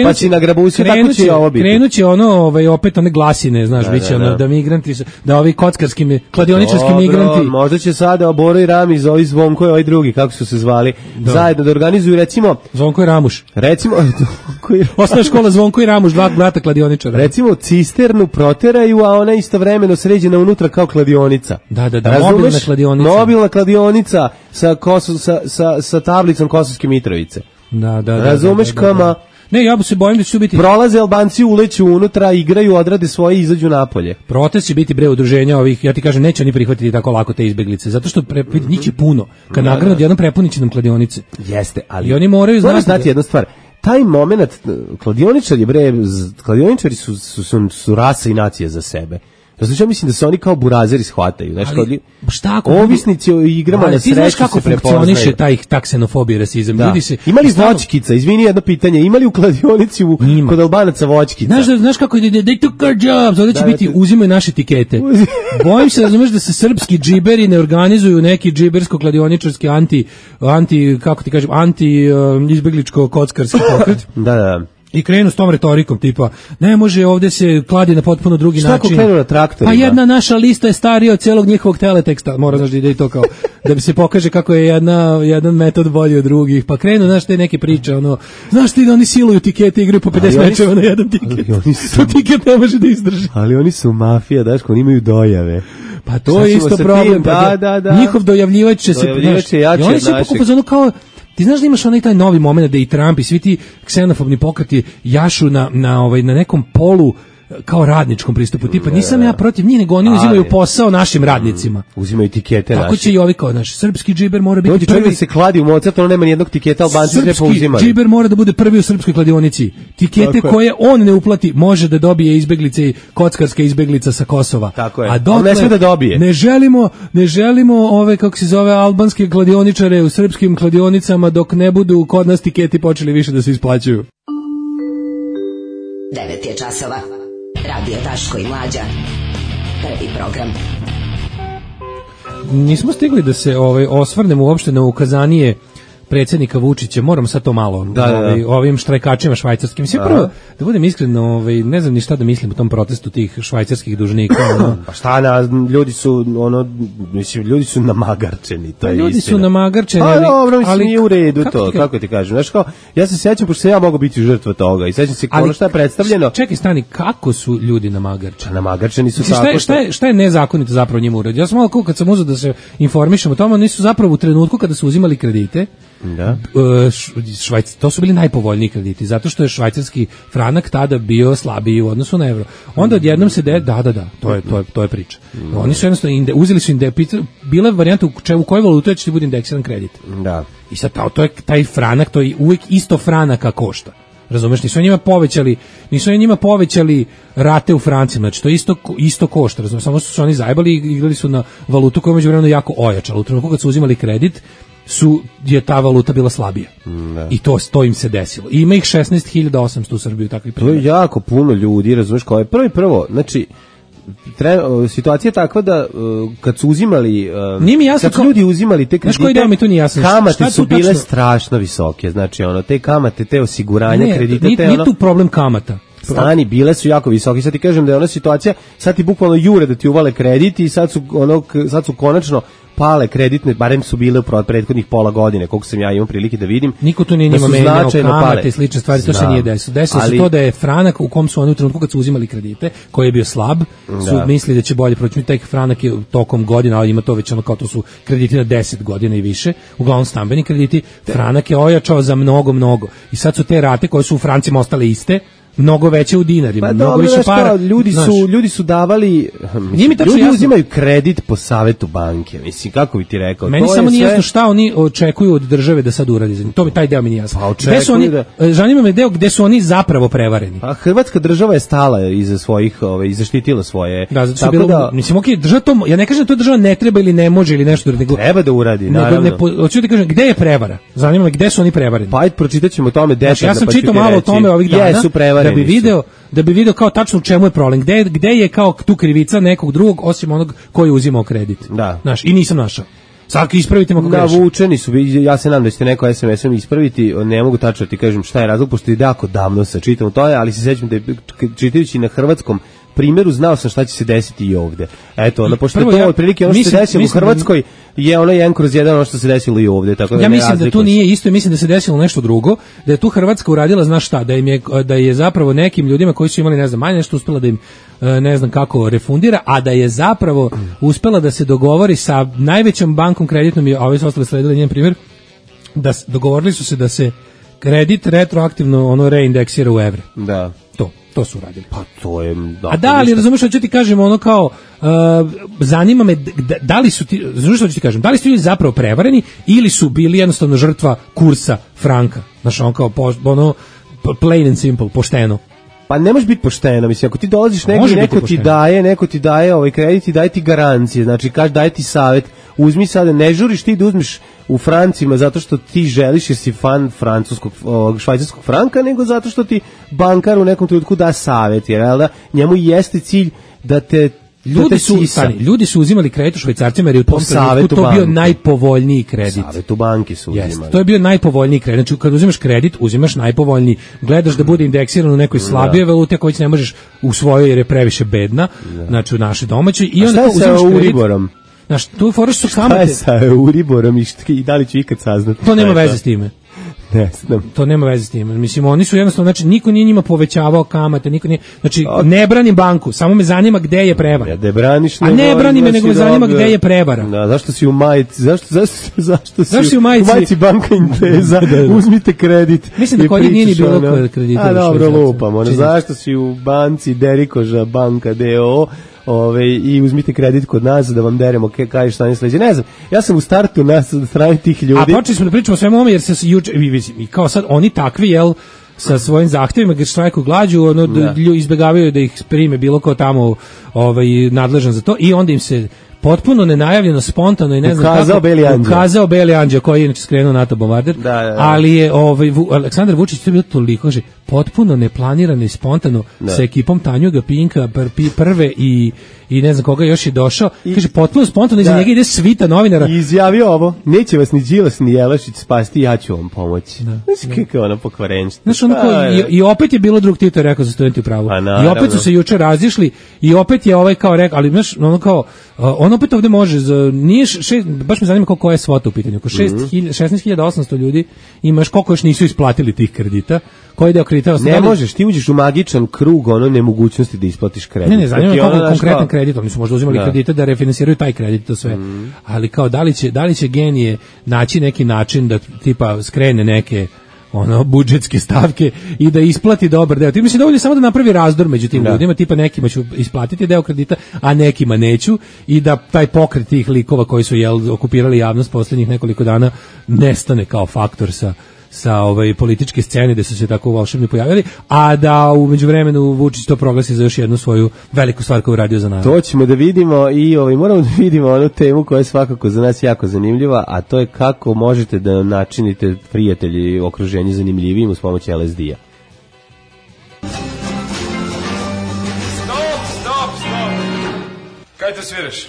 pa si na grabusi, tako će ovo biti. Krenuće ono, ovaj, opet one glasine, znaš, da, biće da, ono, da. da migranti, da ovi kockarski, kladioničarski Dobro, migranti... možda će sada Boro i Ramiz, ovi Zvonko i ovaj drugi, kako su se zvali, da. zajedno da organizuju, recimo... Zvonko i Ramuš. Recimo... Osnovna škola Zvonko i Ramuš, dva brata kladioničara. Recimo, cisternu proteraju, a ona istovremeno sređena unutra kao kladionica. Da, da, da, razumeš? Mobilna kladionica. Mobilna kladionica sa, kosu, sa, sa, sa tablicom Kosovske Mitrovice. Da, da, da. Razumeš da, da, da, kama... Ne, ja se bojim da će biti... Prolaze Albanci, uleću unutra, igraju, odrade svoje i izađu napolje. Protest će biti bre udruženja ovih, ja ti kažem, neće oni prihvatiti tako lako te izbeglice, zato što pre, njih je puno. Kad da, nagranu odjednom prepunit će nam kladionice. Jeste, ali... I oni moraju znati... znati da... jednu stvar. Taj moment, kladioničari, bre, kladioničari su, su, su, su rasa i nacija za sebe. Znači, ja mislim da se oni kao burazeri shvataju. Znači, ali, šta ako... Ovisnici o igrama ali, na sreću se prepoznaju. Ti znaš kako funkcioniše taj taksenofobija i rasizam. Da. Ljudi se, ima li voćkica? Izvini jedno pitanje. Ima li u kladionici u, kod Albanaca voćkica? Znaš, znaš kako ide? They took our jobs. Ovdje će da, biti, da, uzimaju naše etikete. Bojim se, razumeš, da se srpski džiberi ne organizuju neki džibersko-kladioničarski anti, anti, kako ti kažem, anti um, izbegličko-kockarski pokret. Da, da. I krenu s tom retorikom tipa ne može ovdje se kladi na potpuno drugi šta način. Šta ako krenu na traktorima? Pa jedna naša lista je starija od cijelog njihovog teleteksta. Mora znaš da ide i to kao da bi se pokaže kako je jedna, jedan metod bolji od drugih. Pa krenu, znaš, te neke priče, ono, znaš ti da oni siluju tikete, igraju po pedeset mečeva na jedan tiket. Su, to tiket ne može da izdrži. Ali oni su mafija, daš, oni imaju dojave. Pa to je isto problem. Tim, da, da, da. Njihov dojavljivač će se... Dojavljivač je jače od našeg. Ono kao ti znaš da imaš onaj taj novi moment da i Trump i svi ti ksenofobni pokreti jašu na, na, ovaj, na nekom polu kao radničkom pristupu, tipa nisam ja protiv njih, nego oni uzimaju posao našim radnicima. Uzimaju etikete naše. Tako će i ovi kao naš srpski džiber mora biti Dođi prvi. Dođi se kladi u Mozart, ono nema nijednog tiketa, Albanci sve pouzimali. Srpski džiber mora da bude prvi u srpskoj kladionici. Tikete koje on ne uplati može da dobije izbeglice i kockarska izbeglica sa Kosova. Tako je. A dokle, ne sme da dobije. Ne želimo, ne želimo ove, kako se zove, albanske kladioničare u srpskim kladionicama dok ne budu kod nas tiketi počeli više da se isplaćuju. devet je časova. Radio Daško i Mlađa. Prvi program. Nismo stigli da se ovaj osvrnemo uopšte na ukazanije predsjednika Vučića, moram sad to malo da, da, da. Ovaj, ovim štrajkačima švajcarskim. Sve prvo, da budem iskren, ovaj, ne znam ni šta da mislim o tom protestu tih švajcarskih dužnika. Ono. Pa šta, na, ljudi su ono, mislim, ljudi su namagarčeni, to je ljudi istina. su namagarčeni, ali, dobro, mislim, ali nije u redu kako to, ti, kako ti kažem. Znaš kao, ja se sjećam, pošto sam ja mogao biti žrtva toga i sjećam se ono šta je predstavljeno. Čekaj, stani, kako su ljudi namagarčeni? Namagarčeni su mislim, tako šta je, šta je, šta je nezakonito zapravo njima uradio? Ja sam malo kad sam uzeo da se informišem o tome, oni su zapravo u trenutku kada su uzimali kredite, da. Švajc, to su bili najpovoljniji krediti, zato što je švajcarski franak tada bio slabiji u odnosu na evro. Onda odjednom se de, da, da, da, to je, to je, to je priča. Oni su jednostavno, inde, uzeli su inde, bila je varijanta u, če, u kojoj valutu će ti bude indeksiran kredit. Da. I sad to, to je taj franak, to je uvijek isto franaka košta. Razumeš, nisu njima povećali, nisu njima povećali rate u francima, znači to isto isto košta, razumeš, samo su se oni zajebali i igrali su na valutu koja je međuvremeno jako ojačala. U trenutku kad su uzimali kredit, su je ta valuta bila slabija. Ne. I to, to im se desilo. I ima ih šesnaest hiljada osamsto u Srbiji takvih primjera. To je jako puno ljudi, razumeš, kao je prvo i prvo, znači tre, situacija je takva da uh, kad su uzimali uh, nije mi jasno kad su ljudi uzimali te kredite, mi to nije jasno. kamate su bile tačno strašno visoke, znači ono, te kamate, te osiguranja ne, kredite, nije, te nije ono... tu problem kamata. Stani, bile su jako visoke. Sad ti kažem da je ona situacija, sad ti bukvalno jure da ti uvale kredit i sad su, ono, sad su konačno pale kreditne, barem su bile u prethodnih pola godine, koliko sam ja imao prilike da vidim. Niko tu nije njima menjao kamate i slične stvari, to se nije desilo. Desilo se to da je franak u kom su oni u trenutku kad su uzimali kredite, koji je bio slab, su da. mislili da će bolje proći. Taj franak je tokom godina, ali ima to već ono kao to su krediti na deset godina i više, uglavnom stambeni krediti, franak je ojačao za mnogo, mnogo. I sad su te rate koje su u francima ostale iste, mnogo veće u dinarima, pa, mnogo dobro, više para. Ljudi znaš, su ljudi su davali, mislim, ljudi jasno. uzimaju kredit po savetu banke. Mislim, kako bi ti rekao? Meni to samo je nije sve... jasno šta oni očekuju od države da sad uradi za njih. To mi taj deo mi nije jasno. Pa gde su oni, da... zanima me deo gde su oni zapravo prevareni. A Hrvatska država je stala iza svojih, ove, i zaštitila svoje. Da, zato tako bilo, da, mislim, okej, država to, ja ne kažem da to država ne treba ili ne može ili nešto nego treba da uradi, naravno. Hoću ti kažem gde je prevara? Zanima me gde su oni prevareni. Pa ajde pročitaćemo o tome detaljno. Znači, ja sam čitao malo o tome ovih dana jesu, da bi video da bi video kao tačno u čemu je problem, gde, gde je kao tu krivica nekog drugog osim onog koji je uzimao kredit. Da. Znaš, i nisam našao. Sad ispravite me ako grešim. Navučeni su, ja se nadam da ćete neko es em esom ispraviti, ne mogu tačno ti kažem šta je razlog, pošto je jako davno sa čitam to je, ali se sećam da je čitajući na hrvatskom primjeru znao sam šta će se desiti i ovde. Eto, ono, pošto to ja, otprilike ono što mislim, se desilo u Hrvatskoj da, je ono jedan kroz jedan ono što se desilo i ovde. Tako da ja mislim da tu nije isto i mislim da se desilo nešto drugo, da je tu Hrvatska uradila, znaš šta, da, im je, da je zapravo nekim ljudima koji su imali, ne znam, manje nešto uspela da im, ne znam kako, refundira, a da je zapravo uspela da se dogovori sa najvećom bankom kreditnom i ove su ostale sledile njen primjer, da dogovorili su se da se kredit retroaktivno ono reindeksira u evre. Da. To. To su radili. Pa to je... Da, a da, ali razumeš što ću ti kažem, ono kao, uh, zanima me, da, da li su ti, razumeš što ću ti kažem, da li su ljudi zapravo prevareni ili su bili jednostavno žrtva kursa franka, znaš, ono kao, po, ono, plain and simple, pošteno. Pa ne može biti pošteno, mislim, ako ti dolaziš negdje, neko ti daje, neko ti daje ovaj kredit i daje ti garancije, znači kaže daje ti savjet, uzmi sada, ne žuriš ti da uzmiš u francima zato što ti želiš jer si fan francuskog, švajcarskog franka, nego zato što ti bankar u nekom trenutku da savjet, jer da, njemu jeste cilj da te Ljudi su, stani, ljudi su uzimali kredit u švajcarcima jer je u tom trenutku to bio najpovoljniji kredit. Savetu banki su uzimali. Yes, to je bio najpovoljniji kredit. Znači, kad uzimaš kredit, uzimaš najpovoljniji. Gledaš da bude indeksiran u nekoj slabije valuti, ako već ne možeš u svojoj jer je previše bedna, da. Znači u našoj domaćoj. I onda uzimaš kredit. Znaš, tu foraš su kamate. Šta je sa Euriborom i, i da li ću ikad saznati? To nema veze s time. Ne znam. To nema veze s tim. Mislim, oni su jednostavno, znači, niko nije njima povećavao kamate, niko nije, znači, ne branim banku, samo me zanima gde je prevara. Ja, da braniš, a ne brani me, nego me zanima gde je prevara. Da, zašto si u majici, zašto, zašto, zašto si, zašto si u majici, u majici banka Inteza, da, da. Uzmite kredit. Mislim da kod njih nije ni bilo kredita. A dobro, lupam, ono, zašto si u banci Derikoža banka D O O, Ove, i uzmite kredit kod nas da vam deremo kaj šta ne sledeće. Ne znam, ja sam u startu na strani tih ljudi. A počeli smo da pričamo o svemu ovome jer se juče, i kao sad oni takvi, jel, sa svojim zahtevima gdje štrajku glađu, ono, da. izbjegavaju da ih prime bilo ko tamo ovaj, nadležan za to i onda im se potpuno nenajavljeno, spontano i ne znam ukazao kako, Beli Anđeo. ukazao Beli Anđeo koji je inače skrenuo NATO bombarder, da, da, da. ali je ovaj, Aleksandar Vučić to je bilo toliko, že, potpuno neplanirano i spontano da. sa ekipom Tanjuga, Pinka, pr, prve i i ne znam koga još je došao, I, kaže potpuno spontano iza njega ide svita novinara. I izjavio ovo, neće vas ni Đilas ni Jelašić spasti, ja ću vam pomoći. Da, znači kako je ona pokvarenčina. Znaš, ono ko, i, i opet je bilo drug Tito rekao za studenti u pravu. I opet su se juče razišli i opet je ovaj kao rekao, ali znaš, ono kao, on opet ovde može, za, nije šest, baš me zanima koliko je svota u pitanju, oko šesnaest hiljada osamsto ljudi imaš, koliko još nisu isplatili tih kredita, koji deo kredita. Ne možeš, ti uđeš u magičan krug ono nemogućnosti da isplatiš kredit. Ne, ne, zanima me koliko konkretan kao... kredit, oni su možda uzimali da. kredite da refinansiraju taj kredit, to sve. Mm. Ali kao, da li će, da li će genije naći neki način da tipa skrene neke ono budžetske stavke i da isplati dobar deo. Ti misliš da ovdje samo da napravi razdor među tim da. ljudima, tipa nekima ću isplatiti deo kredita, a nekima neću i da taj pokret tih likova koji su jel okupirali javnost poslednjih nekoliko dana nestane kao faktor sa sa ovaj političke scene gde su se tako volšebno pojavili, a da u međuvremenu Vučić to proglasi za još jednu svoju veliku stvar koju radio za narod. To ćemo da vidimo i ovaj moramo da vidimo onu temu koja je svakako za nas jako zanimljiva, a to je kako možete da načinite prijatelji i okruženje zanimljivijim uz pomoć L S D-a. Stop, stop, stop. Kaj te sviraš?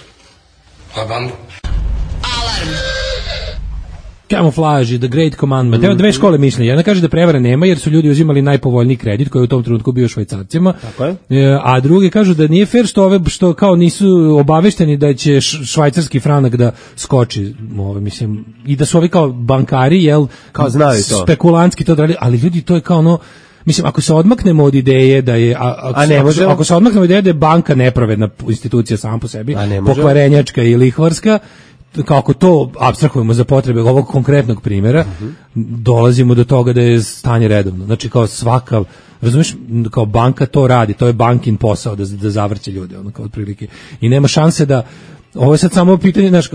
Pa bandu. Alarm. Camouflage, The Great Commandment. Evo dve škole mišljenja. Jedna kaže da prevare nema jer su ljudi uzimali najpovoljniji kredit koji je u tom trenutku bio švajcarcima. Tako je. A drugi kažu da nije fair što ove što kao nisu obavešteni da će švajcarski franak da skoči, ove mislim, i da su ovi kao bankari, jel, kao znaju to. Spekulantski to radili, ali ljudi to je kao ono, mislim, ako se odmaknemo od ideje da je, a, ako, a ne ako, se, ako se odmaknemo od ideje da je banka nepravedna institucija sama po sebi, pokvarenjačka i lihvarska, kako to apstrahujemo za potrebe ovog konkretnog primjera, uh-huh. dolazimo do toga da je stanje redovno. Znači kao svaka, razumiješ, kao banka to radi, to je bankin posao da, da zavrće ljude, ono kao otprilike. I nema šanse da, ovo je sad samo pitanje, znaš,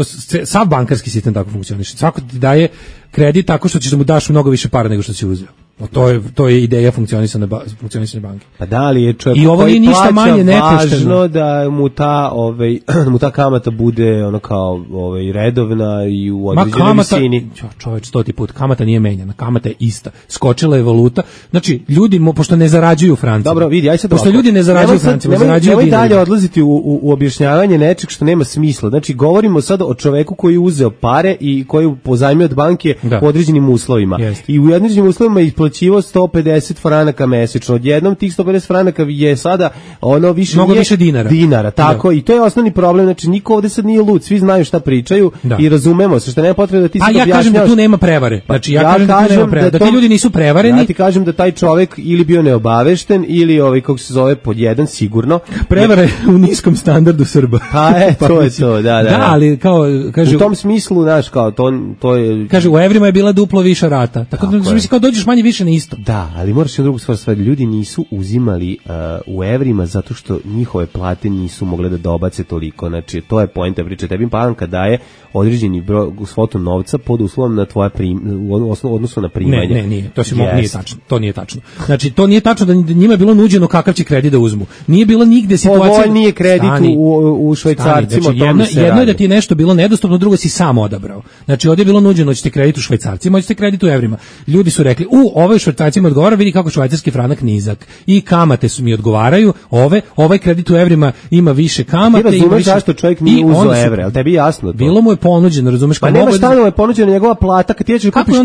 sav bankarski sistem tako funkcioniše. Svako ti daje kredit tako što ćeš da mu daš mnogo više para nego što si uzeo. O, to je to je ideja funkcionisanja ba, funkcionisanja banke. Pa da li je čovjek I ovo nije ništa manje nepošteno važno da mu ta ovaj mu ta kamata bude ono kao ovaj redovna i u određenoj visini. Čo, čovjek stoti put kamata nije menjana, kamata je ista. Skočila je valuta. Znači ljudi mo, pošto ne zarađuju u Franciji. Dobro, vidi, aj sad pošto ljudi ne zarađuju u Franciji, ne zarađuju i dalje odlaziti u, u, u objašnjavanje nečeg što nema smisla. Znači govorimo sad o čoveku koji je uzeo pare i koji je pozajmio od banke da. po određenim uslovima. Jest. I u određenim uslovima isplaćivao sto pedeset franaka mesečno. Odjednom tih sto pedeset franaka je sada ono više mnogo više dinara. Dinara, tako, da. I to je osnovni problem. Znači niko ovde sad nije lud, svi znaju šta pričaju da. I razumemo se, što nema potrebe da ti sad objašnjavaš. A ja kažem da tu nema prevare. Znači ja, ja kažem da tu nema prevare, da, da ti ljudi nisu prevareni. Ja ti kažem da taj čovek ili bio neobavešten ili ovaj kako se zove pod jedan sigurno. Prevare u niskom standardu Srba. Pa e, to je to, da, da. Da, ali kao kaže u tom smislu, znaš, kao to to je kaže u evrima je bila duplo više rata. Tako, tako da mislim kao dođeš manje više na isto. Da, ali moraš i drugu stvar, sve ljudi nisu uzimali uh, u evrima zato što njihove plate nisu mogle da dobace toliko. Znači, to je poenta priče. Tebi banka daje određeni broj svotu novca pod uslovom na tvoja prim, u odnosu na primanje. Ne, ne, nije. To se yes. nije tačno. To nije tačno. Znači, to nije tačno da njima je bilo nuđeno kakav će kredit da uzmu. Nije bilo nigde situacija. Ovo nije kredit stani, u, u švajcarcima. Znači, jedno, jedno je da ti je nešto bilo nedostupno, drugo si sam odabrao. Znači, ovdje je bilo nuđeno ćete kredit u švajcarcima, ćete kredit u evrima. Ljudi su rekli, u, ovaj švajcarcima odgovara, vidi kako švajcarski franak nizak. I kamate su mi odgovaraju, ove, ovaj kredit u evrima ima više kamate. Ti razumeš zašto čovjek nije uzeo evre, ali tebi jasno to. Bilo mu je ponuđeno, razumeš? Pa nema stanova je ponuđena njegova plata, kad ti ješ kupiš,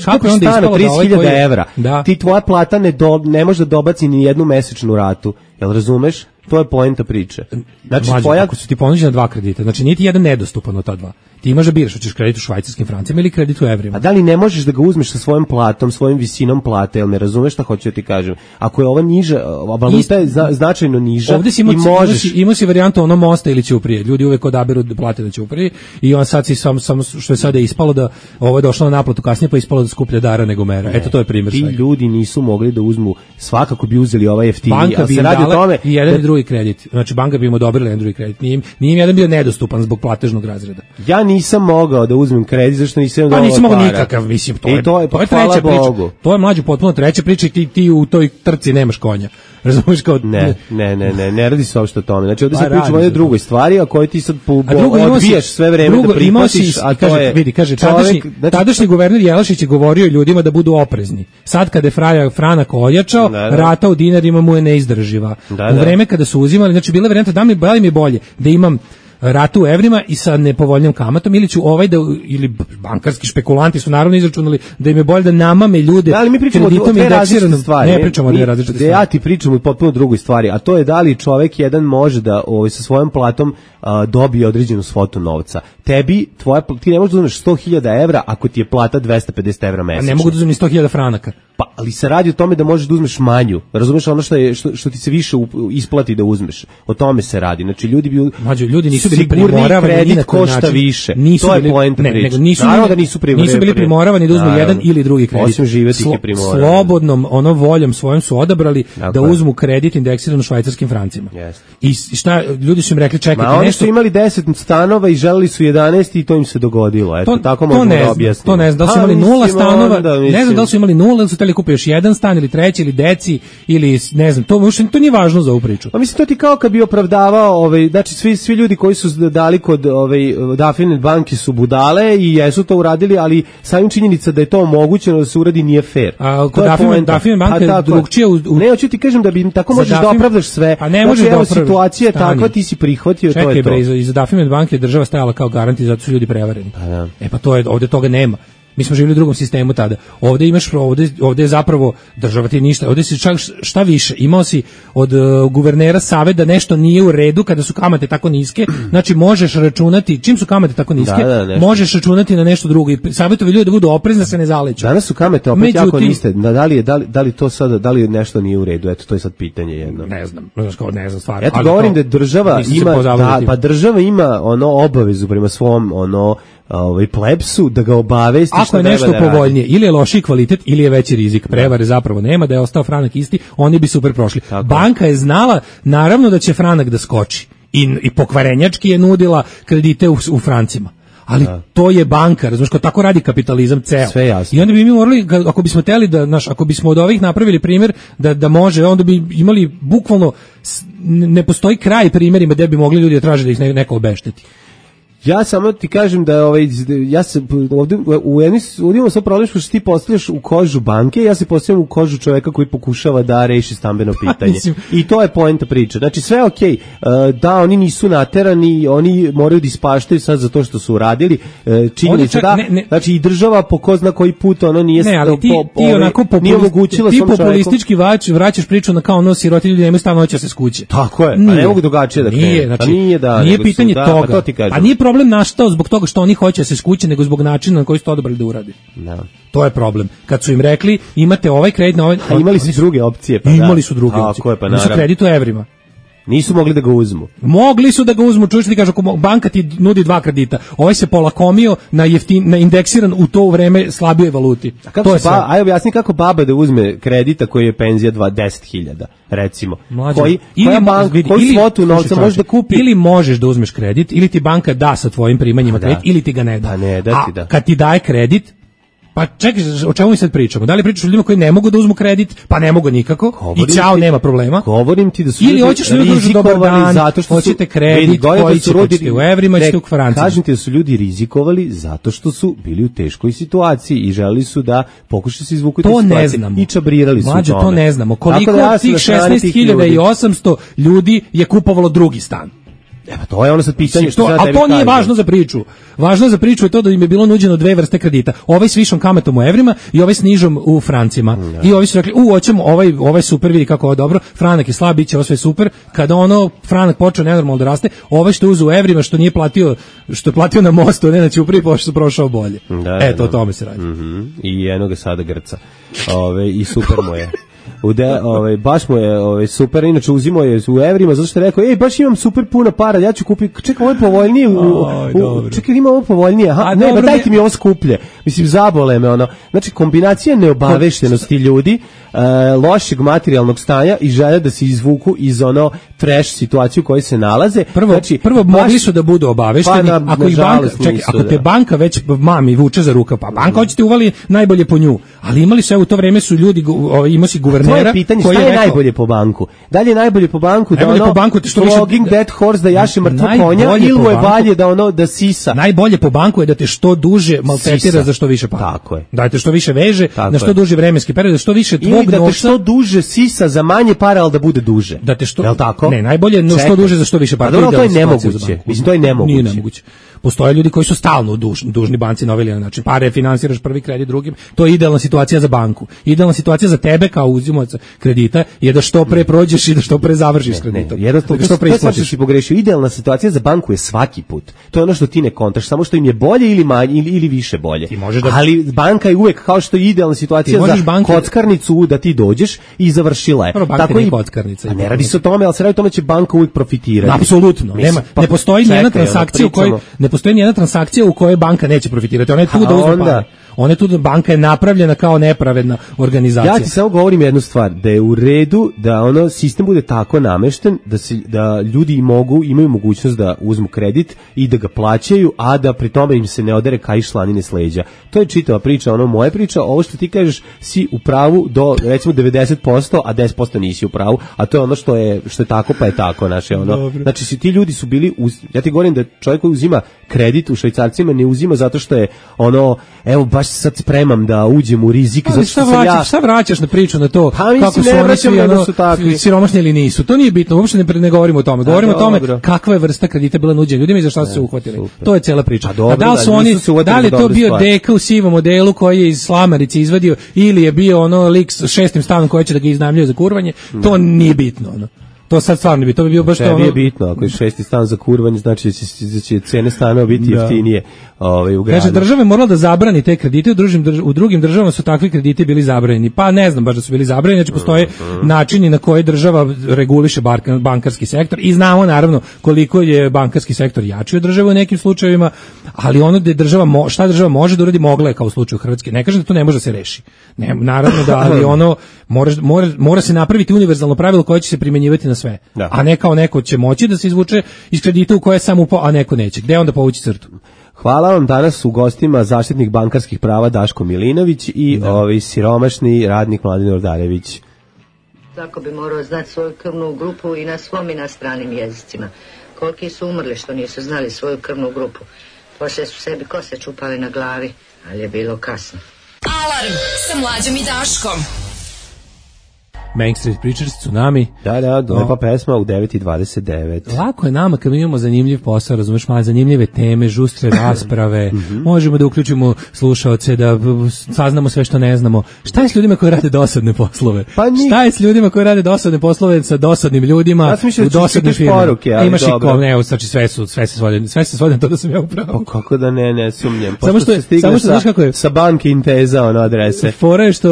kupiš stan od trideset hiljada evra, da. Ti tvoja plata ne, do, ne može da dobaci ni jednu mesečnu ratu, jel razumeš? To je poenta priče. Znači, Mlađe, tvoja... ako su ti ponuđena dva kredita, znači nije ti jedan nedostupan od ta dva. Ti imaš da biraš, hoćeš kredit u švajcarskim francima ili kredit u evrima. A da li ne možeš da ga uzmeš sa svojom platom, svojim visinom plate, jel me razumeš šta hoću da ti kažem? Ako je ova niža, valuta je zna, značajno niža ovdje si i imao, možeš... Imao si, imao si varijantu ono mosta ili ćuprije. Ljudi uvek odaberu da plate da ćuprije i on sad si samo, samo što je sada ispalo da ovo je došlo na naplatu kasnije pa ispalo da skuplje dara nego mera. Ne, eto to je primjer ti svega. Ljudi nisu mogli da uzmu, svakako bi uzeli ovaj jeftiniji, banka bi se im radi o dala tome i jedan da... i drugi kredit. Znači banka bi im odobrila jedan drugi kredit. Nije im, nije im jedan bio nedostupan zbog platežnog razreda. Ja nisam mogao da uzmem kredit zašto nisam pa nisam mogao para. Nikakav, mislim, to I je, to je, to je pa, treća Bogu. priča. To je mlađe potpuno treća priča i ti, ti u toj trci nemaš konja. Razumiješ kao... Ne, ne, ne, ne, ne radi se uopšte o tome. Znači ovdje Pa se pričamo o jednoj drugoj stvari, a koje ti sad po, po, odbijaš sve vreme drugo, da prihvatiš, si, a to kaže, je... vidi, kaže, čovjek, tadašnji, znači, tadašnji guverner Jelašić je govorio ljudima da budu oprezni. Sad kada je fraja, franak ojačao, da, da. rata u dinarima mu je neizdrživa. Da, u da. vreme kada su uzimali, znači bila varijanta da mi, da li mi je bolje da imam ratu u evrima i sa nepovoljnim kamatom ili ću ovaj da, ili bankarski špekulanti su naravno izračunali da im je bolje da namame ljude da, ali mi pričamo o dve različite stvari. Ne pričamo o dve različite stvari. Ja ti pričam o potpuno drugoj stvari, a to je da li čovjek jedan može da ovaj, sa svojom platom a, dobije određenu svotu novca. Tebi, tvoja, ti ne možeš da uzmeš sto hiljada evra ako ti je plata dvesta pedeset evra mesečno. A ne mogu da uzmem ni sto hiljada franaka. Pa, ali se radi o tome da možeš da uzmeš manju. Razumeš ono što je što, što ti se više isplati da uzmeš. O tome se radi. Znači ljudi bi Mađo, ljudi nisu bili sigurni primoravani kredit košta način. Više. Nisu to je bili, poenta ne, priče. nego nisu, Naravno da nisu primoravani. Nisu bili primoravani da uzmu naravno. Jedan ili drugi kredit. Osim živeti Slo, je primoravani. Slobodnom ono voljom svojom su odabrali dakle. Da uzmu kredit indeksiran u švajcarskim francima. Yes. I šta ljudi su im rekli čekajte Ma, oni nešto. su imali deset stanova i želeli su jedanaest i to im se dogodilo. Eto to, tako možemo da objasnimo. To ne znam, da li su imali nula stanova, ne znam da li su imali nula ili su hteli kupe još jedan stan ili treći ili deci ili ne znam, to možda to nije važno za ovu priču. Pa mislim to ti kao kad bi opravdavao, ovaj znači svi svi ljudi koji su dali kod ovaj Dafine banke su budale i jesu to uradili, ali samim činjenica da je to omogućeno da se uradi nije fair. A kod Dafine Dafine banke drugčije u, u... Ne, hoću ti kažem da bi tako možeš Dafine, da opravdaš sve. A ne možeš da opravdaš. Situacija je takva, ti si prihvatio, čekaj, to je to. Čekaj bre, iz Dafine banke država stajala kao garant i zato su ljudi prevareni. Pa da. E pa to je, ovde toga nema. Mi smo živjeli u drugom sistemu tada. Ovde imaš, ovde, ovde je zapravo država ti ništa. Ovde si čak šta više. Imao si od uh, guvernera savjet da nešto nije u redu kada su kamate tako niske. Znači možeš računati, čim su kamate tako niske, da, da, možeš računati na nešto drugo. I savjetovi ljudi da budu oprezni da se ne zaleću. Danas su kamate opet Međutim, jako niste. Da li je da li, da li to sada da li nešto nije u redu? Eto to je sad pitanje jedno. Ne znam, ne znam stvarno. Ja ti govorim da država ima da, pa država ima ono obavezu prema svom ono ovaj plebsu da ga obavesti ako je nešto da povoljnije ili je lošiji kvalitet ili je veći rizik, prevare zapravo nema, da je ostao franak isti, oni bi super prošli. Tako. Banka je znala naravno da će franak da skoči i, i pokvarenjački je nudila kredite u, u francima. Ali da. To je banka, razumiješ, kao tako radi kapitalizam ceo. Sve jasno. I onda bi mi morali, ako bismo teli da, naš, ako bismo od ovih napravili primjer da, da može, onda bi imali bukvalno, ne postoji kraj primjerima gdje bi mogli ljudi da traže da ih neko obešteti. Ja samo ti kažem da ovaj ja se ovdje u jednom udimo sa problem što ti postavljaš u kožu banke, ja se postavljam u kožu čovjeka koji pokušava da reši stambeno pitanje. I to je poenta priče. Znači sve je okej. Okay. Da, oni nisu naterani, oni moraju da ispaštaju sad za to što su uradili. Činjenica da, ne, ne, znači i država po ko zna koji put ono nije ne, ali ti, po, ti onako omogućila ti populistički vač, vraćaš priču na kao ono siroti ljudi nemaju stan, hoće se s kuće. Tako je. Nije. A ne mogu drugačije da krenu. Nije, znači, nije da nije pitanje su, da, toga. Pa to ti kažem. A nije problem nastao zbog toga što oni hoće da se skuće, nego zbog načina na koji su to odabrali da uradi. Da. To je problem. Kad su im rekli imate ovaj kredit na ovaj, a imali su druge opcije, pa imali da. su druge a, opcije. Pa nisu kredit u evrima. Nisu mogli da ga uzmu. Mogli su da ga uzmu, čuješ ti kažu, banka ti nudi dva kredita. Ovaj se polakomio na jeftin, na indeksiran u to vreme slabije valuti. A kako to je ba, aj objasni kako baba da uzme kredita koji je penzija dvadeset hiljada, recimo. Mlađe, koji ili koja banka, vidi, koju ili, svotu novca može da kupi? Ili možeš da uzmeš kredit, ili ti banka da sa tvojim primanjima da. kredit, ili ti ga ne da. Pa ne da ti da. A kad ti daje kredit, pa čekaj, o čemu mi sad pričamo? Da li pričaš o ljudima koji ne mogu da uzmu kredit, pa ne mogu nikako, govorim i ćao, nema problema? Govorim ti da su ili hoćeš ljudi da dobar dan, zato što hoćete kredit, koji će hoćete u evrima, ćete u francima. Kažem ti da su ljudi rizikovali zato što su bili u teškoj situaciji i želeli su da pokušaju se izvuku iz situacije. To ne znamo. I čabrirali su Mlađe, tome. To ne znamo. Koliko da ja tih šesnaest hiljada osamsto ljudi je kupovalo drugi stan? E pa to je ono sad pitanje što to, sad a tebi to nije kažem. važno za priču. Važno za priču je to da im je bilo nuđeno dve vrste kredita. Ovaj s višom kamatom u evrima i ovaj s nižom u francima. Mm, I ovi su rekli, u, hoćemo, ovaj, ovaj super, vidi kako je dobro, franak je slab, bit će ovo sve super. Kada ono, franak počeo nenormalno da raste, ovaj što je uzeo u evrima, što nije platio, što je platio na mostu, ne na Ćupriji, pošto su prošao bolje. Da, Eto, da. o tome se radi. Mm-hmm. I jedno ga sada grca. Ove, I super mu je. Ude, ovaj baš mu je ovaj super, inače uzimo je u evrima zato što je rekao ej baš imam super puno para, ja ću kupiti, čekaj, ovo je povoljnije, u, u, čekaj, ima ovo povoljnije, aha, a, ne, dobro, ba dajte mi ovo skuplje, mislim zabole me ono, znači kombinacija neobaveštenosti ljudi, uh, lošeg materijalnog stanja i želja da se izvuku iz ono trash situaciju u kojoj se nalaze. Prvo, znači, prvo baš, mogli su da budu obavešteni, pa na, ako, ih banka, čekaj, nisu, ako te da. banka već mami vuče za rukav, pa banka hoćete uvali najbolje po nju, ali imali su, u to vreme su ljudi, ovaj, imao si guvernera. To je pitanje, šta je, je rekao, najbolje po banku? Da li je najbolje po banku da ono, po banku, što više, flogging dead horse, da jaše mrtvo konja, ili mu je balje da ono, da sisa? Najbolje po banku je da te što duže maltretira za što više para. Tako je. Da te što više veže, tako na što je. duži vremenski period, da što više tvog novca. Ili da te novca, što duže sisa za manje para, ali da bude duže. Da te što, jel tako? Ne, najbolje no što duže za što više para. A dobro, to je nemoguće. Mislim, to je nemoguće. Nije nemoguće. Postoje ljudi koji su stalno dužni, dužni banci na ovaj ili onaj način. Pare finansiraš prvi kredit drugim. To je idealna situacija za banku. Idealna situacija za tebe kao uzimaoca kredita je da što pre prođeš i da što pre završiš kreditom. Jednostavno, da što pre isplatiš. Si pogrešio. Idealna situacija za banku je svaki put. To je ono što ti ne kontaš, samo što im je bolje ili manje ili, ili više bolje. Da... Ali banka je uvek kao što je idealna situacija za banke... kockarnicu da ti dođeš i završila je. Tako i kockarnica. A ne radi se o tome, ali se radi o tome će banka uvek profitirati. Apsolutno. Nema, pa, ne postoji nijedna transakcija u kojoj ne postoji nijedna transakcija u kojoj banka neće profitirati. Ona je tu da uzme pare. Ona je tu da banka je napravljena kao nepravedna organizacija. Ja ti samo govorim jednu stvar, da je u redu da ono sistem bude tako namešten da se da ljudi mogu imaju mogućnost da uzmu kredit i da ga plaćaju, a da pri tome im se ne odere kaiš slanine s leđa. To je čitava priča, ono moja priča, ovo što ti kažeš si u pravu do recimo devedeset posto, a deset posto nisi u pravu, a to je ono što je što je tako pa je tako, naše ono. Dobre. Znači si ti ljudi su bili uz, ja ti govorim da čovjek koji uzima kredit u švajcarcima ne uzima zato što je ono evo baš sad spremam da uđem u rizik zato što sam ja šta vraćaš na priču na to pa, kako su oni svi ono, siromašni ili nisu, to nije bitno, uopšte ne, ne govorimo o tome, govorimo a, o tome dobro. Kakva je vrsta kredita bila nuđena ljudima i za šta su se uhvatili, super. To je cela priča. A, dobro, a da li su da, oni, da li je to bio stvari. Deka u sivom modelu koji je iz Slamarice izvadio ili je bio ono lik s šestim stanom koji će da ga iznajmljuje za kurvanje, to da. Nije bitno ono. To sad stvarno bi, to bi bio baš to ono... je bitno, ako je šesti stan za kurvanje, znači da će, da će cene stanova biti da. Jeftinije ovaj, u gradu. Kaže, država je morala da zabrani te kredite, u drugim, drž u drugim državama su takvi krediti bili zabranjeni. Pa ne znam baš da su bili zabranjeni, znači postoje mm-hmm. načini na koje država reguliše bankarski sektor i znamo naravno koliko je bankarski sektor jači od države u nekim slučajevima, ali ono da je država, mo šta država može da uradi, mogla je kao u slučaju Hrvatske. Ne kažem da to ne može da se reši. Ne, naravno da, ali ono mora, mora, mora se napraviti univerzalno pravilo koje će se primjenjivati na sve. Da. A ne kao neko će moći da se izvuče iz kredita u koje sam upao, a neko neće. Gde onda povući crtu? Hvala vam, danas u gostima zaštitnik bankarskih prava Daško Milinović i da. Ovaj siromašni radnik Mladen Ordarević. Tako bi morao znati svoju krvnu grupu i na svom i na stranim jezicima. Koliki su umrli što nisu znali svoju krvnu grupu. Poslije su sebi kose čupali na glavi, ali je bilo kasno. Alarm sa Mlađom i Daškom. Main Street Preachers, Tsunami. Da, da, lepa pesma u devet i dvadeset devet. Lako je nama kad imamo zanimljiv posao, razumeš, malo zanimljive teme, žustre rasprave, mm-hmm. možemo da uključimo slušaoce, da saznamo sve što ne znamo. Šta je s ljudima koji rade dosadne poslove? Pa ni... Šta je s ljudima koji rade dosadne poslove sa dosadnim ljudima ja mišljam, u dosadnim firmama? Poruke, imaš i ko, ne, znači sve su, sve se svode, sve se svode na to da sam ja upravo. Pa kako da ne, ne sumnjem. Samo što, se samo što, znaš kako je? Sa banke Inteza, ono, adrese. Fora je što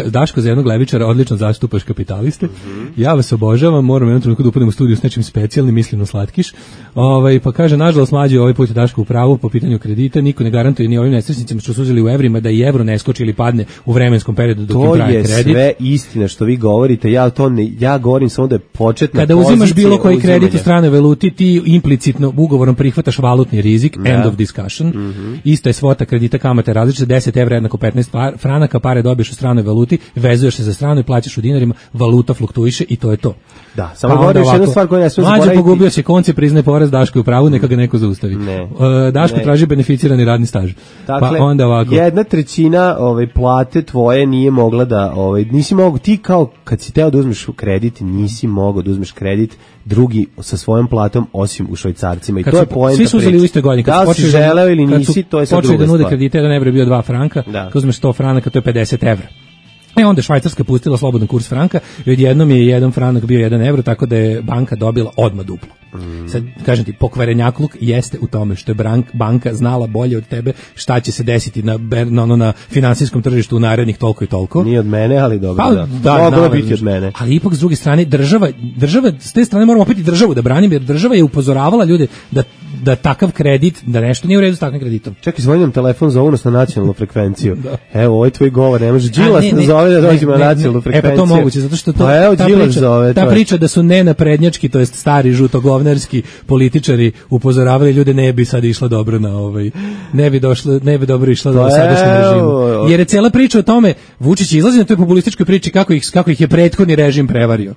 Daško za jednog levičara odlično zastupaš kapitaliste. Mm-hmm. Ja vas obožavam, moram jednom trenutku da upadnem u studiju s nečim specijalnim, mislim na slatkiš. Ovaj, pa kaže, nažalost, mlađi ovaj put je Daško u pravu po pitanju kredita, niko ne garantuje ni ovim nesrećnicima što su uzeli u evrima da i evro ne skoči ili padne u vremenskom periodu dok im traje kredit. To je sve istina što vi govorite, ja to ne, ja govorim samo da je početna kada pozicija. Kada uzimaš bilo koji kredit u stranoj valuti, ti implicitno ugovorom prihvataš valutni rizik, da. End of discussion. Mm-hmm. Isto je svota kredita, kamate različite, deset evra jednako petnaest franaka, pare dobiješ u stranoj valuti, vezuješ se za stranu i plaćaš u dinarima, kojem valuta fluktuiše i to je to. Da, samo pa govoriš jednu stvar koju ne smije zaboraviti. Mlađe pogubio se konce, priznaje poraz, Daško je u pravu, neka ga neko zaustavi. Ne, uh, Daško ne. traži beneficirani radni staž. Dakle, pa onda ovako. Jedna trećina ovaj, plate tvoje nije mogla da, ovaj, nisi mogao, ti kao kad si teo da uzmeš kredit, nisi mogao da uzmeš kredit drugi sa svojom platom osim u švajcarcima i kad to su, je poenta svi su uzeli u istoj godini. Da li si želeo ili nisi, to je sad druga stvar. Počeli da nude kredite, jedan evro je bio dva franka, da. kad uzmeš sto franaka, to je pedeset evra. E onda Švajcarska pustila slobodan kurs franka i odjednom je jedan franak bio jedan evro, tako da je banka dobila odmah duplo. Mm. Sad, kažem ti, pokvarenjakluk jeste u tome što je brank, banka znala bolje od tebe šta će se desiti na, na, na, na finansijskom tržištu u narednih toliko i toliko. Nije od mene, ali dobro, pa, da. da Moglo biti od mene. Ali ipak s druge strane, država, država, s te strane moramo opet i državu da branim, jer država je upozoravala ljude da da takav kredit, da nešto nije u redu s takvim kreditom. Čekaj, zvoni nam telefon za unos na nacionalnu frekvenciju. Evo, ovaj tvoj govor, ne može Đilas da zove da dođemo na nacionalnu frekvenciju. E pa to moguće, zato što to, pa evo, ta, priča, zove, ta priča da su nenaprednjački, to jest stari žutogovnerski političari upozoravali ljude, ne bi sad išla dobro na ovaj, ne bi došlo, ne bi dobro išla do sadašnjem režimu. Jer je cela priča o tome, Vučić izlazi na toj populističkoj priči kako ih, kako ih je prethodni režim prevario.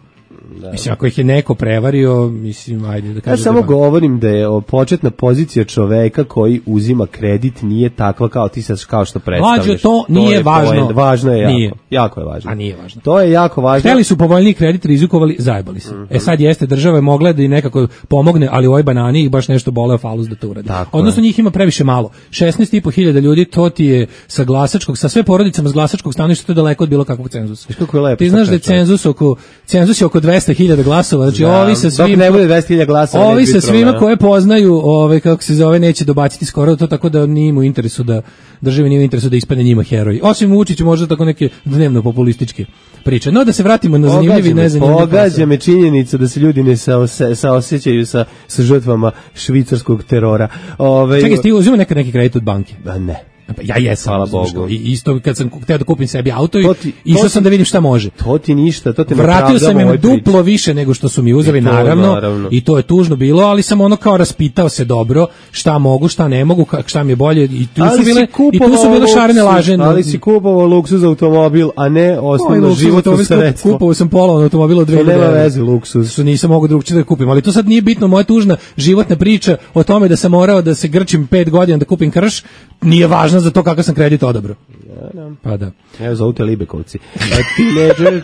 Da. Mislim, ako ih je neko prevario, mislim, ajde da kažem. Ja samo da govorim da je početna pozicija čoveka koji uzima kredit nije takva kao ti sad kao što predstavljaš. Mlađe, to nije to važno. Point. Važno je jako. Nije. Jako je važno. A nije važno. To je jako važno. Hteli su povoljniji kredit, rizikovali, zajebali se. Mm-hmm. E sad jeste, država je mogla da i nekako pomogne, ali u ovoj banani ih baš nešto boleo falus da to uradi. Tako odnosno je. Njih ima previše malo. šesnaest i po hiljada ljudi, to ti je sa glasačkog, sa sve porodicama s glasačkog stanovišta, to je daleko od bilo kakvog cenzusa. Kako je lepo. Ti znaš da je cenzus oko, cenzus je oko dvesta hiljada glasova. Znači, da, ovi sa svim, ne bude dvesta hiljada glasova, ovi sa svima koje poznaju, ove, kako se zove, neće dobaciti skoro to, tako da nije mu interesu da državi nije u interesu da ispadne njima heroji. Osim Vučiću možda tako neke dnevno populističke priče. No da se vratimo na zanimljivi i nezanimljivi. Pogađa me činjenica da se ljudi ne saose, saosećaju sa, sa žrtvama švicarskog terora. Ove, Čekaj, ti uzima nekad neki kredit od banke? Da ne. Ja jesam, hvala Bogu. I isto kad sam hteo da kupim sebi auto i išao sam da vidim šta može. To ti ništa, to te vratio sam im duplo više nego što su mi uzeli, naravno, naravno, i to je tužno bilo, ali sam ono kao raspitao se dobro, šta mogu, šta ne mogu, šta mi je bolje, i tu ali su bile i tu su bile šarene laže. Ali si kupovao luksuz automobil, a ne osnovno životno sredstvo. Kupovao sam polovan automobil od dve hiljade. Nema veze luksuz. Što nisam mogao drugčije da kupim, ali to sad nije bitno, moja tužna životna priča o tome da sam morao da se grčim pet godina da kupim krš, nije važna za to kakav sam kredit odabrao. Ja, da. Pa da. Evo zovu te Libekovci. A tineđer,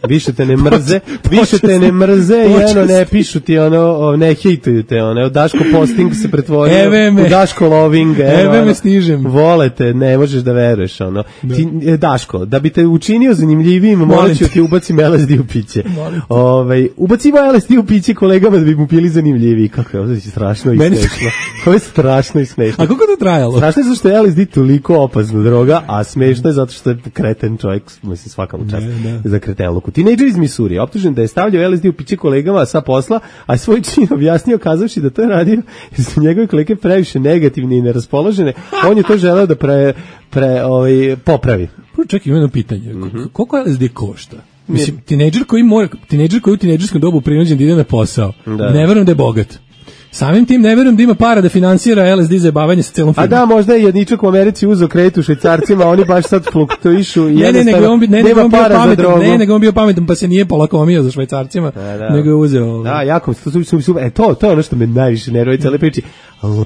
više te ne mrze, više te ne mrze i ono ne pišu ti ono, ne hejtuju te ono, Daško posting se pretvorio u Daško loving. Eve me stižem. Volete, ne možeš da veruješ ono. Da. Ti, Daško, da bi te učinio zanimljivijim, morat ću ti ubacim L S D u piće. Ovaj, ubacimo L S D u piće kolegama da bi mu pili zanimljiviji. Kako je ovo strašno i smešno. Ovo je strašno i smešno. A kako to trajalo? Strašno je zato što je L S D toliko opasna droga, a smešno je zato što je kreten čovjek, mislim svaka mu čast za kretenluku. Tinejdžer iz Misuri optužen da je stavljao L S D u piće kolegama sa posla, a svoj čin objasnio kazavši da to je radio jer su njegove kolege previše negativne i neraspoložene. On je to želeo da pre, pre ovaj, popravi. Čekaj, imam jedno pitanje. Mm-hmm. Koliko L S D košta? Mislim, tinejdžer koji mora, tinejdžer koji u tinejdžerskom dobu prinuđen da ide na posao, da. Ne verujem da je bogat. Samim tim ne verujem da ima para da finansira L S D za jebavanje sa celom firmom. A da, možda je jedničak u Americi uzeo kredit u švajcarcima, oni baš sad fluktuišu i jednostavno ne, ne, nema on para pametan, za drogu. Ne, nego on bio pametan pa se nije polakomio za švajcarcima, da, da. nego je uzeo. Da, jako, to, su, su, su, e, to, to je ono što me najviše nervira cele priči.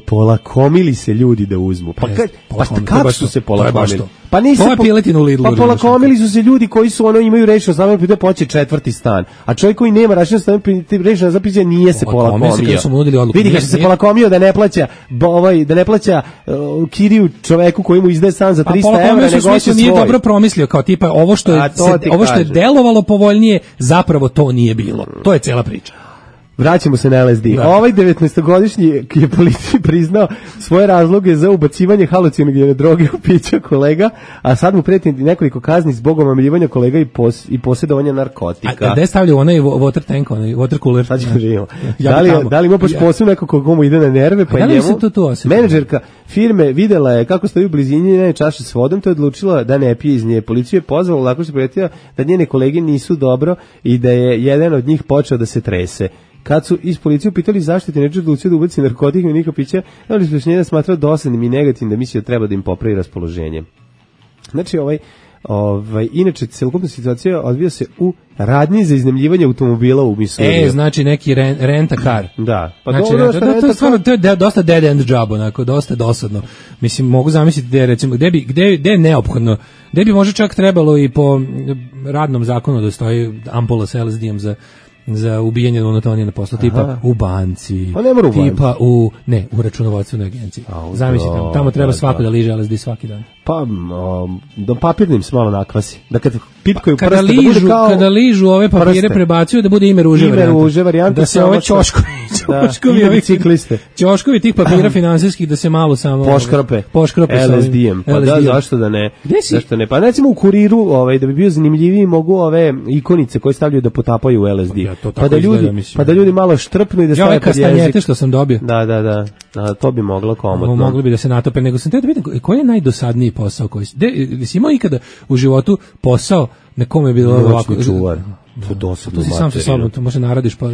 Polakomili se ljudi da uzmu. Pa, kad, pa šta, kako su se polakomili? Pa nisu po, u Lidlu, pa polakomili su se ljudi koji su ono imaju rešeno znamo da poće četvrti stan. A čovjek koji nema rešeno stan rešeno za piće nije se polakomio. Vidi kako se polakomio da ne plaća ovaj da ne plaća uh, kiriju čoveku koji mu izdaje stan za trista evra, nego hoće svoj. Nije dobro promislio kao tipa ovo što je se, ovo što je delovalo povoljnije, zapravo to nije bilo. To je cela priča. Vraćamo se na L S D. Da. Ovaj devetnaestogodišnji je policiji priznao svoje razloge za ubacivanje halucinogene droge u pića kolega, a sad mu preti nekoliko kazni zbog omamljivanja kolega i, pos, i posjedovanja narkotika. A, a gde stavljaju onaj water tank, onaj water cooler? Sad ćemo živimo. Ja da, li, da li ima baš posebno neko koga mu ide na nerve, pa njemu menadžerka firme videla je kako stoji u blizini njene čaše s vodom, to je odlučila da ne pije iz nje. Policiju je pozvala, lako se prijetila da njene kolege nisu dobro i da je jedan od njih počeo da se trese. Kad su iz policije pitali zašto ti neđe odlučio da ubaci narkotik i niko piće, ali su njena smatrao dosadnim i negativnim da misli da treba da im popravi raspoloženje. Znači, ovaj, Ovaj, inače, celokupna situacija odvija se u radnji za iznajmljivanje automobila u Missouriju. E, znači neki ren, renta car. Da. Pa znači, dobro, renta, da, to je stvarno, to je de, dosta dead end job, onako, dosta dosadno. Mislim, mogu zamisliti gde, recimo, gde bi, gde, gde je neophodno, gde bi možda čak trebalo i po radnom zakonu da stoji ampula sa L S D-om za za ubijanje monotonije na poslu, tipa u banci, pa ne mora u banci. Tipa u, ne, u računovodstvenoj agenciji. Zamislite, tamo treba svako da liže L S D svaki dan. Pa, um, do papirnim se malo nakvasi. Da kad pitkaju kada prste, ližu, da bude kao kada ližu ove papire prste. Prebacuju da bude ime ruže ime varijanta. Ruže varijanta. Da se ove ćoškovi, ćoškovi, da, ovih, bicikliste. ćoškovi tih papira finansijskih da se malo samo poškrope. Poškrope L S D-em. Pa da, zašto da ne? Zašto ne? Pa recimo u Kuriru, ovaj, da bi bio zanimljiviji, mogu ove ikonice koje stavljaju da potapaju u L S D. Ja, to pa da ljudi, izgleda, pa da ljudi malo štrpnu i da stave pod jezik. Što sam dobio. Da, da, da. A, to bi moglo komotno. Mogli bi da se natope, nego sam te da vidim koji je najdosadniji posao koji si si imao ikada u životu posao na kome je bilo ovako čuvar. To dosadno. To si sam sa sobom, to može naradiš pa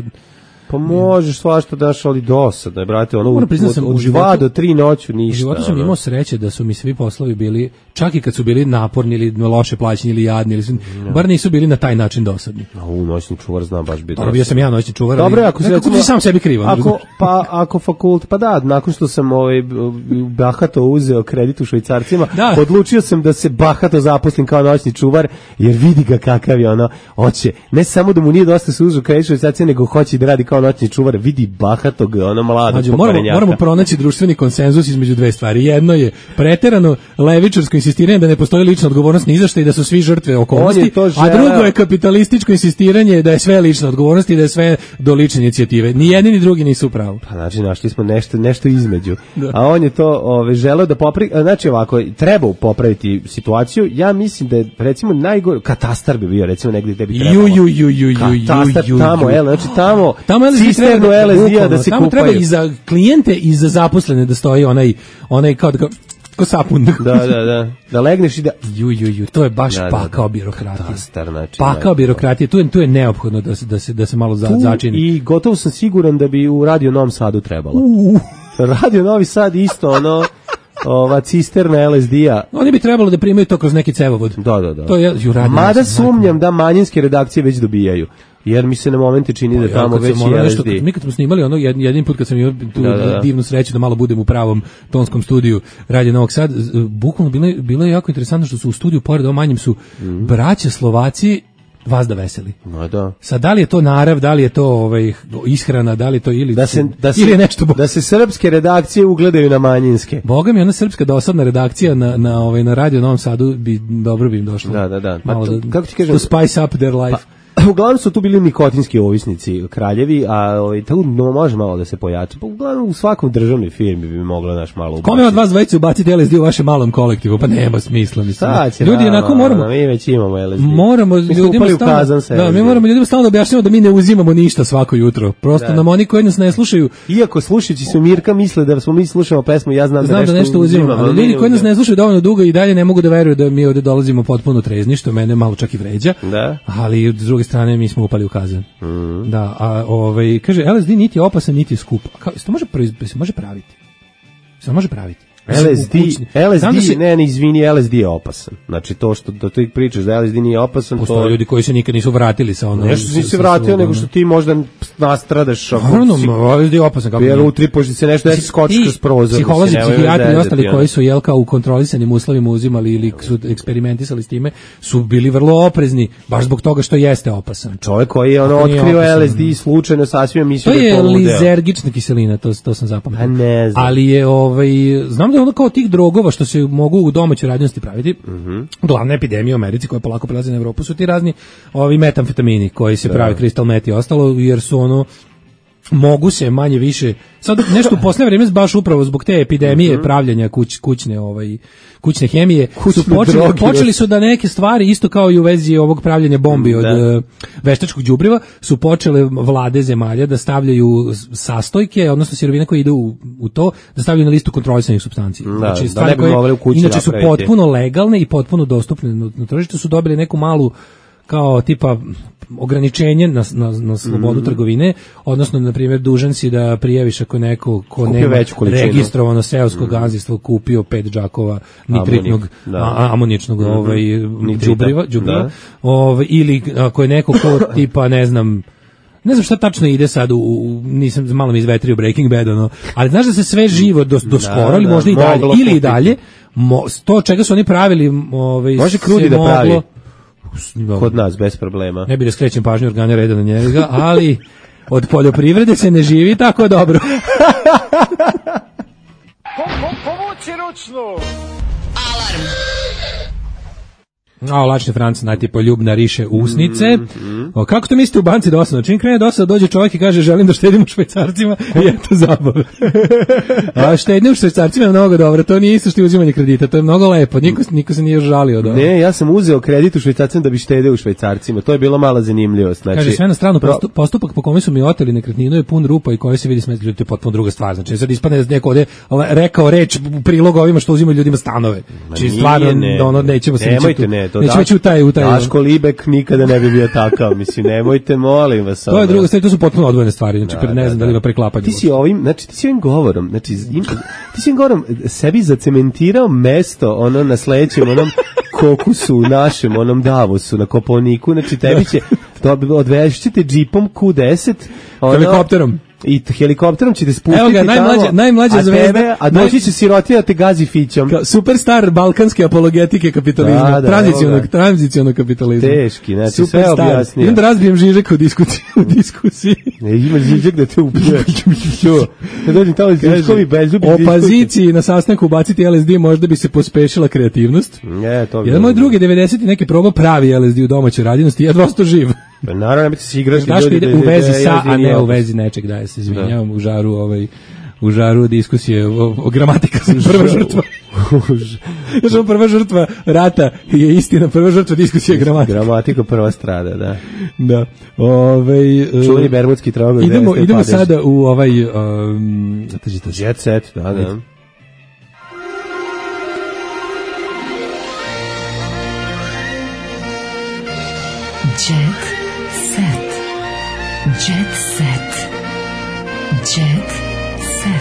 pa možeš svašta daš, ali dosadno je, brate, ono Moram priznati sam od u životu dva do tri noću ništa. U životu sam ono. imao sreće da su mi svi poslovi bili, čak i kad su bili naporni ili loše plaćeni ili jadni, ili su, no. bar nisu bili na taj način dosadni. A u noćni čuvar znam baš biti. Dobro, bio sam ja noćni čuvar. Dobro, ako se recimo, sam sebi krivan. Ako, pa ako fakult, pa da, nakon što sam ovaj bahato uzeo kredit u švajcarcima, da. odlučio sam da se bahato zaposlim kao noćni čuvar, jer vidi ga kakav je ono, hoće, ne samo da mu nije dosta se uzeo kredit u švajcarcima, nego hoće da radi kao noćni čuvar, vidi bahatog, ono mladog pokvarenjaka. Moramo pronaći društveni konsenzus između dve stvari. Jedno je preterano levičarsko insistiranje da ne postoji lična odgovornost ni za šta i da su svi žrtve okolnosti, a drugo je kapitalističko insistiranje da je sve lična odgovornost i da je sve do lične inicijative. Ni jedni ni drugi nisu u pravu. Pa znači našli smo nešto nešto između. Da. A on je to ove želeo da popravi, znači ovako, treba popraviti situaciju. Ja mislim da je recimo najgore katastar bi bio recimo negdje gde bi trebalo. Ju ju ju ju ju katastar ju, tamo, el, znači tamo tamo cisternu L S D-a da se tamo kupaju. Treba i za klijente i za zaposlene da stoji onaj onaj kao da ko sapun. Da, da, da. Da legneš i da ju ju ju, to je baš da, pakao birokratije. Katastar, znači. Pakao birokratije, tu je tu je neophodno da se da se da se malo za, začini. I gotovo sam siguran da bi u Radio Novom Sadu trebalo. Uh. Radio Novi Sad isto ono ova cisterna L S D-a. Oni bi trebalo da primaju to kroz neki cevovod. Da, da, da. To je ju radio. Mada sumnjam da manjinske redakcije već dobijaju. Jer mi se na momente čini da tamo već je L S D. Mi kad smo snimali ono jedin put kad sam imao tu da, da. divnu sreću da malo budem u pravom tonskom studiju Radio Novog Sad, bukvalno bilo, bilo je jako interesantno što su u studiju pored ovom manjem su mm. braća Slovaci vas da veseli. No, da. Sad, da li je to narav, da li je to ovaj, ishrana, da li je to ili, da se, da se, ili nešto... Da se srpske redakcije ugledaju na manjinske. Boga mi, ona srpska dosadna redakcija na, na, ovaj, na Radio Novom Sadu bi dobro bi im došlo. Da, da, da. Malo pa to, da, kako ti kažem? To spice up their life. Pa, uglavnom su tu bili nikotinski ovisnici kraljevi, a ovaj tu no, može malo da se pojača. Pa uglavnom u svakom državnoj firmi bi moglo naš malo ubaciti. Kome od vas dvojice ubaciti L S D u vašem malom kolektivu? Pa nema smisla, mislim. Ljudi onako moramo. Mi već imamo L S D. Moramo ljudima stalno. Da, mi moramo ljudima stalno objašnjavamo da mi ne uzimamo ništa svako jutro. Prosto da. Nam oni koji nas ne slušaju. Iako slušajući se Mirka misle da smo mi slušamo pesmu, ja znam, znam da, nešto, da nešto uzimamo. uzimamo ali ljudi koji nas ne slušaju dovoljno dugo i dalje ne mogu da veruju da mi ovde dolazimo potpuno trezni, što mene malo čak i vređa. Da. Ali s druge strane mi smo upali u kazan. Mm. Da, a ovaj kaže L S D niti je opasan niti je skup. Kao se može se može praviti? Se može praviti? L S D, L S D, se... ne, ne, izvini, L S D je opasan. Znači to što da ti pričaš da L S D nije opasan, postoje to ljudi koji se nikad nisu vratili sa onom. Nešto nisi se vratio, nego što ti možda nastradaš ako Naravno, si... L S D je opasan kako. Jer utripoš se nešto da se skoči kroz prozor. Psiholozi, psihijatri i ostali koji su jelka u kontrolisanim uslovima uzimali ili su eksperimentisali s time, su bili vrlo oprezni baš zbog toga što jeste opasan. Čovjek koji je ono otkrio L S D slučajno sasvim mislio da je to lizergična kiselina, to to sam zapamtio. Ne znam. Ali je ovaj znam da je ono kao tih drogova što se mogu u domaćoj radinosti praviti. Mm-hmm. Glavna epidemija u Americi koja polako prelazi na Evropu su ti razni ovi metamfetamini koji se pravi crystal meth i ostalo, jer su ono mogu se manje više sad nešto u poslednje vreme baš upravo zbog te epidemije mm-hmm. pravljenja kuć, kućne ovaj kućne hemije kućne su počeli drogi, počeli su da neke stvari isto kao i u vezi ovog pravljenja bombi mm, od uh, veštačkog đubriva su počele vlade zemalja da stavljaju sastojke, odnosno sirovine koje idu u, u to, da stavljaju na listu kontrolisanih supstanci. Da, znači stvari da koje u kući inače su potpuno legalne i potpuno dostupne na, na tržištu su dobili neku malu kao tipa ograničenje na, na, na slobodu mm. trgovine, odnosno, na primjer, dužan si da prijaviš ako neko ko kupio nema registrovano seosko mm. gazdinstvo kupio pet džakova nitritnog, da. amoničnog mm-hmm. ovaj, džubriva, džubriva ovaj, ili ako je neko ko tipa, ne znam, ne znam šta tačno ide sad, u, u, nisam malo mi izvetrio Breaking Bad, ono, ali znaš da se sve živo do, do skoro, da, ili možda da, i dalje, ili i dalje, mo, to čega su oni pravili, ovaj, može krudi da pravi. Kod nas, bez problema. Ne bi da skrećem pažnju organa reda na njega, ali od poljoprivrede se ne živi tako dobro. Povuci ručnu! Alarm! A, lačni Franc, najti poljubna riše usnice. Mm-hmm. O, kako to mislite u banci dosadno? Čim krene dosadno, dođe čovjek i kaže želim da štedim u švajcarcima i eto zabave. A štednje u švajcarcima je mnogo dobro, to nije isto što je uzimanje kredita, to je mnogo lepo, niko, niko se nije žalio. Da. Ne, ja sam uzeo kredit u švajcarcima da bi štedeo u švajcarcima, to je bila mala zanimljivost. Znači, kaže, sve na stranu, postup, postupak po kome su mi oteli nekretninu je pun rupa i koji se vidi smetli, to je potpuno druga stvar. Znači, sad ispadne da neko ovde rekao reč u prilog ovima što uzimaju ljudima stanove. Znači, stvarno, ne, ono, nećemo se nemojte, ne, to nećemo ići u taj, u taj. Daško Libek nikada ne bi bio takav, mislim, nemojte, molim vas. To je druga stvar, to su potpuno odvojene stvari, znači, da, ne znam da, da li ima preklapanja. Ti si ovim, znači, ti si ovim govorom, znači, im, ti si ovim govorom sebi zacementirao mesto, ono, na sledećem, onom kokusu, našem, onom Davosu, na Kopaoniku, znači, tebi će, odvežit ćete džipom Q deset, ono, helikopterom. I helikopterom ćete spustiti Evo ga, najmlađa, tamo, najmlađa a zvezda, tebe, a doći će sirotina te gazi fićom. Superstar balkanske apologetike kapitalizma, da, da, tranzicionog, tranzicionog kapitalizma. Teški, znači Superstar. Sve objasnije. Idem da razbijem Žižek u diskusiji. U diskusiji. Ne, ima Žižek da te ubije. Da dođem tamo Žižkovi bezzubi. Opoziciji na sastanku ubaciti L S D možda bi se pospešila kreativnost. Ne, to bi. Jedan moj drugi devedeseti neki probao pravi L S D u domaćoj radinosti, jedva ostao živ. Naravno, nemojte se igrati. Znaš ide u vezi sa, a ne u vezi nečeg, da, ja se izvinjavam, u žaru, ovaj, u žaru diskusije o, o gramatika sam prva žrtva. Znaš, prva žrtva rata je istina, prva žrtva diskusije gramatika. Gramatika prva strada, da. Da. Ovaj, čuveni bermudski trogoj. Idemo, idemo sada u ovaj, um, Jet Set, da, da. Jet set. Jet set. Jet set.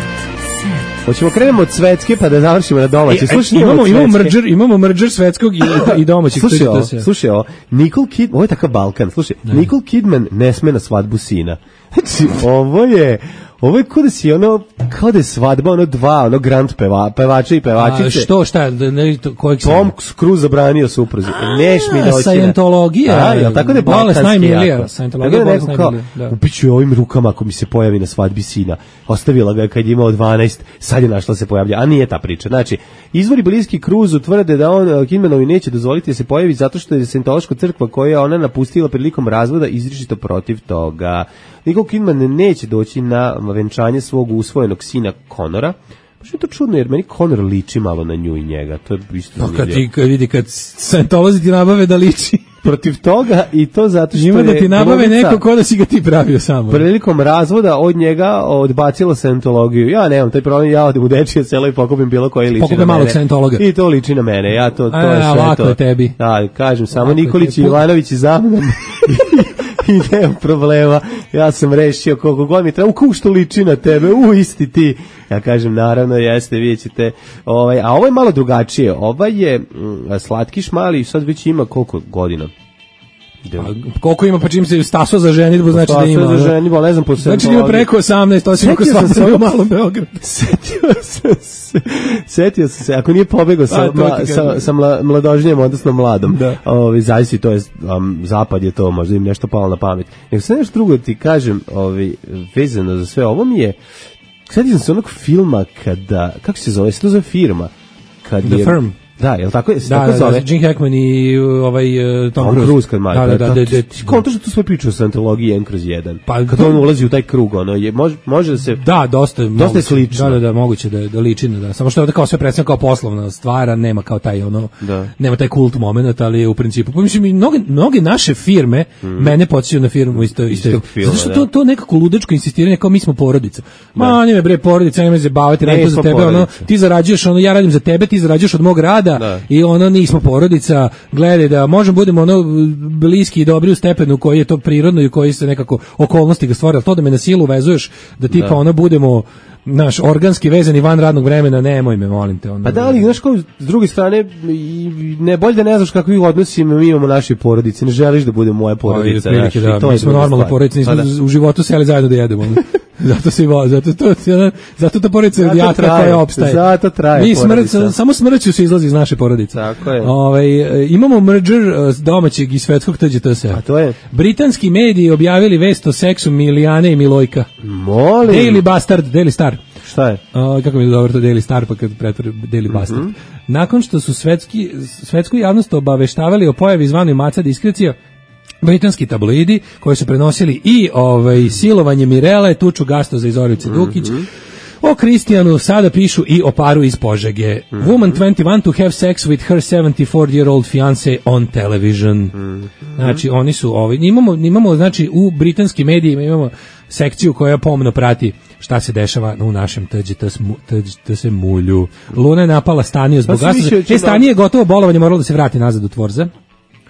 Set. Hoćemo krenemo od svetske pa da završimo na domaći. Slušaj, imamo imamo merger, imamo merger svetskog i, i domaćeg. Slušaj, ovo, slušaj, ovo, Nicole Kidman, ovo je takav Balkan. Slušaj, ne. Nicole Kidman ne sme na svadbu sina. Znači, ovo je ovo je kao da si ono, kao da je svadba, ono dva, ono grand peva, pevača i pevačice. A što, šta, ne, to, kojeg sam? Tom Cruise zabranio supruzi. Neš mi doći. Sajentologija. A, jel, tako da je balkanski jako. Sajentologija je bolest najmilija. Upiću je ovim rukama ako mi se pojavi na svadbi sina. Ostavila ga kad je imao dvanaest, sad je našla se pojavlja. A nije ta priča. Znači, izvori bliski Cruise tvrde da on Kidmanovi neće dozvoliti da se pojavi zato što je Sajentološka crkva koju je ona napustila prilikom razvoda izričito protiv toga. Nicole Kidman neće doći na venčanje svog usvojenog sina Conora. Baš je to čudno, jer meni Conor liči malo na nju i njega. To je isto no, kad ti kad vidi, kad Scientolozi ti nabave da liči protiv toga i to zato što ima je da ti nabave glumica, neko ko da si ga ti pravio samo. Prilikom razvoda od njega odbacila Scientologiju. Ja nemam taj problem, ja odem u dečije selo i pokupim bilo koje liči Pokupim na mene. malog Scientologa. I to liči na mene. Ja to, to A, je sve lako to. Je tebi. Da, kažem, samo lako Nikolić i Ivanović i za mnom. I nema problema, ja sam rešio koliko god mi treba, u kako što liči na tebe, u isti ti. Ja kažem, naravno, jeste, vidjet ćete. Ovaj, a ovo je malo drugačije, ovaj je mm, slatkiš mali, sad već ima koliko godina? A, koliko ima, pa čim se staso za ženitbu, znači da ima. Staso za ženitbu, ne znam po znači da ima preko osamnaest, osim ako svatko u malom Beogradu. Setio sam se, setio sam se, ako nije pobegao sa, mla, sa, sa mla, mladožnjem, odnosno mladom, ovi, zavisi, to je, um, zapad je to, možda im nešto palo na pamet. Nego sve nešto drugo ti kažem, ovi, vezano za sve ovo mi je, setio sam se onog filma kada, kako se zove, se to zove firma? Kad The je, Firm. Da, jel tako, da, tako da, zove? Da, Jim Hackman i ovaj uh, Tom, Tom Cruise. Cruise kad da, da, da, da, da, konto što tu sve priča o Scientologiji jedan kroz jedan. Pa kad on ulazi u taj krug, ono je može može da se da, dosta dosta je slično. Da, da, da, moguće da da liči na da. Samo što je kao sve predstavljeno kao poslovna stvar, nema kao taj ono, da. Nema taj kult momenat, ali je u principu, pa mislim i mnoge mnoge naše firme mm. mene podsjećaju na firmu isto isto. Zato što to to nekako ludačko insistiranje kao mi smo porodica. Ma, ne bre, porodica, nema se baviti, radim za tebe, ono, ti zarađuješ, ono, ja radim za tebe, ti zarađuješ od mog rada pada da. i ono nismo porodica, gledaj da možemo budemo ono bliski i dobri u stepenu koji je to prirodno i koji se nekako okolnosti ga stvore, ali to da me na silu vezuješ da tipa Da. ono budemo naš organski vezani van radnog vremena, nemoj me, molim te. Ono, Pa da li, znaš kao, s druge strane, i ne bolje da ne znaš kakvi odnosi mi imamo naše porodice, ne želiš da bude moja porodica. Ali, prilike, znaš, da, i to mi je smo druga normalna stvar. porodica, nismo Pa da. u životu seli zajedno da jedemo. ono. Zato se i vo- zato to zato ta porodica Zato radijatra traje, koja opstaje. zato traje Mi smrt, porodica. samo smrću se izlazi iz naše porodice. Tako je. Ovaj e, imamo merger e, domaćeg i svetskog T Đ T S. A to je? Britanski mediji objavili vest o seksu Milijane i Milojka. Molim. Daily Bastard, Daily Star. Šta je? A, kako mi je dobro to Daily Star pa kad pretvori Daily Bastard. Mhm. Nakon što su svetski, svetsku javnost obaveštavali o pojavi zvanoj maca diskrecija, britanski tabloidi koji su prenosili i ovaj silovanje Mirele, tuču Gastoza i Zorice Dukić, o Kristijanu sada pišu i o paru iz Požege. Woman twenty-one to have sex with her seventy-four-year-old fiance on television. Znači, oni su ovi, imamo, imamo, znači, u britanskim medijima imamo sekciju koja pomno prati šta se dešava u našem T Đ T S mulju. Luna je napala Staniju zbog Pa sam mislio da gasa. će E, Stanije je gotovo bolovanje, moralo da se vrati nazad u Tvorza.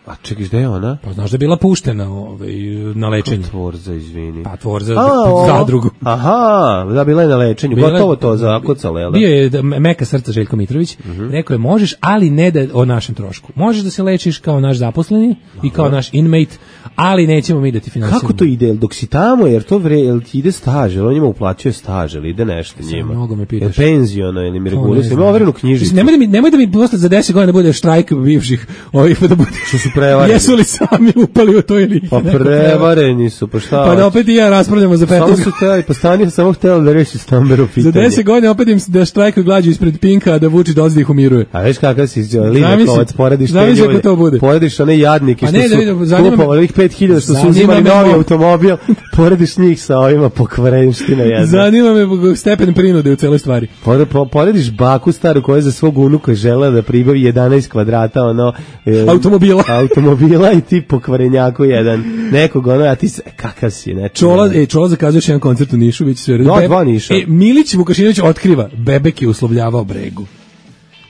A čekaj, gde je ona? Pa znaš da je bila puštena ovaj, na lečenju. Tvorza, izvini. Pa Tvorza, A, o. zadrugu. Aha, da, bila je na lečenju, Bila- gotovo to zakucala, jel da? Bio je da- meka srca Željko Mitrović, rekao je možeš, ali ne da o našem trošku. Možeš da se lečiš kao naš zaposleni i kao naš inmate, ali nećemo mi da ti finansiramo. Kako to ide? Jel dok si tamo, jer to vre, jel ti ide staž, jel on njima uplaćuje staž, ili ide nešto njima? mnogo me pitaš. Jel penziono, ili mi To reguluje, ne sam znam. ima overenu knjižicu. Mislim, Nemoj da mi, nemoj da mi posle za deset godina bude štrajk bivših ovih, pa da bude... Što su prevareni. Jesu li sami upali u to ili ih Pa neko prevareni su, pa šta? prevara? Pa da opet i ja raspravljamo za Samo petnaest su hteli, pa Stanija samo htjela da reši stambeno Za pitanje. deset godina opet im se da štrajkuju glađu ispred Pinka, a da Vučić dolazi da ih umiruje. A veš kakav si Zamisli- Limekovac, porediš te zamisli ako ljude, to bude. porediš one jadnike Pa što ne, da vidim, su zanima me- kupovali ovih pet hiljada što su Zanima uzimali me novi mo- automobil, porediš njih sa ovima pokvarenština jedna. Zanima me stepen prinude u celoj stvari. Pore- po- Porediš baku staru koja je za svog unuka žela da pribavi jedanaest kvadrata ono e, Automobila. automobila i ti pokvarenjaku jedan nekog ono, a ti se, kakav si, ne Čola, e, Čola zakazuje još jedan koncert u Nišu, već sve. Da, Beb- dva Niša. E, Milić Vukašinović otkriva, Bebek je uslovljavao Bregu.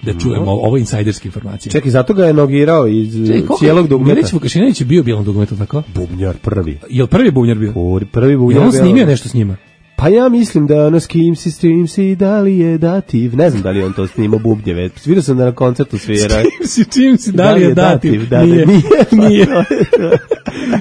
Da čujemo, ovo, ovo je insajderska informacija. Čekaj, zato ga je nogirao iz Čekaj, koliko- cijelog dugmeta. Milić Vukašinović je bio u bijelom dugmetu, tako? Bubnjar prvi. Je li prvi bubnjar bio? Prvi, prvi Je bubnjar. on bio- snimio nešto s njima? Pa ja mislim da ono s kim si, s čim si, da li je dativ. Ne znam da li je on to snimao bubnjeve. Vidio sam da na koncertu svira. Čim si, čim si, da li je dativ? Da, da, Nije. nije. Nije.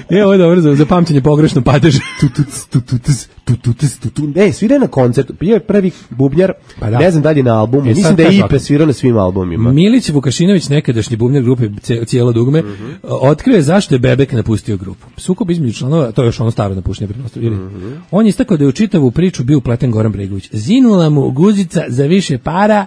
E, ovo je dobro za, za pamćenje pogrešno padeže. Tutuc, tutuc, tutuc, tutuc. Ne, svira je na koncertu. Bio je prvi bubnjar. Pa da. Ne znam da li je na albumu. E, Mislim sad da je kaži Ipe ovako. svirao na svim albumima. Milić Vukašinović, nekadašnji bubnjar grupe Ce- Cijelo dugme, Mhm. otkrio je zašto je Bebek napustio grupu. Sukob između članova, to je još ono staro napuštenje pretpostavljeno. Mhm. On je istakao da je u čitavu priču bio upleten Goran Bregović. Zinula mu guzica za više para,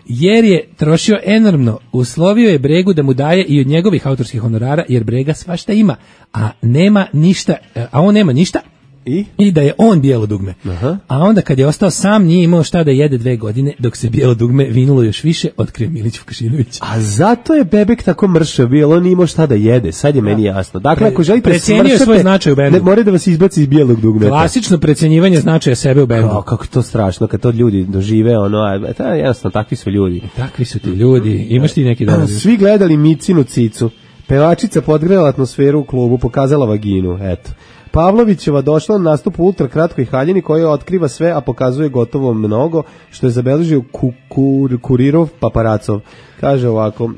jer je trošio enormno. Uslovio je Bregu da mu daje i od njegovih autorskih honorara, jer Brega svašta ima, a nema ništa, a on nema ništa. I? I da je on bijelo dugme. Aha. A onda kad je ostao sam, nije imao šta da jede dve godine, dok se bijelo dugme vinulo još više, otkrio Milić Vukašinović. A zato je Bebek tako mršao bio, on nije imao šta da jede, sad je meni jasno. Dakle, ako želite Precenio je smršate, svoj značaj u bendu. ne morate da vas izbaci iz bijelog dugmeta. Klasično precenjivanje značaja sebe u bendu. Kao, kako je to strašno, kad to ljudi dožive, ono, a, ta, jednostavno, takvi su ljudi. Takvi su ti ljudi. Imaš ti neki dan? Svi gledali Micinu cicu. Pevačica podgrela atmosferu u klubu, pokazala vaginu, eto. Pavlovićeva došla na nastup u ultra kratkoj haljini koja otkriva sve, a pokazuje gotovo mnogo, što je zabeležio kukur, kurirov paparacov. Kaže ovako,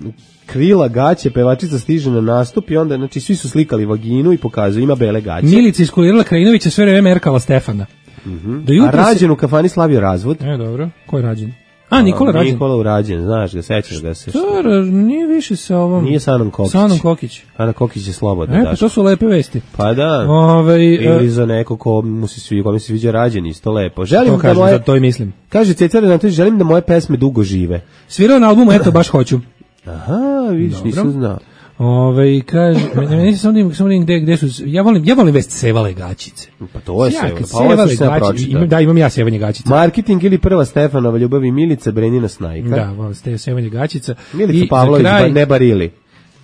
krila gaće, pevačica stiže na nastup i onda, znači, svi su slikali vaginu i pokazuju, ima bele gaće. Milica iskulirala Krajinovića sve vreme merkala Stefana. Mhm. Do A jutra se- Rađen u kafani slavio razvod. E, dobro. Ko je Rađen? A, Nikola Rađen. Nikola Urađen, znaš ga, sećaš ga se. To je- nije više sa ovom... Nije sa Anom Kokić. Sa Anom Kokić. Ana Kokić je slobodna, E, pa daš. to su lepe vesti. Pa da. Ovaj, Ili e, za neko ko mu se sviđa, ko mi se sviđa Rađen, isto lepo. Želim To da kažem, moje, za to i mislim. kaže Ceca Renatović, želim da moje pesme dugo žive. Svirao na albumu, eto, baš hoću. Aha, vidiš, Dobro. nisam znao. Ove, kaže, meni meni se samo da im- samo da im gde, gde su, ja volim, ja volim vest sevale gaćice. Pa to je Ja, sve. kad Pa ovo sevale što sam ja gaće- pročitao. imam- da, imam ja sevanje gaćica. Marketing ili prva Stefanova ljubav i Milica Brenina Snajka. Da, volim ste sevanje gaćica. Milica I za Pavlović, kraj- ba, ne barili.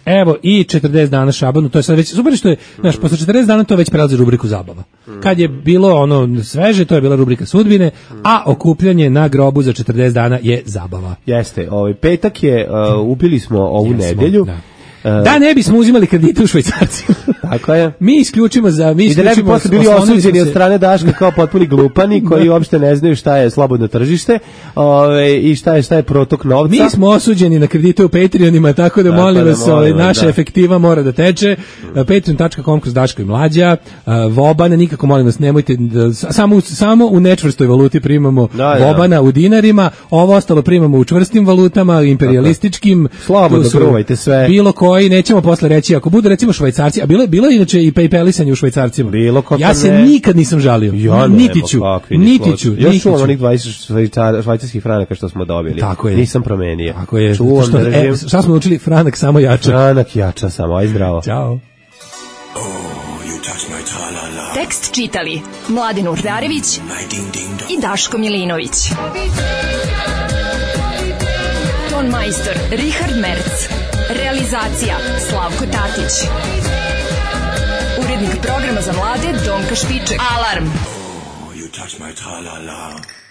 Evo i četrdeset dana Šabanu, to je sad već super što je, znaš, posle četrdeset dana to već prelazi rubriku zabava. Kad je bilo ono sveže, to je bila rubrika sudbine, a okupljanje na grobu za četrdeset dana je zabava. Jeste, ovaj petak je, uh, ubili smo ovu Jesmo, nedelju. Da. Da ne bismo uzimali kredite u švajcarcima. Tako je. Mi isključimo za mi isključimo. I da ne bi posle bili osuđeni od strane Daška kao potpuni glupani koji uopšte ne znaju šta je slobodno tržište, ovaj i šta je šta je protok novca. Mi smo osuđeni na kredite u Patreonima, tako da tako molim da vas, ovaj naša da. efektiva mora da teče. patreon dot com kroz Daško i Mlađa. Vobana nikako molim vas nemojte da, samo samo u nečvrstoj valuti primamo da, Vobana da. u dinarima, ovo ostalo primamo u čvrstim valutama, imperijalističkim. Slobodno gruvajte sve. Bilo ko i nećemo posle reći, ako budu recimo Švajcarci, a bilo je bilo inače i PayPalisanje u Švajcarcima. Bilo ja se ne. nikad nisam žalio. Ja niti ću, niti ću. Ja čuvam onih dvadeset švajcarskih franaka što smo dobili. Tako je. Nisam promenio. Tako je. Čuvam, što, e, šta smo učili? Franak samo jača. Franak jača samo, aj zdravo. Ćao. Oh, tekst čitali Mladin Urdarević i Daško Milinović. Ton majstor Richard Merc. Realizacija Slavko Tatić. Urednik programa za mlade Donka Špiček. Alarm! Oh, you touch my tra-la-la.